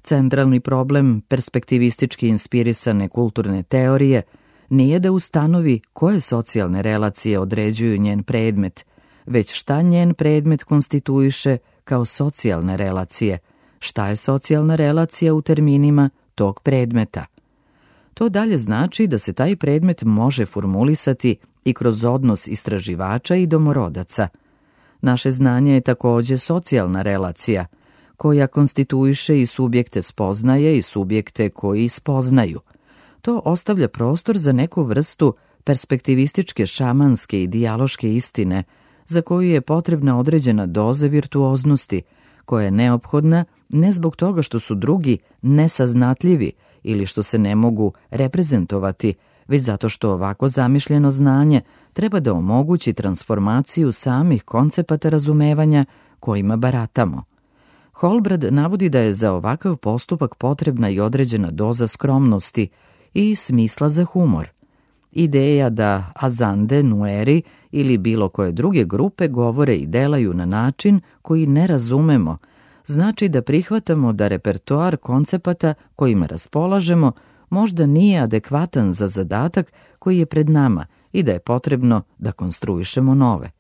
Speaker 1: Centralni problem perspektivistički inspirisane kulturne teorije nije da ustanovi koje socijalne relacije određuju njen predmet, već šta njen predmet konstituiše kao socijalne relacije, šta je socijalna relacija u terminima tog predmeta. To dalje znači da se taj predmet može formulisati i kroz odnos istraživača i domorodaca. Naše znanje je takođe socijalna relacija, koja konstituiše i subjekte spoznaje i subjekte koji spoznaju. To ostavlja prostor za neku vrstu perspektivističke šamanske i dijaloške istine, za koju je potrebna određena doza virtuoznosti, koja je neophodna ne zbog toga što su drugi nesaznatljivi ili što se ne mogu reprezentovati, već zato što ovako zamišljeno znanje treba da omogući transformaciju samih koncepata razumevanja kojima baratamo. Holbrad navodi da je za ovakav postupak potrebna i određena doza skromnosti i smisla za humor. Ideja da azande, nueri ili bilo koje druge grupe govore i delaju na način koji ne razumemo, znači da prihvatamo da repertoar koncepata kojima raspolažemo možda nije adekvatan za zadatak koji je pred nama i da je potrebno da konstruišemo nove.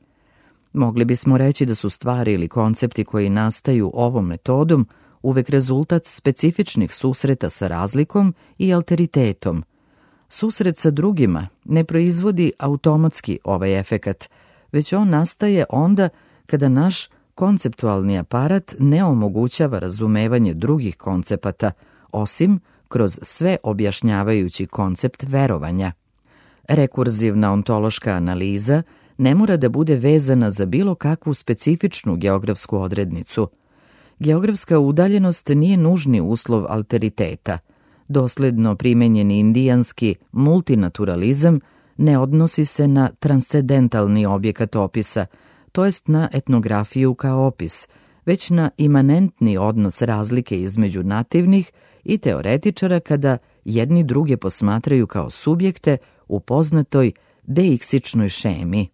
Speaker 1: Mogli bismo reći da su stvari ili koncepti koji nastaju ovom metodom uvek rezultat specifičnih susreta sa razlikom i alteritetom. Susret sa drugima ne proizvodi automatski ovaj efekat, već on nastaje onda kada naš konceptualni aparat ne omogućava razumevanje drugih koncepata, osim kroz sve objašnjavajući koncept verovanja. Rekurzivna ontološka analiza ne mora da bude vezana za bilo kakvu specifičnu geografsku odrednicu. Geografska udaljenost nije nužni uslov alteriteta. Dosledno primenjeni indijanski multinaturalizam ne odnosi se na transcendentalni objekat opisa, to jest na etnografiju kao opis, već na imanentni odnos razlike između nativnih i teoretičara kada jedni druge posmatraju kao subjekte u poznatoj deiksičnoj šemi.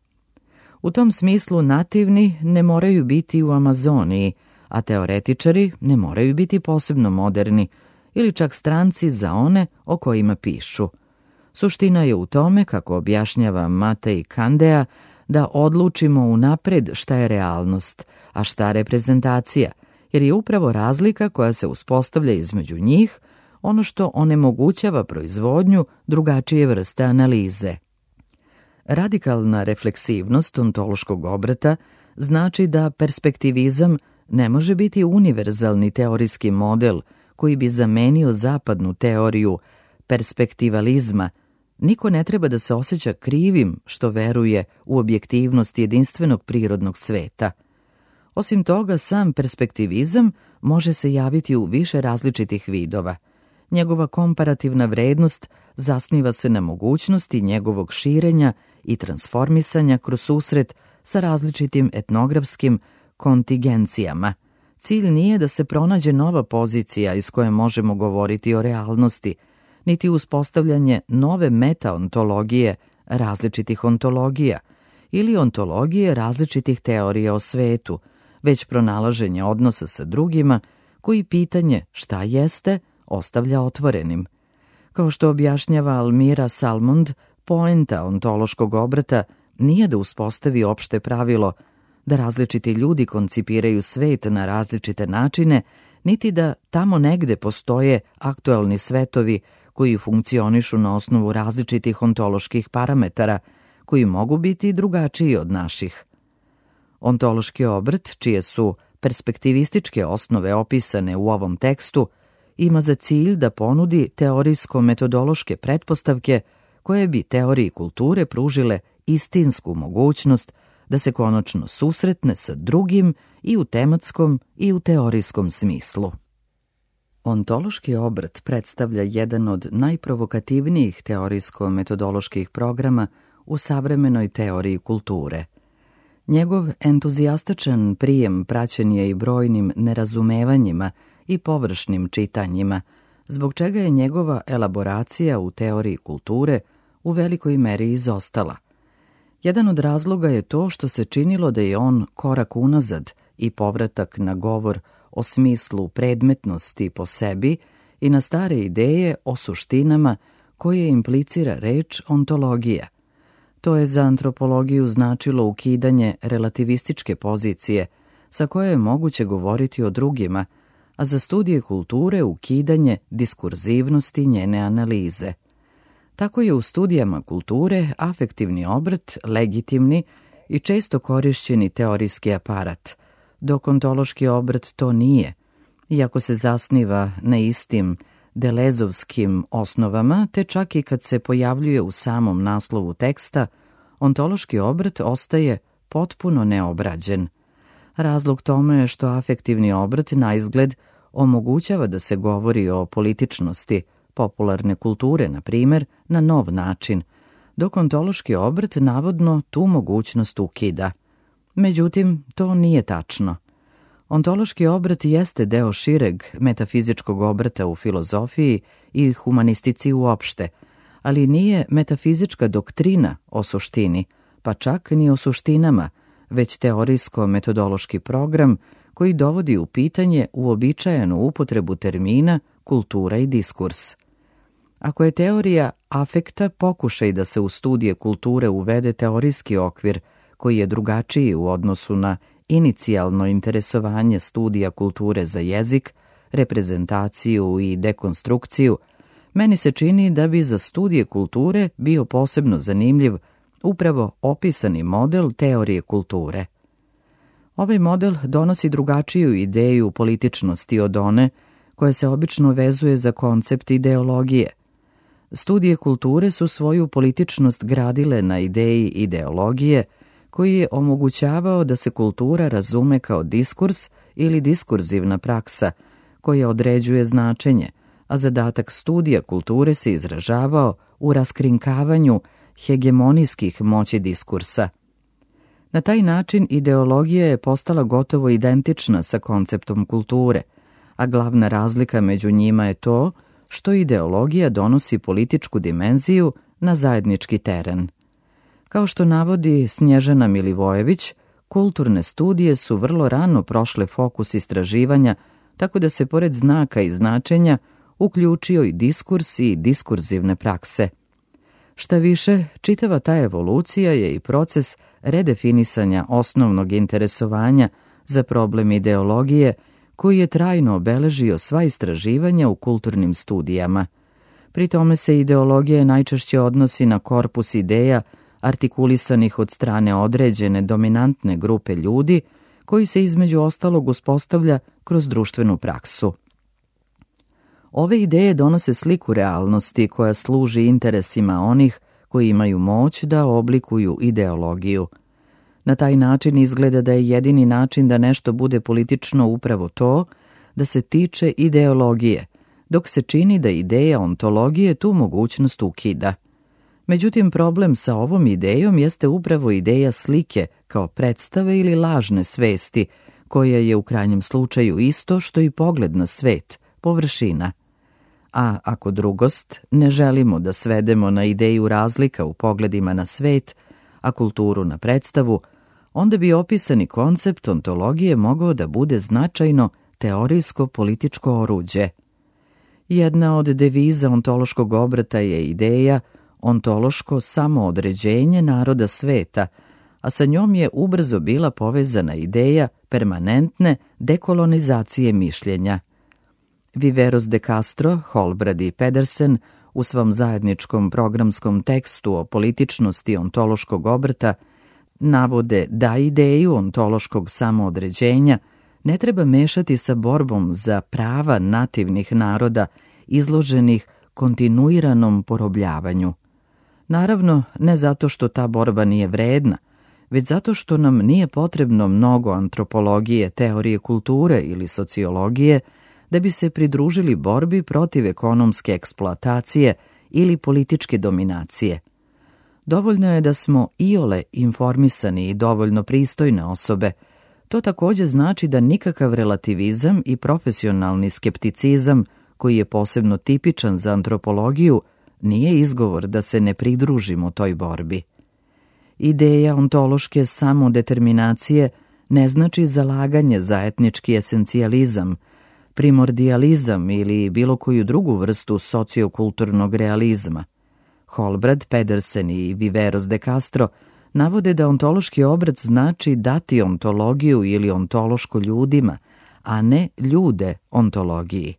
Speaker 1: U tom smislu nativni ne moraju biti u Amazoniji, a teoretičari ne moraju biti posebno moderni ili čak stranci za one o kojima pišu. Suština je u tome, kako objašnjava Matej Kandea, da odlučimo unapred šta je realnost, a šta reprezentacija, jer je upravo razlika koja se uspostavlja između njih ono što onemogućava proizvodnju drugačije vrste analize. Radikalna refleksivnost ontološkog obrata znači da perspektivizam ne može biti univerzalni teorijski model koji bi zamenio zapadnu teoriju perspektivalizma. Niko ne treba da se osjeća krivim što veruje u objektivnost jedinstvenog prirodnog sveta. Osim toga, sam perspektivizam može se javiti u više različitih vidova. Njegova komparativna vrednost zasniva se na mogućnosti njegovog širenja i transformisanja kroz susret sa različitim etnografskim kontigencijama. Cilj nije da se pronađe nova pozicija iz koje možemo govoriti o realnosti, niti uspostavljanje nove metaontologije različitih ontologija, ili ontologije različitih teorija o svetu, već pronalaženje odnosa sa drugima koji pitanje šta jeste ostavlja otvorenim. Kao što objašnjava Almira Salmond, poenta ontološkog obrata nije da uspostavi opšte pravilo da različiti ljudi koncipiraju svet na različite načine, niti da tamo negde postoje aktuelni svetovi koji funkcionišu na osnovu različitih ontoloških parametara, koji mogu biti drugačiji od naših. Ontološki obrt, čije su perspektivističke osnove opisane u ovom tekstu, ima za cilj da ponudi teorijsko-metodološke pretpostavke koje bi teoriji kulture pružile istinsku mogućnost da se konačno susretne sa drugim i u tematskom i u teorijskom smislu. Ontološki obrt predstavlja jedan od najprovokativnijih teorijsko-metodoloških programa u savremenoj teoriji kulture. Njegov entuzijastičan prijem praćen je i brojnim nerazumevanjima i površnim čitanjima, zbog čega je njegova elaboracija u teoriji kulture u velikoj meri izostala. Jedan od razloga je to što se činilo da je on korak unazad i povratak na govor o smislu predmetnosti po sebi i na stare ideje o suštinama koje implicira reč ontologija. To je za antropologiju značilo ukidanje relativističke pozicije sa koje je moguće govoriti o drugima, a za studije kulture ukidanje diskurzivnosti njene analize. Tako je u studijama kulture afektivni obrt legitimni i često korišćeni teorijski aparat, dok ontološki obrt to nije, iako se zasniva na istim delezovskim osnovama, te čak i kad se pojavljuje u samom naslovu teksta, ontološki obrt ostaje potpuno neobrađen. Razlog tome je što afektivni obrt naizgled omogućava da se govori o političnosti popularne kulture, na primjer, na nov način, dok ontološki obrt navodno tu mogućnost ukida. Međutim, to nije tačno. Ontološki obrt jeste deo šireg metafizičkog obrata u filozofiji i humanistici uopšte, ali nije metafizička doktrina o suštini, pa čak ni o suštinama, već teorijsko-metodološki program koji dovodi u pitanje uobičajenu upotrebu termina kultura i diskurs. Ako je teorija afekta pokušaj da se u studije kulture uvede teorijski okvir koji je drugačiji u odnosu na inicijalno interesovanje studija kulture za jezik, reprezentaciju i dekonstrukciju, meni se čini da bi za studije kulture bio posebno zanimljiv upravo opisani model teorije kulture. Ovaj model donosi drugačiju ideju političnosti od one koja se obično vezuje za koncept ideologije. Studije kulture su svoju političnost gradile na ideji ideologije, koji je omogućavao da se kultura razume kao diskurs ili diskurzivna praksa, koja određuje značenje, a zadatak studija kulture se izražavao u raskrinkavanju hegemonijskih moći diskursa. Na taj način ideologija je postala gotovo identična sa konceptom kulture, a glavna razlika među njima je to što ideologija donosi političku dimenziju na zajednički teren. Kao što navodi Snježana Milivojević, kulturne studije su vrlo rano prošle fokus istraživanja, tako da se pored znaka i značenja uključio i diskurs i diskurzivne prakse. Šta više, čitava ta evolucija je i proces redefinisanja osnovnog interesovanja za problem ideologije, koji je trajno obeležio sva istraživanja u kulturnim studijama. Pri tome se ideologija najčešće odnosi na korpus ideja artikulisanih od strane određene dominantne grupe ljudi, koji se između ostalog uspostavlja kroz društvenu praksu. Ove ideje donose sliku realnosti koja služi interesima onih koji imaju moć da oblikuju ideologiju. Na taj način izgleda da je jedini način da nešto bude politično upravo to, da se tiče ideologije, dok se čini da ideja ontologije tu mogućnost ukida. Međutim, problem sa ovom idejom jeste upravo ideja slike kao predstave ili lažne svesti, koja je u krajnjem slučaju isto što i pogled na svet, površina. A ako drugost ne želimo da svedemo na ideju razlika u pogledima na svet, a kulturu na predstavu, onda bi opisani koncept ontologije mogao da bude značajno teorijsko-političko oruđe. Jedna od deviza ontološkog obrata je ideja ontološko samoodređenje naroda sveta, a sa njom je ubrzo bila povezana ideja permanentne dekolonizacije mišljenja. Viveros de Castro, Holbrad i Pedersen u svom zajedničkom programskom tekstu o političnosti ontološkog obrata navode da ideju ontološkog samoodređenja ne treba mešati sa borbom za prava nativnih naroda izloženih kontinuiranom porobljavanju. Naravno, ne zato što ta borba nije vredna, već zato što nam nije potrebno mnogo antropologije, teorije kulture ili sociologije da bi se pridružili borbi protiv ekonomske eksploatacije ili političke dominacije. Dovoljno je da smo iole informisani i dovoljno pristojne osobe. To takođe znači da nikakav relativizam i profesionalni skepticizam, koji je posebno tipičan za antropologiju, nije izgovor da se ne pridružimo toj borbi. Ideja ontološke samodeterminacije ne znači zalaganje za etnički esencijalizam, primordializam ili bilo koju drugu vrstu sociokulturnog realizma. Holbrad, Pedersen i Viveros de Castro navode da ontološki obrat znači dati ontologiju ili ontološko ljudima, a ne ljude ontologiji.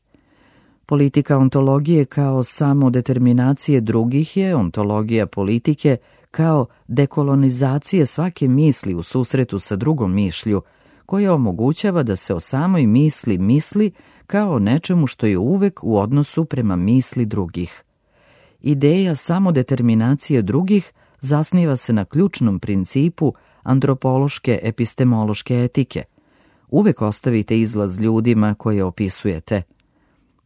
Speaker 1: Politika ontologije kao samodeterminacije drugih je ontologija politike kao dekolonizacije svake misli u susretu sa drugom mišlju, koja omogućava da se o samoj misli misli kao o nečemu što je uvek u odnosu prema misli drugih. Ideja samodeterminacije drugih zasniva se na ključnom principu antropološke epistemološke etike. Uvek ostavite izlaz ljudima koje opisujete.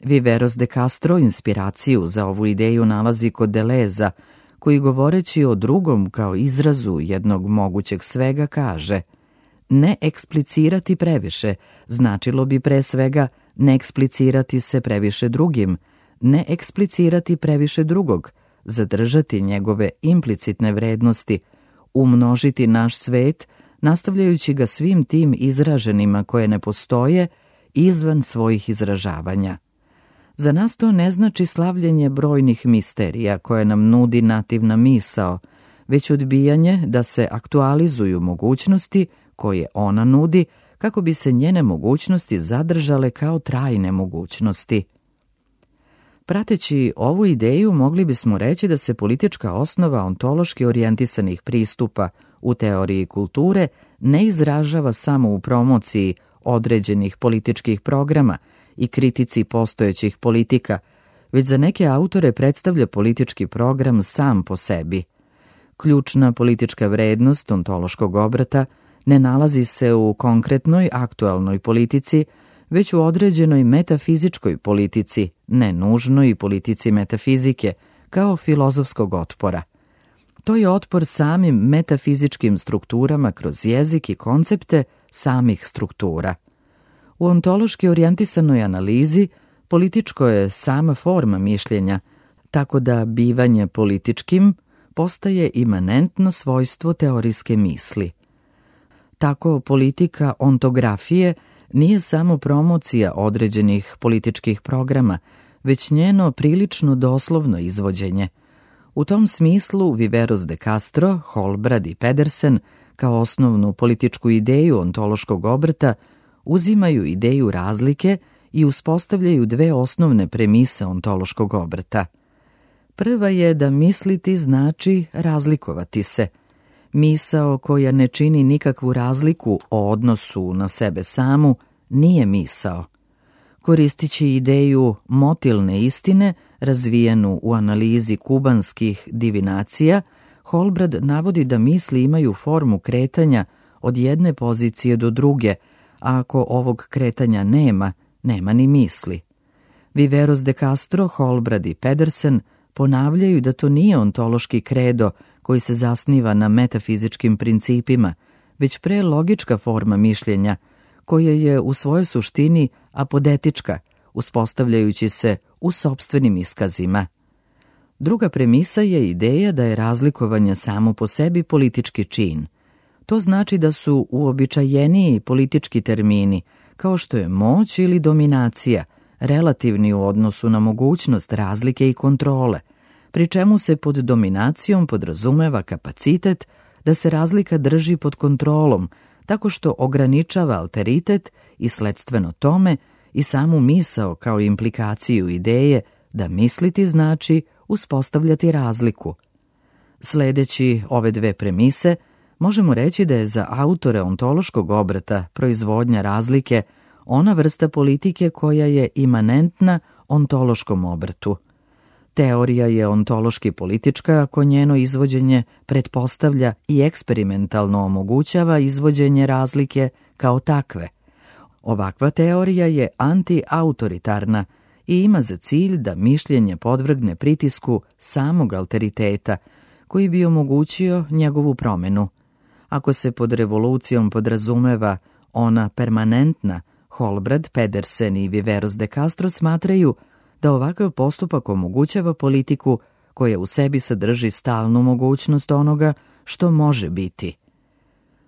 Speaker 1: Viveros de Castro inspiraciju za ovu ideju nalazi kod Deleza, koji govoreći o drugom kao izrazu jednog mogućeg svega kaže: ne eksplicirati previše značilo bi pre svega ne eksplicirati se previše drugim, ne eksplicirati previše drugog, zadržati njegove implicitne vrednosti, umnožiti naš svet, nastavljajući ga svim tim izraženima koje ne postoje izvan svojih izražavanja. Za nas to ne znači slavljenje brojnih misterija koje nam nudi nativna misao, već odbijanje da se aktualizuju mogućnosti koje ona nudi kako bi se njene mogućnosti zadržale kao trajne mogućnosti. Prateći ovu ideju mogli bismo reći da se politička osnova ontološki orijentisanih pristupa u teoriji kulture ne izražava samo u promociji određenih političkih programa i kritici postojećih politika, već za neke autore predstavlja politički program sam po sebi. Ključna politička vrednost ontološkog obrata ne nalazi se u konkretnoj aktualnoj politici, već u određenoj metafizičkoj politici, ne nužnoj politici metafizike, kao filozofskog otpora. To je otpor samim metafizičkim strukturama kroz jezik i koncepte samih struktura. U ontološki orijentisanoj analizi političko je sama forma mišljenja, tako da bivanje političkim postaje imanentno svojstvo teorijske misli. Tako politika ontografije nije samo promocija određenih političkih programa, već njeno prilično doslovno izvođenje. U tom smislu Viveros de Castro, Holbrad i Pedersen kao osnovnu političku ideju ontološkog obrata uzimaju ideju razlike i uspostavljaju dve osnovne premise ontološkog obrata. Prva je da misliti znači razlikovati se. Misao koja ne čini nikakvu razliku o odnosu na sebe samu nije misao. Koristići ideju motilne istine, razvijenu u analizi kubanskih divinacija, Holbrad navodi da misli imaju formu kretanja od jedne pozicije do druge, a ako ovog kretanja nema, nema ni misli. Viveros de Castro, Holbrad i Pedersen ponavljaju da to nije ontološki kredo koji se zasniva na metafizičkim principima, već pre logička forma mišljenja, koja je u svojoj suštini apodetička, uspostavljajući se u sopstvenim iskazima. Druga premisa je ideja da je razlikovanje samo po sebi politički čin. To znači da su uobičajeniji politički termini, kao što je moć ili dominacija, relativni u odnosu na mogućnost razlike i kontrole, pri čemu se pod dominacijom podrazumeva kapacitet da se razlika drži pod kontrolom, tako što ograničava alteritet i sledstveno tome i samu misao kao implikaciju ideje da misliti znači uspostavljati razliku. Sledeći ove dve premise, možemo reći da je za autore ontološkog obrata proizvodnja razlike ona vrsta politike koja je imanentna ontološkom obratu. Teorija je ontološki politička ako njeno izvođenje pretpostavlja i eksperimentalno omogućava izvođenje razlike kao takve. Ovakva teorija je anti-autoritarna i ima za cilj da mišljenje podvrgne pritisku samog alteriteta, koji bi omogućio njegovu promenu. Ako se pod revolucijom podrazumeva ona permanentna, Holbrad, Pedersen i Viveros de Castro smatraju da ovakav postupak omogućava politiku koja u sebi sadrži stalnu mogućnost onoga što može biti.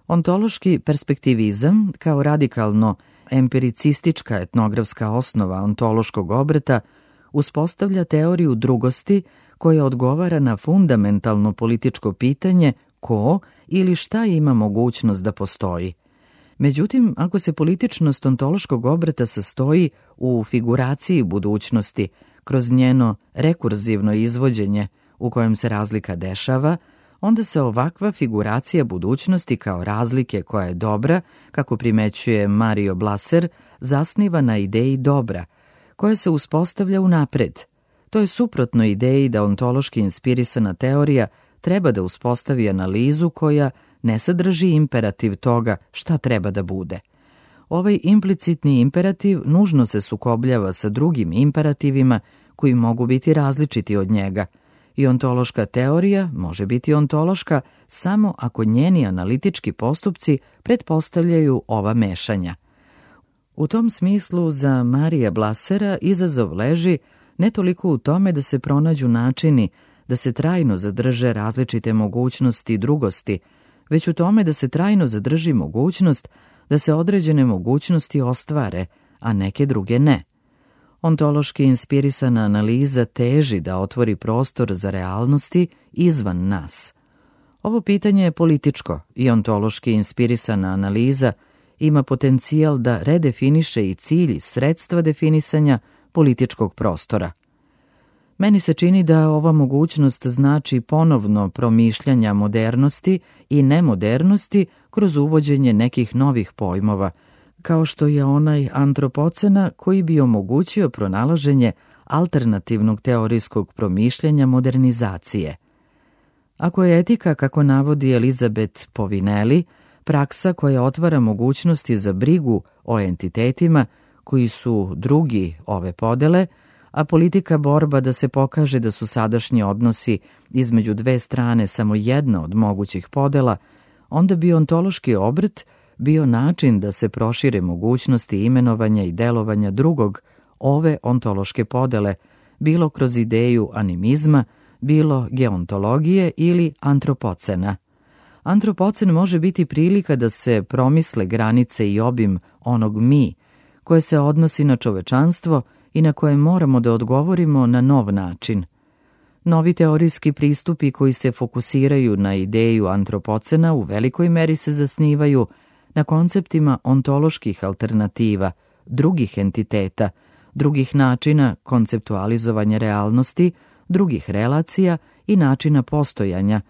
Speaker 1: Ontološki perspektivizam, kao radikalno empiricistička etnografska osnova ontološkog obrata, uspostavlja teoriju drugosti koja odgovara na fundamentalno političko pitanje ko ili šta ima mogućnost da postoji. Međutim, ako se političnost ontološkog obrata sastoji u figuraciji budućnosti, kroz njeno rekurzivno izvođenje u kojem se razlika dešava, onda se ovakva figuracija budućnosti kao razlike koja je dobra, kako primećuje Mario Blaser, zasniva na ideji dobra, koja se uspostavlja unapred. To je suprotno ideji da ontološki inspirisana teorija treba da uspostavi analizu koja ne sadrži imperativ toga šta treba da bude. Ovaj implicitni imperativ nužno se sukobljava sa drugim imperativima koji mogu biti različiti od njega, i ontološka teorija može biti ontološka samo ako njeni analitički postupci pretpostavljaju ova mešanja. U tom smislu za Marija Blasera izazov leži ne toliko u tome da se pronađu načini da se trajno zadrže različite mogućnosti drugosti, već u tome da se trajno zadrži mogućnost da se određene mogućnosti ostvare, a neke druge ne. Ontološki inspirisana analiza teži da otvori prostor za realnosti izvan nas. Ovo pitanje je političko i ontološki inspirisana analiza ima potencijal da redefiniše i cilj i sredstva definisanja političkog prostora. Meni se čini da ova mogućnost znači ponovno promišljanja modernosti i nemodernosti kroz uvođenje nekih novih pojmova, kao što je onaj antropocena koji bi omogućio pronalaženje alternativnog teorijskog promišljanja modernizacije. Ako je etika, kako navodi Elizabeth Povinelli, praksa koja otvara mogućnosti za brigu o entitetima koji su drugi ove podele, a politika borba da se pokaže da su sadašnji odnosi između dve strane samo jedna od mogućih podela, onda bi ontološki obrt bio način da se prošire mogućnosti imenovanja i delovanja drugog ove ontološke podele, bilo kroz ideju animizma, bilo geontologije ili antropocena. Antropocen može biti prilika da se promisle granice i obim onog mi, koje se odnosi na čovečanstvo i na koje moramo da odgovorimo na nov način. Novi teorijski pristupi koji se fokusiraju na ideju antropocena u velikoj meri se zasnivaju na konceptima ontoloških alternativa, drugih entiteta, drugih načina konceptualizovanja realnosti, drugih relacija i načina postojanja,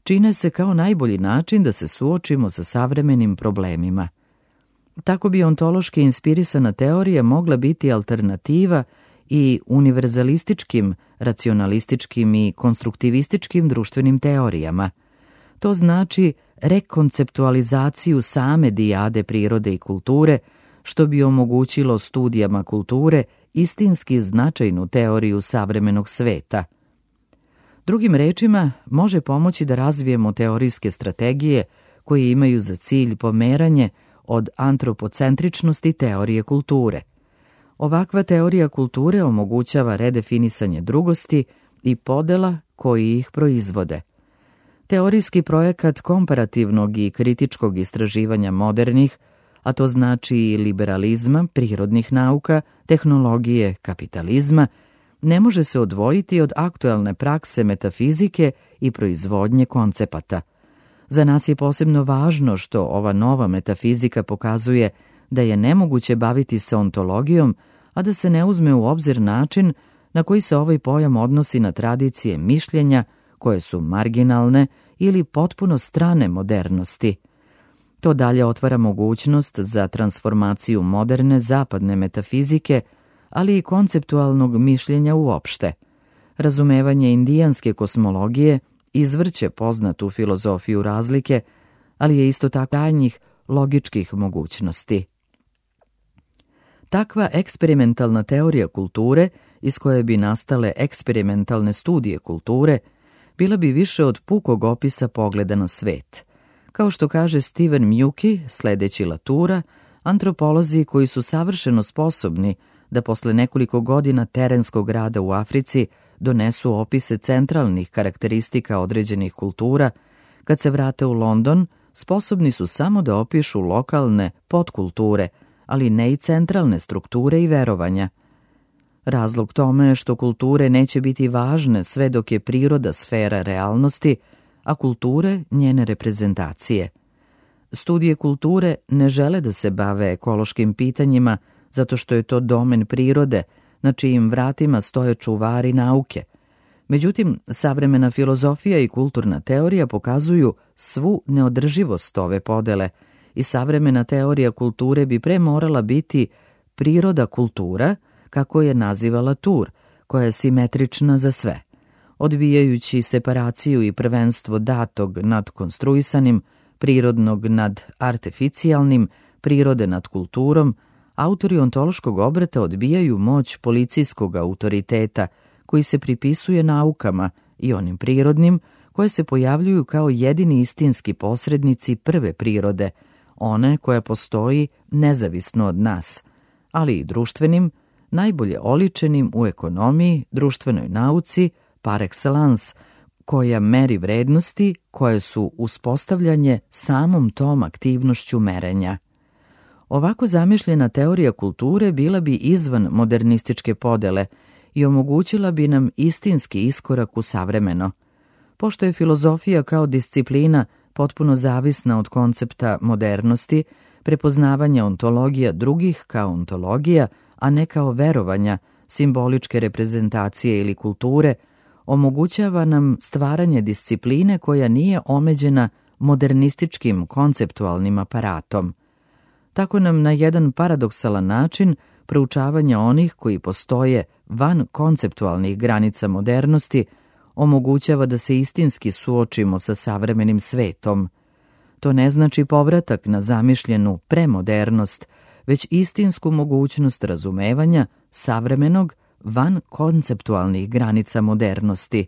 Speaker 1: čine se kao najbolji način da se suočimo sa savremenim problemima. Tako bi ontološki inspirisana teorija mogla biti alternativa i univerzalističkim, racionalističkim i konstruktivističkim društvenim teorijama. To znači rekonceptualizaciju same dijade prirode i kulture, što bi omogućilo studijama kulture istinski značajnu teoriju savremenog sveta. Drugim rečima, može pomoći da razvijemo teorijske strategije koje imaju za cilj pomeranje od antropocentričnosti teorije kulture. Ovakva teorija kulture omogućava redefinisanje drugosti i podela koji ih proizvode. Teorijski projekat komparativnog i kritičkog istraživanja modernih, a to znači i liberalizma, prirodnih nauka, tehnologije, kapitalizma, ne može se odvojiti od aktuelne prakse metafizike i proizvodnje koncepata. Za nas je posebno važno što ova nova metafizika pokazuje da je nemoguće baviti se ontologijom, a da se ne uzme u obzir način na koji se ovaj pojam odnosi na tradicije mišljenja koje su marginalne ili potpuno strane modernosti. To dalje otvara mogućnost za transformaciju moderne zapadne metafizike, ali i konceptualnog mišljenja uopšte. Razumevanje indijanske kosmologije izvrće poznatu filozofiju razlike, ali je isto tako krajnjih logičkih mogućnosti. Takva eksperimentalna teorija kulture, iz koje bi nastale eksperimentalne studije kulture, bila bi više od pukog opisa pogleda na svet. Kao što kaže Steven Mnuchin, sledeći Latoura, antropolozi koji su savršeno sposobni da posle nekoliko godina terenskog rada u Africi donesu opise centralnih karakteristika određenih kultura, kad se vrate u London, sposobni su samo da opišu lokalne podkulture, ali ne i centralne strukture i verovanja. Razlog tome je što kulture neće biti važne sve dok je priroda sfera realnosti, a kulture njene reprezentacije. Studije kulture ne žele da se bave ekološkim pitanjima zato što je to domen prirode, na čijim vratima stoje čuvari nauke. Međutim, savremena filozofija i kulturna teorija pokazuju svu neodrživost ove podele i savremena teorija kulture bi pre morala biti priroda kultura, kako je naziva Latour, koja je simetrična za sve. Odbijajući separaciju i prvenstvo datog nad konstruisanim, prirodnog nad arteficijalnim, prirode nad kulturom, autori ontološkog obrata odbijaju moć policijskog autoriteta koji se pripisuje naukama i onim prirodnim koje se pojavljuju kao jedini istinski posrednici prve prirode, one koja postoji nezavisno od nas, ali i društvenim, najbolje oličenim u ekonomiji, društvenoj nauci, par excellence, koja meri vrednosti koje su uspostavljanje samom tom aktivnošću merenja. Ovako zamišljena teorija kulture bila bi izvan modernističke podele i omogućila bi nam istinski iskorak u savremeno. Pošto je filozofija kao disciplina potpuno zavisna od koncepta modernosti, prepoznavanja ontologija drugih kao ontologija, a ne kao verovanja, simboličke reprezentacije ili kulture, omogućava nam stvaranje discipline koja nije omeđena modernističkim konceptualnim aparatom. Tako nam na jedan paradoksalan način proučavanja onih koji postoje van konceptualnih granica modernosti omogućava da se istinski suočimo sa savremenim svetom. To ne znači povratak na zamišljenu premodernost, već istinsku mogućnost razumevanja savremenog van konceptualnih granica modernosti.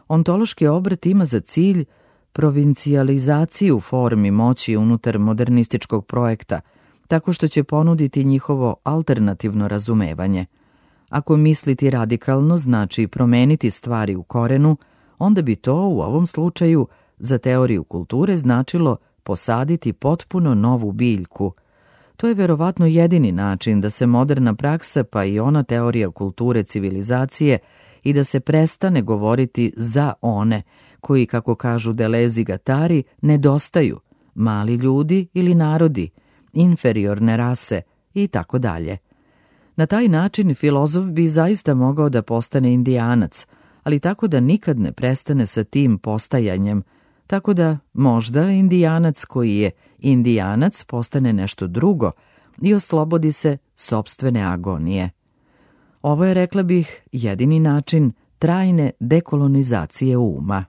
Speaker 1: Ontološki obrat ima za cilj provincijalizaciju formi moći unutar modernističkog projekta, tako što će ponuditi njihovo alternativno razumevanje. Ako misliti radikalno znači promeniti stvari u korenu, onda bi to u ovom slučaju za teoriju kulture značilo posaditi potpuno novu biljku. To je verovatno jedini način da se moderna praksa pa i ona teorija kulture civilizacije i da se prestane govoriti za one koji, kako kažu Deleuze i Guattari, nedostaju, mali ljudi ili narodi, inferiorne rase i tako dalje. Na taj način filozof bi zaista mogao da postane indijanac, ali tako da nikad ne prestane sa tim postajanjem, tako da možda indijanac koji je indijanac postane nešto drugo i oslobodi se sopstvene agonije. Ovo je, rekla bih, jedini način trajne dekolonizacije uma.